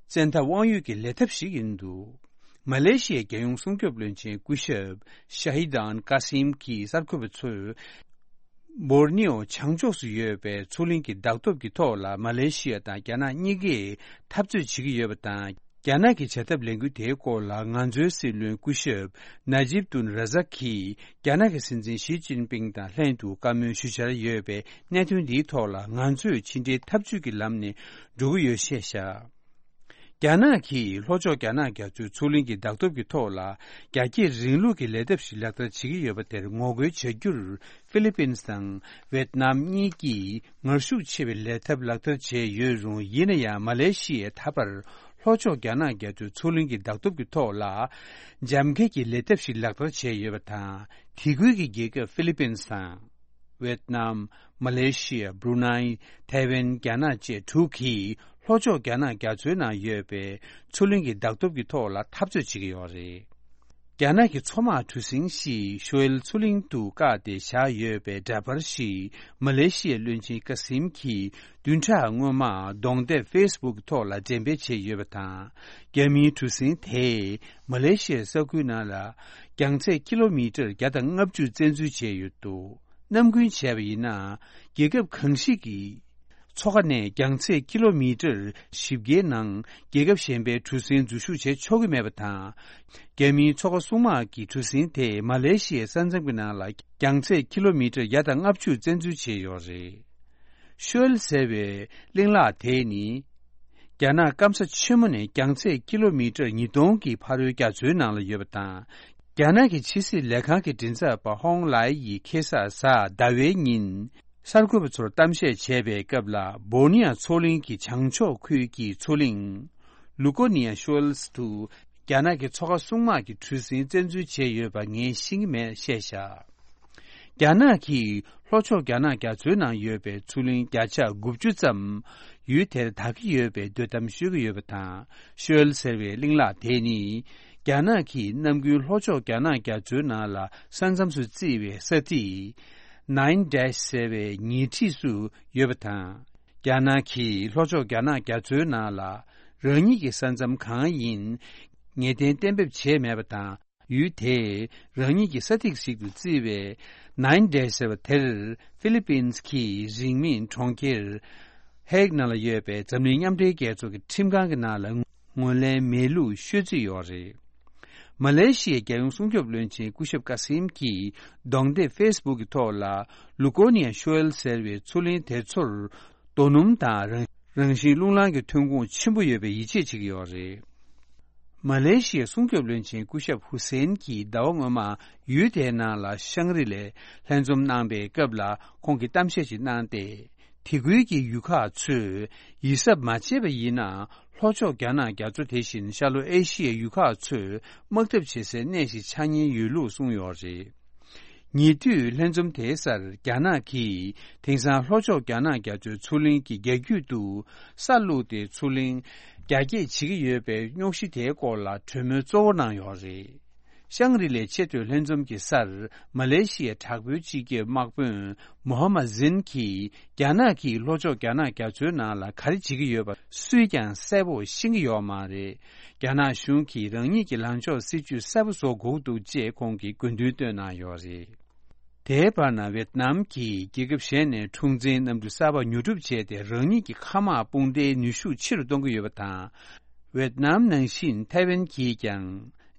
བཙན་ཐབས་དབང་ཡོད་ཀྱི་ལས་ཐབས་ཤིག་ཡིན་འདུག་མ་ལེ་ཤི་ཡའི་རྒྱལ་ཡོངས་སྲུང་སྐྱོབ་བློན་ཆེན་སྐུ་ཞབས་ཤ་ཧི་དཱན་ཀ་སིམ་གྱིས་གསར་འགོད་པ་ཚོས། སྦོར་ནི་ཡོ་བྱང་ཕྱོགས་སུ་ཡོད་པའི་མཚོ་གླིང་གི་བདག་ཐོབ་ཀྱི་ཐོག་ལ་མ་ལེ་ཤི་ཡ་དང་རྒྱ་ནག་གཉིས་ཀས་འཐབ་རྩོད་བྱེད་ཀྱི་ཡོད་པ་དང་། རྒྱ་ནག་གི་བྱ་ཐབས་ལས་འགུལ་དེའི་སྐོར་ལ་ང་ཚོའི་སྲིད་བློན་སྐུ་ཞབས་ན་ཇིབ་ཏུན་ར་ཛག་གིས་རྒྱ་ནག་གི་སྲིད་འཛིན་ཞི་ཅིན་ཕིང་དང་ལྷན་དུ་བཀའ་མོལ་ཞུ་འཆར་ཡོད་པའི་གནད་དོན་འདིའི་ཐོག་ལ། ང་ཚོས་ཕྱི་འབྲེལ་འཐབ་ཇུས་ཀྱི་ལམ་ནས་འགྲོ་གི་ཡོད་ཅེས་བཤད། རྒྱ་ནག་གིས་ལྷོ་ཕྱོགས་རྒྱ་ནག་རྒྱ་མཚོའི་མཚོ་གླིང་གི་བདག་ཐོབ་ཀྱི་ཐོག་ལ་རྒྱ་སྐྱེད་རིང་ལུགས་ཀྱི་ལས་ཐབས་ཤིག་ལག་བསྟར་བྱེད་ཀྱི་ཡོད་པ་དེར་ངོ་རྒོལ་བྱ་རྒྱུར། ཧྥི་ལི་པིན་དང་ཝེད་ནམ་གཉིས་ཀྱིས་ངར་ཤུགས་ཆེ་བའི་ལས་ཐབས་ལག་བསྟར་བྱས་ཡོད་རུང་། ཡིན་ན་ཡང་མ་ལེ་ཤི་ཡས་ད་བར་ལྷོ་ཕྱོགས་རྒྱ་ནག་རྒྱ་མཚོའི་མཚོ་གླིང་གི་བདག་ཐོབ་ཀྱི་ཐོག་ལ་འཇམ་འཁྱེར་གྱི་ལས་ཐབས་ཤིག་ལག་བསྟར་བྱས་ཡོད་པ་དང་། དེ་ཁུལ་གྱི་རྒྱལ་ཁབ་ཧྥི་ལི་པིན་དང་། ཝེད་ནམ། མ་ལེ་ཤི་ཡ། བྷུ་རུ་ནའི། ཐའེ་ཝན། རྒྱ་ནག་བཅས་དྲུག་གིས་ལྷོ་ཕྱོགས་རྒྱ་ནག་རྒྱ་མཚོའི་ནང་ཡོད་པའི་མཚོ་གླིང་གི་བདག་ཐོབ་ཀྱི་ཐོག་ལ་འཐབ་རྩོད་བྱེད་ཀྱི་ཡོད་རེད། རྒྱ་ནག་གི་མཚོ་དམག་གྲུ་གཟིངས་ཤིག་ཤོ་ཨེལ་མཚོ་གླིང་དུ་བཀག་སྟེ་བཞག་ཡོད་པའི་འདྲ་པར་ཞིག་མ་ལེ་ཤི་ཡའི་བློན་ཆེན་ཀ་སིམ་གྱིས་བདུན་ཕྲག་སྔོན་མ་གདོང་དེབ་ཕེ་སི་བུག་ཐོག་ལ་འགྲེམས་སྤེལ་བྱས་ཡོད་པ་དང་། རྒྱ་མིའི་གྲུ་གཟིངས་དེས་མ་ལེ་ཤི་ཡའི་ས་ཁུལ་ནང་ལ་རྒྱང་ཚད་ཀི་ལོ་མི་ཊར་བརྒྱ་དང་ལྔ་བཅུ་བཙན་འཛུལ་བྱས་ཡོད་འདུག་ནམ་རྒྱུན་བྱས་པ་ཡིན་ན། རྒྱལ་ཁབ་གང་ཞིག་གི་མཚོ་ཁ་ནས་རྒྱང་ཚད་ཀི་ལོ་མི་ཊར་བཞི་བརྒྱའི་ནང་རྒྱལ་ཁབ་གཞན་པའི་གྲུ་གཟིངས་འཛུལ་ཞུགས་བྱེད་ཆོག་གི་མེད་པ་དང་། རྒྱ་མིའི་མཚོ་ཁ་སྲུང་དམག་གི་གྲུ་གཟིངས་དེས་མ་ལེ་ཤི་ཡའི་ས་མཚམས་ཀྱི་ནང་ལ་རྒྱང་ཚད་ཀི་ལོ་མི་ཊར་བརྒྱ་དང་ལྔ་བཅུ་བཙན་འཛུལ་བྱས་ཡོད་རེད། ཤོ་ཨེལ་ཟེར་བའི་གླིང་ལག་དེ་ནི། རྒྱ་ནག་སྐམ་ས་ཆེན་མོ་ནས་རྒྱང་ཚད་ཀི་ལོ་མི་ཊར་ཉིས་སྟོང་གི་ཕ་རོལ་རྒྱ་མཚོའི་ནང་ལ་ཡོད་པ་དང་། རྒྱ་ནག་གི་ཕྱི་སྲིད་ལས་ཁང་གི་མགྲིན་ཚབ་པ་ཧོང་ལའེ་ཡིས་ཁེ་ས་གཟའ་ཟླ་བའི་ཉིན་གསར་འགོད་པ་ཚོར་གཏམ་བཤད་བྱས་པའི་སྐབས་ལ། སྦོར་ནི་ཡ་མཚོ་གླིང་གི་བྱང་ཕྱོགས་ཁུལ་གྱི་མཚོ་གླིང་ལུ་ཀོ་ནི་ཡ་ཤོ་ཨེལ་དུ་རྒྱ་ནག་གི་མཚོ་ཁ་སྲུང་དམག་གི་གྲུ་གཟིངས་བཙན་འཛུལ་བྱས་ཡོད་པ་ངས་ཤེས་ཀྱི་མེད་བཤད་བཞག་རྒྱ་ནག་གིས་ལྷོ་ཕྱོགས་རྒྱ་ནག་རྒྱ་མཚོའི་ནང་ཡོད་པའི་མཚོ་གླིང་བརྒྱ་ཆ་དགུ་བཅུ་ཙམ་ཡུལ་དེར་བདག་གི་ཡོད་པའི་འདོད་གཏམ་ཤོད་ཀྱི་ཡོད་པ་དང་། ཤོ་ཨེལ་ཟེར་བའི་གླིང་ལག་དེ་ནི། རྒྱ་ནག་གིས་ནམ་རྒྱུན་ལྷོ་ཕྱོགས་རྒྱ་ནག་རྒྱ་མཚོའི་ནང་ལ་ས་མཚམས་སུ་བརྩིས་པའི་ས་ཐིག་ནའིན་ཌེཤ་ཟེར་བའི་ཉེ་འཁྲིས་སུ་ཡོད་པ་དང་། རྒྱ་ནག་གིས་ལྷོ་ཕྱོགས་རྒྱ་ནག་རྒྱ་མཚོའི་ནང་ལ་རང་ཉིད་ཀྱི་ས་མཚམས་གང་ཡིན་ངེས་གཏན་གཏན་འབེབས་བྱས་མེད་པ་དང་། ཡུལ་དེས་རང་ཉིད་ཀྱི་ས་ཐིག་ཞིག་ཏུ་བརྩིས་པའི་ནའིན་ཌེཤ་ཟེར་བ་དེར་ཧྥི་ལི་པིན་གྱིས་རིང་མིན་གྲོང་ཁྱེར་ཧེག་ནང་ལ་ཡོད་པའི་འཛམ་གླིང་མཉམ་འབྲེལ་རྒྱལ་ཚོགས་ཀྱི་ཁྲིམས་ཁང་གི་ནང་ལ་ངོས་ལེན་མེད་ལུགས་ཤོད་རྩིས་ཡོད་རེད། མ་ལེ་ཤི་ཡའི་རྒྱལ་ཡོངས་སྲུང་སྐྱོབ་བློན་ཆེན་སྐུ་ཞབས་ཀ་སིམ་གྱིས་གདོང་དེབ་ཕེ་སི་བུག་གི་ཐོག་ལ། ལུ་ཀོ་ནི་ཡ་ཤོ་ཨེལ་ཟེར་བའི་མཚོ་གླིང་དེ་ཚོར་རྡོ་སྣུམ་དང་རང་རང་བཞིན་རླུང་ལངས་ཀྱི་ཐོན་ཁུངས་ཆེན་པོ་ཡོད་པའི་ཡིད་ཆེས་བྱེད་ཀྱི་ཡོད་རེད། མ་ལེ་ཤི་ཡའི་སྲུང་སྐྱོབ་བློན་ཆེན་སྐུ་ཞབས་ཧུ་སེན་གྱིས་ཟླ་བ་སྔོན་མ་ཡུལ་དེའི་ནང་ལ་ཤང་རི་ལའི་ལྷན་འཛོམས་གནང་པའི་སྐབས་ལ་ཁོང་གིས་གཏམ་བཤད་ཅིག་གནང་སྟེ། དེ་ཁུལ་གྱི་ཡུལ་ཁག་ཚོས་ཡིད་གཟབ་མ་བྱས་པ་ཡིན་ན། ལྷོ་ཕྱོགས་རྒྱ་ནག་རྒྱ་མཚོ་དེ་བཞིན་ཤར་ལྷོ་ཨེ་ཤི་ཡའི་ཡུལ་ཁག་ཚོས་དམག་འཐབ་བྱེད་སའི་གནས་ཤིག་ཆགས་ཉེན་ཡོད་ལུགས་གསུངས་ཡོད་རེད། ཉེ་དུས་ལྷན་འཛོམས་དེའི་སར་རྒྱ་ནག་གིས་དེང་སང་ལྷོ་ཕྱོགས་རྒྱ་ནག་རྒྱ་མཚོའི་མཚོ་གླིང་གི་རྒྱ་རྒྱུད་དུ་ས་བླུགས་ཏེ་མཚོ་གླིང་རྒྱ་སྐྱེད་བྱེད་ཀྱི་ཡོད་པའི་རྙོག་གཞི་དེའི་སྐོར་ལ་གྲོས་མོལ་གཙོ་བོ་གནང་ཡོད་རེད། ཤང་རི་ལའི་ཆེས་མཐོའི་ལྷན་འཛོམས་ཀྱི་སར་མ་ལེ་ཤི་ཡའི་དྲག་པོའི་སྤྱི་ཁྱབ་དམག་དཔོན་མོ་ཧ་མ་ཛིན་གྱིས། རྒྱ་ནག་གིས་ལྷོ་ཕྱོགས་རྒྱ་ནག་རྒྱ་མཚོའི་ནང་ལ་ག་རེ་བྱེད་ཀྱི་ཡོད་པ་སུས་ཀྱང་གསལ་པོ་ཤེས་ཀྱི་ཡོད་མ་རེད། རྒྱ་ནག་གཞུང་གིས་རང་ཉིད་ཀྱི་ལངས་ཕྱོགས་སྲིད་ཇུས་གསལ་པོ་བཟོ་དགོས་འདུག་ཅེས་ཁོང་གིས་དགོས་འདུན་བཏོན་གནང་ཡོད་རེད། དེའི་བར་ན་ཝེད་ནམ་གྱིས་རྒྱལ་ཁབ་གཞན་ནས་འཁྲུག་འཛིང་གནམ་གྲུ་གསར་པ་ཉོ་སྒྲུབ་བྱས་ཏེ། རང་ཉིད་ཀྱི་མཁའ་དམག་དཔུང་སྡེའི་ནུས་ཤུགས་ཆེ་རུ་གཏོང་གི་ཡོད་པ་དང་། ཝེད་ནམ་ནང་བཞིན་ཐའེ་ཝན་གྱིས་ཀྱང་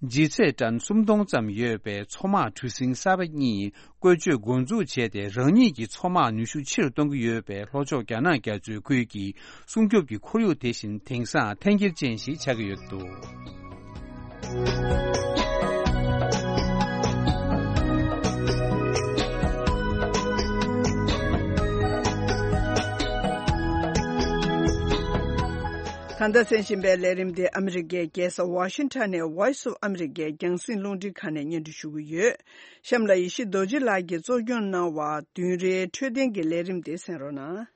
ལྗིད་ཚད་ཏན་སུམ་སྟོང་ཙམ་ཡོད་པའི་མཚོ་དམག་གྲུ་གཟིངས་གསར་པ་གཉིས་བཀོལ་སྤྱོད་འགོ་འཛུགས་བྱས་ཏེ། རང་ཉིད་ཀྱི་མཚོ་དམག་ནུས་ཤུགས་ཆེ་རུ་གཏོང་གི་ཡོད་པའི་ལྷོ་ཕྱོགས་རྒྱ་ནག་རྒྱ་མཚོའི་ཁུལ་གྱི་སྲུང་སྐྱོབ་ཀྱི་ཁོར་ཡུག་དེ་བཞིན་དེང་སང་འཐེན་འཁྱེར་ཅན་ཞིག་ཆགས་ཀྱི་ཡོད་འདུག། ད་ལྟ་གསན་བཞིན་པའི་ལས་རིམ་དེ་ཨ་མི་རི་ཀའི་རྒྱལ་ས་ཝ་ཤིང་ཊོན་ནས་Voice of America རྒྱང་སྲིང་རླུང་འཕྲིན་ཁང་ནས་སྙན་སྒྲོན་ཞུ་གི་ཡོད། གཤམ་ལ་ཡེ་ཤེས་རྡོ་རྗེ་ལགས་ཀྱིས་གཙོ་སྐྱོང་གནང་བ་བདུན་རེའི་འཕྲོད་བསྟེན་གྱི་ལས་རིམ་དེ་གསན་རོགས་གནང་།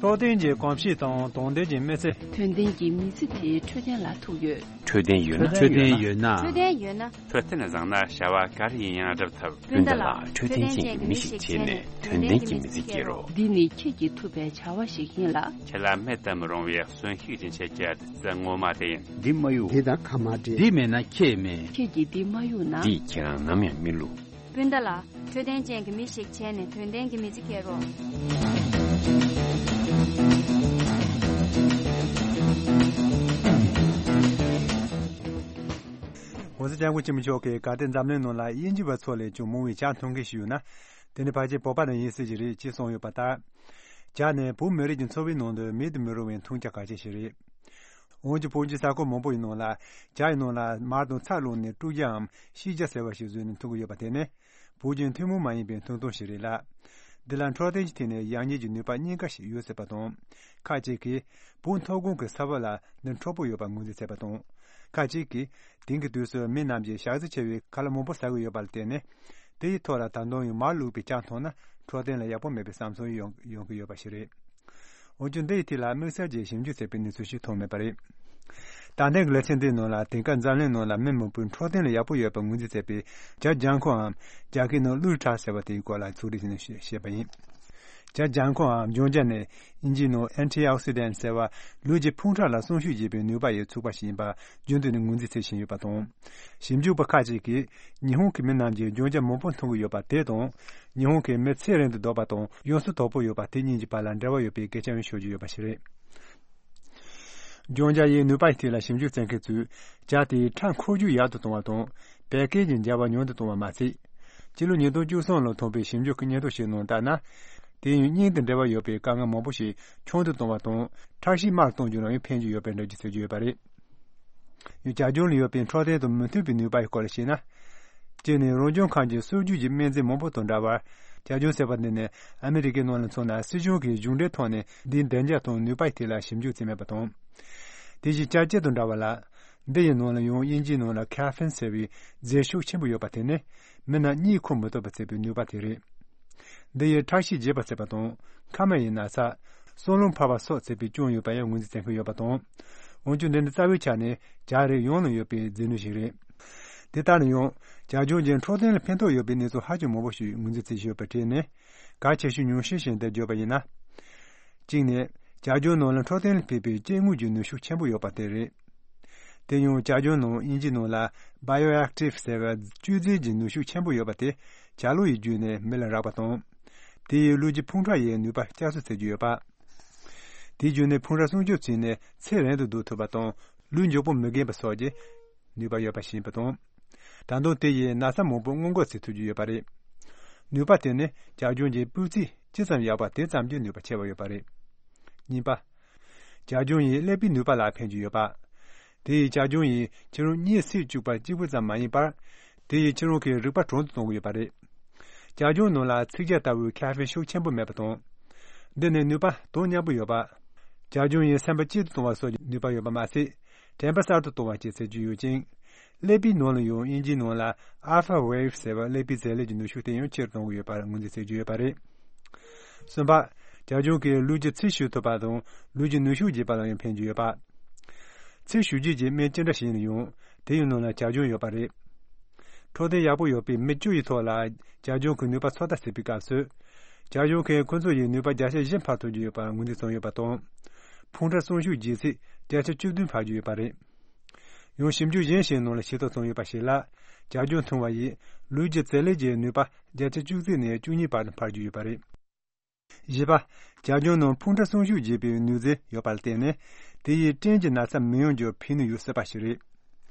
འཕྲོད་བསྟེན་གྱི་གོམས་གཤིས་དང་དོན་ལྡན་གྱི་མི་ཚེ། དོན་ལྡན་གྱི་མི་ཚེ་དེའི་འཕྲོད་བསྟེན་ལ་ཐུག་ཡོད། འཕྲོད་བསྟེན་ཡོད་ན། འཕྲོད་བསྟེན་ཡོད་ན། འཕྲོད་བསྟེན་ཡོད་ན། འཕྲོད་བསྟེན་བཟང་ན་བྱ་བ་ག་རེ་ཡིན་ཡང་སྒྲུབ་ཐུབ། སྤུན་ཟླ་ལགས། འཕྲོད་བསྟེན་ཅན་གྱི་མི་ཞིག་བྱས་ནས་དོན་ལྡན་གྱི་མི་ཚེ་སྐྱེལ་རོགས། འདི་ནི་ཁྱེད་ཀྱིས་ཐུབ་པའི་བྱ་བ་ཞིག་ཡིན་ལ། ཁྱེད་ལ་མེད་དུ་མི་རུང་བའི་གསོན་ཤུགས་ཀྱི་ཆེད་ཀྱི་བདུད་རྩི་ངོ་མ་དེ་ཡིན། འདི་མ་གཡུག་འདི་དང་ཁ་མ་འདྲེས། འདི་མེད་ན་ཁྱེད་མེད། ཁྱེད་ཀྱིས་འདི་མ་གཡུག་ན། འདིས་ཁྱེད་རང་ནམ་ཡང་མི་བསླུ། སྤུན་ཟླ་ལགས། འཕྲོད་བསྟེན་ཅན་གྱི་མི་ཞིག་བྱས་ནས་དོན་ལྡན་གྱི་མི་ཚེ་སྐྱེལ་རོགས། ༸གོང་ས་༸སྐྱབས་མགོན་ཆེན་པོ་མཆོག་གིས་ག་དེ་འཛམ་གླིང་ནང་ལ་དབྱིན་ཇི་བ་ཚོ་ལས་ཀྱང་མང་བའི་ཇ་འཐུང་མཁན་ཞིག་ཡོད་ན། དེ་ནི་ཕལ་ཆེར་བོད་པ་རང་ཡིན་སྲིད་ཀྱི་རེད་ཅེས་གསུངས་ཡོད་པ་ལྟར། ཇ་ནི་བོད་མི་རིགས་ཀྱི་འཚོ་བའི་ནང་དུ་མེད་དུ་མི་རུང་བའི་འཐུང་ཇ་ཁག་ཅན་ཞིག་རེད། འོན་ཀྱང་བོད་ཀྱི་ས་ཁུལ་མང་པོ་ཡི་ནང་ལ་ཇ་ཡི་ནང་ལ་མར་དང་ཚྭ་བླུགས་ནས་དཀྲུག་ཇའམ་ཤིས་ཇ་ཟེར་བ་ཞིག་བཟོས་ནས་འཐུང་གི་ཡོད་པ་དེ་ནི་བོད་ཀྱི་ཐུན་མོང་མ་ཡིན་པའི་འཐུང་སྟངས་ཤིག་རེད་ལ། འདི་ལ་འཕྲོད་བསྟེན་གྱི་ཐད་ནས་ཡག་ཉེས་ཀྱི་ནུས་པ་གཉིས་ཀ་ཞིག་ཡོད་སྲིད་པ་དང་། ཁ་ཅིག་གིས་བོད་མཐོ་སྒང་གི་ས་བབ་ལ་འདི་འཕྲོད་པོ་ཡོད་པར་ངོས་འཛིན་བྱས་པ་དང་། ཁ་ཅིག་གིས་དེང་གི་དུས་སུ་མི་རྣམས་ཀྱིས་ཞག་རྩི་ཆེ་བའི་ཁ་ལག་མང་པོ་ཟ་གི་ཡོད་པ་ལ་བརྟེན་ནས། དེ་ཡི་ཐོག་ལ་ད་དུང་ཡང་མར་བླུགས་པའི་ཇ་འཐུང་ན་འཕྲོད་བསྟེན་ལ་ཡག་པོ་མེད་པའི་བསམ་ཚུལ་ཡོང་ཡོང་གི་ཡོད་པ་ཞིག་རེད། འོན་ཀྱང་འདི་ཡི་ཐད་ལ་དམིགས་བསལ་གྱི་ཞིབ་འཇུག་བྱས་པའི་གནས་ཚུལ་ཞིག་ཐོན་མེད་པ་རེད། ད་ལྟའི་གི་ལེ་ཚན་འདིའི་ནང་ལ་དེང་སྐབས་འཛམ་གླིང་ནང་ལ་མི་མང་པོས་འཕྲོད་བསྟེན་ལ་ཡག་པོ་ཡོད་པར་ངོས་འཛིན་བྱས་པའི་ཇ་ལྗང་ཁུའམ་རྒྱ་སྐད་ནང་ལུའུ་ཁྲ་ཟེར་བ་དེའི་སྐོར་ལ་ཚོགས་སྒྲིག་བྱས་ནས་བཤད་པ་ཡིན། ཇ་ལྗང་ཁུའམ་ལྗང་ཇ་ནི་དབྱིན་ཇིའི་ནང་Antioxidant ཟེར་བ་ལུས་ཀྱི་ཕུང་ཁྲག་ལ་སྲུང་སྐྱོབ་བྱེད་པའི་ནུས་པ་ཡོད་ཚུགས་པ་ཞིག་ཡིན་པ་རྒྱུན་དུ་ནས་ངོས་འཛིན་བྱེད་བཞིན་ཡོད་པ་དང་། ཞིབ་འཇུག་པ་ཁག་ཅིག་གིས་ཉི་ཧོང་གི་མི་རྣམས་ཀྱིས་ལྗང་ཇ་མང་པོ་འཐུང་གི་ཡོད་པ་དེ་དང་། ཉི་ཧོང་གི་མི་ཚེ་རིང་དུ་སྡོད་པ་དང་ཡོངས་སུ་དོག་པོ་ཡོད་པ་དེ་གཉིས་ཀྱི་བར་ལ་འབྲེལ་བ་ཡོད་པའི་སྐད་ཆ་ཡང་ཤོད་ཀྱི་ཡོད་པ་ཞིག་རེད། ལྗང་ཇ་ཡི་ནུས་པ་ཡི་ཐད་ལ་ཞིབ་འཇུག་བྱེད་མཁན་ཚོས་ཇ་དེའི་ཁྲག་འཁོར་རྒྱུག་ཡག་ཏུ་གཏོང་བ་དང་བད་ཀན་གྱི་འབྱར་བ་ཉུང་དུ་གཏོང་བ་མ་ཟད། སྤྱི་ལོ་ཉིས་སྟོང་བཅུ་གསུམ་ལོར་ཐོན་པའི་ཞིབ་འཇུག་གི་སྙན་ཐོ་ཞིག་ནང་ལྟར་ན། དེ་ཡང་སྙིང་དང་འབྲེལ་བ་ཡོད་པའི་དཀའ་ངལ་མང་པོ་ཞིག་ཆུང་དུ་གཏོང་བ་དང་ཁྲག་ཤེད་དམའ་རུ་གཏོང་རྒྱུ་ལ་ཡང་ཕན་གྱི་ཡོད་པའི་འགྲེལ་བརྗོད་བྱེད་ཀྱི་ཡོད་པ་རེད། ཡང་ཇ་ལྗང་ལ་ཡོད་པའི་འཕྲོད་བསྟེན་དང་མི་མཐུན་པའི་ནུས་པ་ཡི་སྐོར་ལ་བཤད་ན། གཅིག་ནི་རང་བྱུང་ཁམས་ཀྱི་སྲོལ་རྒྱུན་གྱི་སྨན་རྫས་མང་པོ་དང་འདྲ་བར། ཇ་ལྗང་ཟེར་བ་འདི་ནི་ཨ་མི་རི་ཀའི་ནང་ལ་མཚོན་ན་སྲིད་གཞུང་གིས་གཞུང་འབྲེལ་ཐོག་ནས་འདིའི་བདེ་འཇགས་དང་ནུས་པ་ཡི་ཐད་ལ་ཞིབ་འཇུག་བྱས་མེད་པ་དང་། དེ་བཞིན་ཇ་སྐྱེར་དང་འདྲ་བ་ལ། འདི་ཡི་ནང་ལ་ཡང་དབྱིན་ཇིའི་ནང་ལ་Caffeine ཟེར་བའི་རྫས་ཤུགས་ཆེན་པོ་ཡོད་པ་དེ་ནི་མི་རྣམས་གཉིད་ཁུག་མི་ཐུབ་པ་བྱེད་པའི་ནུས་པ་དེ་རེད། འདི་ཡིས་ཁྲག་ཤེད་རྒྱས་པ་བྱེད་པ་དང་། མཁལ་མ་ཡི་ན་ཚ། གསང་རླུང་འཕར་བ་སོགས་བྱེད་པའི་རྐྱེན་ཡོད་པ་ཡང་ངོས་འཛིན་བྱེད་མཁན་ཡོད་པ་དང་། འོན་ཀྱང་འདི་ནི་རྩ་བའི་ཆ་ནས་ཇ་རིགས་ཡོངས་ལ་ཡོད་པའི་རྫས་སྣོད་ཞིག་རེད། དེ་ལྟར་ན་ཡང་ཇ་ལྗང་གིས་འཕྲོད་བསྟེན་ལ་ཕན་ཐོགས་ཡོད་པའི་གནས་ཚུལ་ཧ་ཅང་མང་པོ་ཞིག་ངོས་འཛིན་བྱེད་བཞིན་ཡོད་པའི་གྲས་ནས། གལ་ཆེ་ཤོས་ཉུང་ཤས་ཤིག་འདིར་བརྗོད་པ་ཡིན་ན། གཅིག་ནི། ཇ་ལྗང་ནང་ལ་འཕྲོད་བསྟེན་ལ་ཕན་པའི་སྐྱེ་དངོས་ཀྱི་ནུས་ཤུགས་ཆེན་པོ་ཡོད་པ་དེ་རེད། དེ་ཡང་ཇ་ལྗང་ནང་དབྱིན་ཇིའི་ནང་ལ་Bioactive ཟེར་བའི་བཅུད་རྫས་ཀྱི་ནུས་ཤུགས་ཆེན་པོ་ཡོད་པ་དེ་ཇ་ལུ་ཡི་བརྒྱུད་ནས་མི་ལ་རག་པ་དང་། དེ་ཡིས་ལུས་ཀྱི་ཕུང་ཁྲག་ཡི་ནུས་པ་བསྐྱར་གསོ་བྱེད་ཀྱི་ཡོད་པ། དེའི་བརྒྱུད་ནས་ཕུང་ཁྲག་སྲུང་སྐྱོབ་བྱས་ནས་ཚེ་རིང་དུ་སྡོད་ཐུབ་པ་དང་ལུས་མགྱོགས་པོ་མི་རྒས་པ་སོགས་ཀྱི་ནུས་པ་ཡོད་པ་ཞིག་ཡིན་པ་དང་། ད་དུང་དེ་ཡིས་ན་ཚ་མང་པོ་སྔོན་འགོག་བྱེད་ཐུབ་ཀྱི་ཡོད་པ་རེད། ནུས་པ་དེ་ནི་ཇ་ལྗང་གི་སྤུས་ཚད་ཅི་ཙམ་ཡག་པ་དེ་ཙམ་གྱིས་ནུས་པ་ཆེ་བ་ཡོད་པ་རེད། གཉིས་པ། ཇ་ལྗང་ཡིས་ཀླད་པའི་ནུས་པ་ལ་ཕན་གྱི་ཡོད་པ། དེ་ཡིས་ཇ་ལྗང་ཡིས་ཁྱེད་རང་གཉིད་སད་བཅུག་པ་གཅིག་པུ་ཙམ་མ་ཡིན་པར། དེ་ཡིས་ཁྱེད་རང་གི་རིག་པ་གྲུང་དུ་གཏོང་གི་ཡོད་པ་རེད། ཇ་ལྗང་ནང་ལ་ཚིག་ཇ་ལྟ་བུའི་Caffeine ཤུགས་ཆེན་པོ་མེད་པ་དང་། འདི་ནི་ནུས་པ་དོ་མཉམ་པོ་ཡོད་པ། ཇ་ལྗང་ཡིས་སེམས་པ་སྐྱིད་དུ་གཏོང་བ་སོགས་ཀྱི་ནུས་པ་ཡོད་པ་མ་ཟད། དྲན་པ་གསར་དུ་གཏོང་བ་བཅས་བྱེད་རྒྱུ་ཡོད་ཅིང་། ཀླད་པའི་ནང་ལ་ཡང་དབྱིན་ཇིའི་ནང་ལ་Alpha Wave ཟེར་བ་ཀླད་པའི་རྫས་ལས་ཀྱི་ནུས་ཤུགས་དེ་ཡང་ཆེ་རུ་གཏོང་གི་ཡོད་པར་ངོས་འཛིན་བྱེད་ཀྱི་ཡོད་པ་རེད། གསུམ་པ། ཇ་ལྗང་གིས་ལུས་ཀྱི་ཚིལ་བྱུག་ཐུབ་པ་དང་ལུས་ཀྱི་ནུས་ཤུགས་རྒྱས་པ་ལ་ཡང་ཕན་གྱི་ཡོད་པ། ཚིལ་བྱུག་རྒྱུ་གྱི་སྨན་ཅི་འདྲ་ཞིག་ཡིན་ན་ཡང་དེ་ཡི་ནང་ལ་ཇ་ལྗང་ཡོད་པ་རེད། འཕྲོད་བསྟེན་ཡག་པོ་ཡོད་པའི་མི་བཅུ་ཡི་ཐོག་ལ་ཇ་ལྗང་གི་ནུས་པ་ཚོད་ལྟ་བྱེད་པའི་སྐབས་སུ། བྱ་གཞུང་གིས་ཁོ་ཚོ་ཡི་ནུས་པ་བརྒྱ་ཆ་བཞི་འཕར་ཐུབ་རྒྱུ་ཡོད་པར་ངོས་འཛིན་བྱུང་ཡོད་པ་དང་། ཕུང་ཁྲག་གསོན་ཤུགས་རྒྱས་ཚད་བརྒྱ་ཆ་བཅུ་བདུན་འཕར་རྒྱུ་ཡོད་པ་རེད། ཡང་ཞིབ་འཇུག་གཞན་ཞིག་ནང་ལ་ཤེས་རྟོགས་བྱུང་ཡོད་པ་ཞིག་ལ། བྱ་ལྗང་འཐུང་བ་ཡིས་ལུས་ཀྱི་བྱེད་ལས་ཀྱི་ནུས་པ་བརྒྱ་ཆ་བཅུ་གཅིག་ནས་བཅུ་གཉིས་བར་དུ་འཕར་རྒྱུ་ཡོད་པ་རེད། བཞི་པ། བྱ་ལྗང་ནང་ཕུང་ཁྲག་གསོན་ཤུགས་རྒྱས་པའི་ནུས་རྩལ་ཡོད་པར་བརྟེན་ནས། དེ་ཡིས་སྐྲན་གྱི་ན་ཚ་མི་ཡོང་རྒྱུར་ཕན་ནུས་ཡོད་སྲིད་པ་ཞིག་རེད།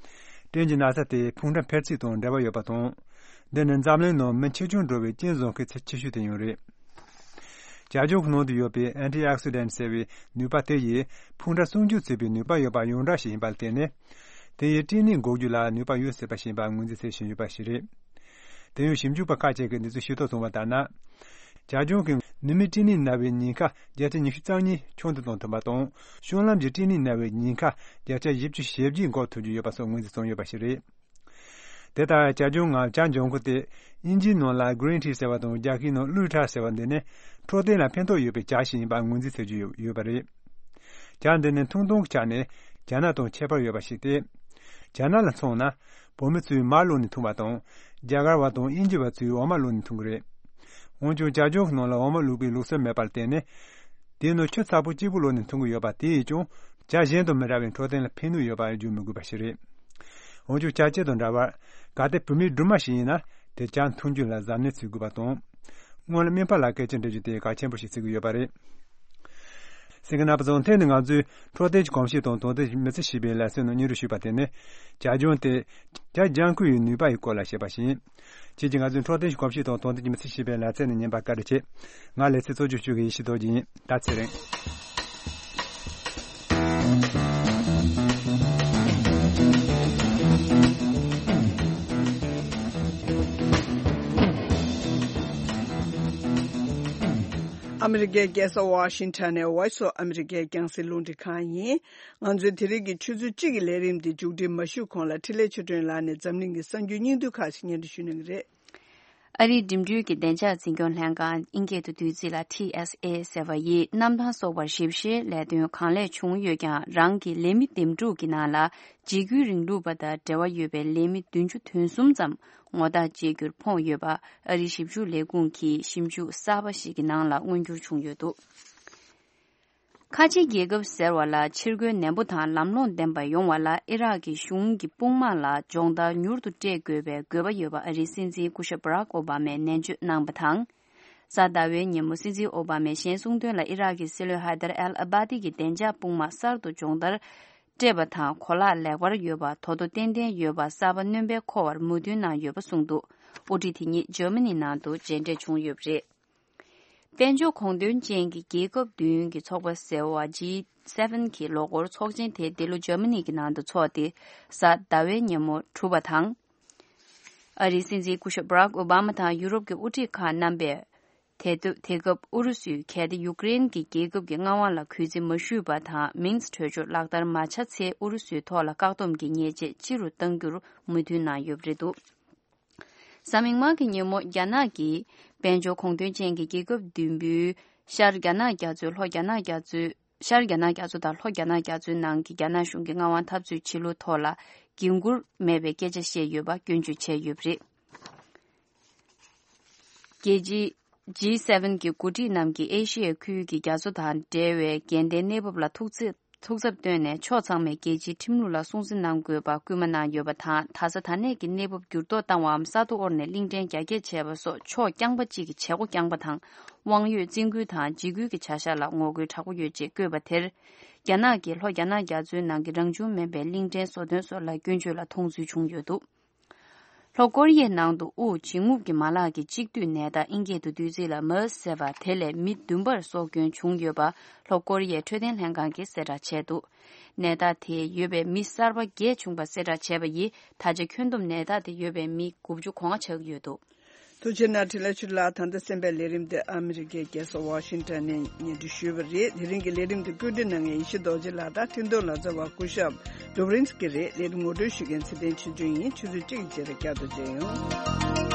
སྐྲན་གྱི་ན་ཚ་དེ་ཕུང་ཁྲག་འཕེལ་ཚད་དང་འབྲེལ་བ་ཡོད་པ་དང་། འདི་ནི་འཛམ་གླིང་ནང་མི་ཆེ་ཆུང་འགྲོ་བའི་རྐྱེན་བཟོ་མཁན་ཚད་ཆེ་ཤོས་དེ་ཡང་རེད། བྱ་ལྗང་གི་ནང་དུ་ཡོད་པའི་ཨན་ཊི་ཨོག་སི་ཌེན་ཊི་ཟེར་བའི་ནུས་པ་དེ་ཡིས་ཕུང་ཁྲག་སྲུང་སྐྱོབ་བྱེད་པའི་ནུས་པ་ཡོད་པ་ཡོངས་གྲགས་ཤིག་ཡིན་པར་བརྟེན་ནས། དེ་ཡིས་སྐྲན་ནད་འགོག་རྒྱུ་ལ་ནུས་པ་ཡོད་སྲིད་པ་ཞིག་ཡིན་པར་ངོས་འཛིན་བྱེད་བཞིན་ཡོད་པ་ཞིག་རེད། དེ་ཡང་ཞིབ་འཇུག་པ་ཁག་ཅིག་གིས་འདི་ཚོ་ཤེས་རྟོགས་བྱུང་བ་ལྟར་ན། བྱ་ལྗང་གིས་ནུ་མའི་སྐྲན་ནད་ན་བའི་ཉེན་ཁ་བརྒྱ་ཆ་ཉི་ཤུ་རྩ་གཉིས་ཆུང་དུ་གཏོང་ཐུབ་པ་དང་། བཤང་ལམ་གྱི་སྐྲན་ནད་ན་བའི་ཉེན་ཁ་བརྒྱ་ཆ་བཞི་བཅུ་ཞེ་བརྒྱད་འགོག་ཐུབ་རྒྱུ་ཡོད་པ་སོགས་ངོས་འཛིན་བྱུང་ཡོད་པ་ཞིག་རེད། དེ་ལྟར་བྱ་ལྗང་ངམ་བྱ་ལྗང་གུ་དེ་དབྱིན་ཇིའི་ནང་ལ་གྷི་རིན་ཊི་ཟེར་བ་དང་། རྒྱ་སྐད་ནང་ཀླུ་ཁྲག་ཟེར་བ་འདི་ནི་འཕྲོད་བསྟེན་ལ་ཕན་ཐོགས་ཡོད་པའི་བྱ་ཞིག་ཡིན་པར་ངོས་འཛིན་བྱེད་རྒྱུ་ཡོད་ཡོད་པ་རེད། བྱ་འདི་ནི་འཐུང་སྟངས་ཀྱི་ཆ་ནས་བྱ་ནག་དང་ཁྱད་པར་ཡོད་པ་ཞིག་སྟེ། བྱ་ནག་ལ་མཚོན་ན། བོད་མི་ཚོས་མར་བླུགས་ནས་འཐུང་བ་དང་། རྒྱ་གར་བ་དང་དབྱིན་ཇི་བ་ཚོས་འོ་མ་བླུགས་ནས་འཐུང་གི་རེད། འོན་ཀྱང་བྱ་ལྗང་གི་ནང་ལ་འོ་མ་བླུགས་པའི་ལུགས་སྲོལ་མེད་པར་བརྟེན་ནས། དེའི་ནང་ཆུ་ཚ་པོ་གཅིག་པུ་བླུགས་ནས་འཐུང་གི་ཡོད་པ་དེ་ཡིས་ཀྱང་བྱ་གཞན་དང་མི་འདྲ་བའི་འཕྲོད་བསྟེན་ལ་ཕན་ནུས་ཡོད་པ་བརྗོད་མི་དགོས་པ་ཞིག་རེད། འོན་ཀྱང་བྱ་སྤྱི་དང་འདྲ་བར་གལ་ཏེ་བུད་མེད་སྦྲུམ་མ་ཞིག་ཡིན་ན། དེ་བྱ་འཐུང་རྒྱུ་ལ་གཟབ་ནན་བྱེད་དགོས་པ་དང་། སྔོན་ལ་སྨན་པ་ལ་སྐད་ཆ་འདྲི་རྒྱུ་དེ་གལ་ཆེན་པོ་ཞིག་བརྩི་གི་ཡོད་པ་རེད། གསན་མཁན་རྣམ་པ་ཚོ། ཐེངས་འདི་ང་ཚོས་འཕྲོད་བསྟེན་གྱི་གོམས་གཤིས་དང་དོན་ཚན་མི་ཚེ་ཞེས་པའི་ལེ་ཚན་ནང་སྙན་སྒྲོན་ཞུས་པ་དེ་ནི། བྱ་ལྗང་དེ་བྱ་ལྗང་གུ་ཡི་ནུས་པ་ཡི་སྐོར་ལ་བཤད་པ་ཞིག་ཡིན། ཁྱེད་ཀྱིས་ང་ཚོའི་འཕྲོད་བསྟེན་གྱི་གོམས་གཤིས་དང་དོན་ཚན་མི་ཚེ་ཞེས་པའི་ལེ་ཚན་ནས་ཉན་པར་བཀའ་དྲིན་ཆེ། ང་ལེ་ཚན་གཙོ་སྐྱོང་ཞུ་མཁན་ཡེ་ཤེས་རྡོ་རྗེ་ཡིན། ད་ཚེ་རིང་། ཨ་མི་རི་ཀའི་རྒྱལ་ས་ཝ་ཤིང་ཊོན་ནས་Voice of America རྒྱང་སྲིང་རླུང་འཕྲིན་ཁང་ཡིན། ང་ཚོའི་དེ་རིང་གི་ཆུ་ཚོད་གཅིག་གི་ལས་རིམ་འདི་མཇུག་སྒྲིལ་མ་ཞུས་གོང་ལ། འཕྲིན་ལས་ཆོས་སྒྲོན་ལགས་ནས་འཛམ་གླིང་གི་གསར་འགྱུར་སྙིང་བསྡུས་ཁག་ཅིག་སྙན་སྒྲོན་ཞུ་གནང་གི་རེད། ཨ་རིའི་འགྲིམ་འགྲུལ་གྱི་བདེ་འཇགས་འཛིན་སྐྱོང་ལྷན་ཁང་། ཨིན་སྐད་དུ་བསྡུས་ཚིག་ལ་ཊི་ཨེས་ཨེ་ཟེར་བ་ཡིས། གནམ་ཐང་སོགས་པར་ཞིབ་བཤེར་ལས་དོན་གང་ལེགས་བྱུང་ཡོད་ཀྱང་། རང་གི་ལས་མི་འདེམས་སྒྲུག་གི་ནང་ལ་འཇིགས་སྐུལ་རིང་ལུགས་པ་དང་འབྲེལ་བ་ཡོད་པའི་ལས་མི་བདུན་ཅུ་དོན་གསུམ་ཙམ་ངོ་རྟགས་བཅད་རྒྱུར་ཕོངས་ཡོད་པ། ཨ་རིའི་ཞིབ་འཇུག་ལས་ཁུངས་ཀྱིས་ཞིབ་འཇུག་གསར་པ་ཞིག་གི་ནང་ལ་མངོན་འགྱུར་བྱུང་ཡོད་འདུག། ཁ་ཆེ་རྒྱལ་ཁབ་ཟེར་བ་ལ་ཕྱིར་རྒོལ་ནན་པོ་དང་ལམ་ལྷོང་ལྡན་པ་ཡོང་བ་ལ། ཨི་རག་གི་གཞུང་གི་དཔུང་དམག་ལ་སྦྱོང་བརྡར་མྱུར་དུ་སྤྲད་དགོས་པའི་དགོས་པ་ཡོད་པ། ཨ་རིའི་སྲིད་འཛིན་སྐུ་ཞབས་བྷ་རག་ཨོ་བྷ་མས་ནན་བརྗོད་གནང་བ་དང་། གཟའ་ཟླ་བའི་ཉིན་མོ་སྲིད་འཛིན་ཨོ་བྷ་མས་གཞན་གསུང་དོན་ལ། ཨི་རག་གི་སྲིད་བློན་ཧ་དར་ཨལ་ཨ་བྷ་དི་གི་བདེ་འཇགས་དཔུང་དམག་གསར་དུ་སྦྱོང་བརྡར་སྤྲད་པ་དང་གོ་ལག་ལེགས་པར་ཡོད་པ། དོ་དོ་ཏན་ཏན་ཡོད་པ། གསར་པ་སྣོན་པས་མཁོ་བར་མོས་མཐུན་གནང་ཡོད་པ་གསུངས་འདུག། དབུ་ཁྲིད་དེ་ཉིད་འཇར་མ་ནི་ནང་དུ་མཇལ་འཕྲད་བྱུང་ཡོད་པ་རེད། དཔལ་འབྱོར་གོང་དོན་ཅན་གྱི་རྒྱལ་ཁབ་བདུན་གྱི་ཚོགས་པ་ཟེར་བ་ཇི་སེ་ཝེན་གྱི་ལོ་འཁོར་ཚོགས་ཆེན་དེ་འདི་ལོ་འཇར་མ་ནི་གི་ནང་དུ་འཚོགས་ཏེ། གཟའ་ཟླ་བའི་ཉིན་མོ་གྲུབ་པ་དང་། ཨ་རིའི་སྲིད་འཛིན་སྐུ་ཞབས་བྷ་རག་ཨོ་བྷ་མ་དང་ཡུ་རོབ་ཀྱི་དབུ་ཁྲིད་ཁག་རྣམ་པས། དེ་དུས་དེ་སྐབས་ཨུ་རུ་སུས་གལ་ཏེ་ཡུཀ་རེན་གྱི་རྒྱལ་ཁབ་ཀྱི་མངའ་དབང་ལ་གུས་བརྩི་མ་ཞུས་པ་དང་། མིནས་གྲོས་ཆོད་ལག་བསྟར་མ་བྱས་ཚེ། ཨུ་རུ་སུའི་ཐོག་ལ་བཀག་སྡོམ་གྱི་ཉེས་ཆད་ལྕི་རུ་གཏང་རྒྱུར་མོས་མཐུན་གནང་ཡོད་པ་རེད་འདུག། གཟའ་མིག་དམར་གྱི་ཉིན་མོ་རྒྱ་ནག་གིས་དཔལ་འབྱོར་གོང་དོན་ཅན་གྱི་རྒྱལ་ཁབ་བདུན་པོའི་ཤར་རྒྱ་ནག་རྒྱ་མཚོའི་ལྷོ་རྒྱ་ནག་རྒྱ་མཚོའི་ཤར་རྒྱ་ནག་རྒྱ་མཚོ་དང་ལྷོ་རྒྱ་ནག་རྒྱ་མཚོའི་ནང་གི་རྒྱ་ནག་གཞུང་གི་མངའ་དབང་འཐབ་རྩོད་བྱེད་ལུགས་ཐོག་ལ་འགན་འཁུར་མེད་པའི་སྐད་ཆ་བཤད་ཡོད་པ་སྐྱོན་བརྗོད་བྱས་ཡོད་པ་རེད། རྒྱལ་སྤྱིའི་ཇི་སེ་ཝེན་གྱི་འགོ་ཁྲིད་རྣམས་ཀྱིས་ཨེ་ཤི་ཡའི་ཁུལ་གྱི་རྒྱ་མཚོ་དང་འབྲེལ་བའི་འགལ་ཟླའི་གནས་བབ་ལ་ཐུགས་ཚེ་ཐུགས་འཚབ་བཏོན་ནས། ཕྱོགས་ཚང་མས་རྒྱལ་སྤྱིའི་ཁྲིམས་ལུགས་ལ་སྲུང་བརྩི་གནང་དགོས་པར་སྐུལ་མ་གནང་ཡོད་པ་དང་། ད་ས་ད་ནས་ཀྱི་གནས་བབ་འགྱུར་ལྡོག་བཏང་བའམ་ས་རྡོ་དབོར་ནས་གླིང་ཕྲན་རྒྱ་སྐྱེད་བྱས་པ་སོགས་ཕྱོགས་རྐྱང་པ་གཅིག་གི་བྱེད་སྒོ་རྐྱང་པ་དང་། དབང་ཡོད་བཙན་སྐུལ་དང་འཇིགས་སྐུལ་གྱི་བྱ་གཞག་ལ་ངོ་རྒོལ་དྲག་པོ་ཡོད་ཅེས་བཀོད་པ་དེར། རྒྱ་ནག་གིས་ལྷོ་རྒྱ་ནག་རྒྱ་མཚོའི་ནང་གི་རང་བྱུང་མིན་པའི་གླིང་ཕྲན་བཟོ་དོན་སོགས་ལ་སྐྱོན་བརྗོད་ལ་མཐོང་ཚུལ་བྱུང་ཡོད་འདུག། ལྷོ་ཀོ་རི་ཡའི་ནང་དུ་དབུགས་འབྱིན་རྔུབ་ཀྱི་མ་ལག་གི་གཅིག་སྡུད་ནད་རྟགས་ཨིན་སྐད་དུ་བསྡུས་ཚིག་ལ་མར་སི་ཟེར་བ་དེ་ལས་མི་བདུན་པར་སྲོག་སྐྱོན་བྱུང་ཡོད་པ་ལྷོ་ཀོ་རི་ཡའི་འཕྲོད་བསྟེན་ལྷན་ཁང་གིས་གསལ་བསྒྲགས་བྱས་འདུག། ནད་རྟགས་དེ་ཡོད་པའི་མི་གསར་པ་བརྒྱད་བྱུང་པ་གསལ་བསྒྲགས་བྱས་པ་ཡིས་ད་ཆ་ཁྱོན་བསྡོམས་ནད་རྟགས་དེ་ཡོད་པའི་མི་དགུ་བཅུ་གོ་ལྔ་ཆགས་ཀྱི་ཡོད་འདུག། ཐུགས་རྗེ་གནང་། འཕྲིན་ལས་ཆོས་སྒྲོན་ལགས། ད་ལྟ་གསན་པའི་ལས་རིམ་འདི་ཨ་མི་རི་ཀའི་རྒྱལ་ས་ཝ་ཤིང་ཊོན་ནས་སྙན་སྒྲོན་ཞུས་པ་རེད། དེ་རིང་གི་ལས་རིམ་འདི་བཀོད་སྒྲིག་གནང་མཁན་ཡེ་ཤེས་རྡོ་རྗེ་ལགས་དང་འཕྲིན་གཏོང་ལག་རྩལ་བ་སྐུ་ཞབས་ཌོབ་རིན་སི་ཀི་རེད། ལས་རིམ་ངོ་སྤྲོད་ཞུ་མཁན་ཚེ་བརྟན་ཆོས་སྒྲོན་ཡིན། ཆུ་ཚོད་གཅིག་གི་རྗེས་ལ་བསྐྱར་དུ་མཇལ་ཡོང་།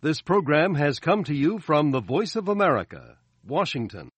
This program has come to you from the Voice of America, Washington.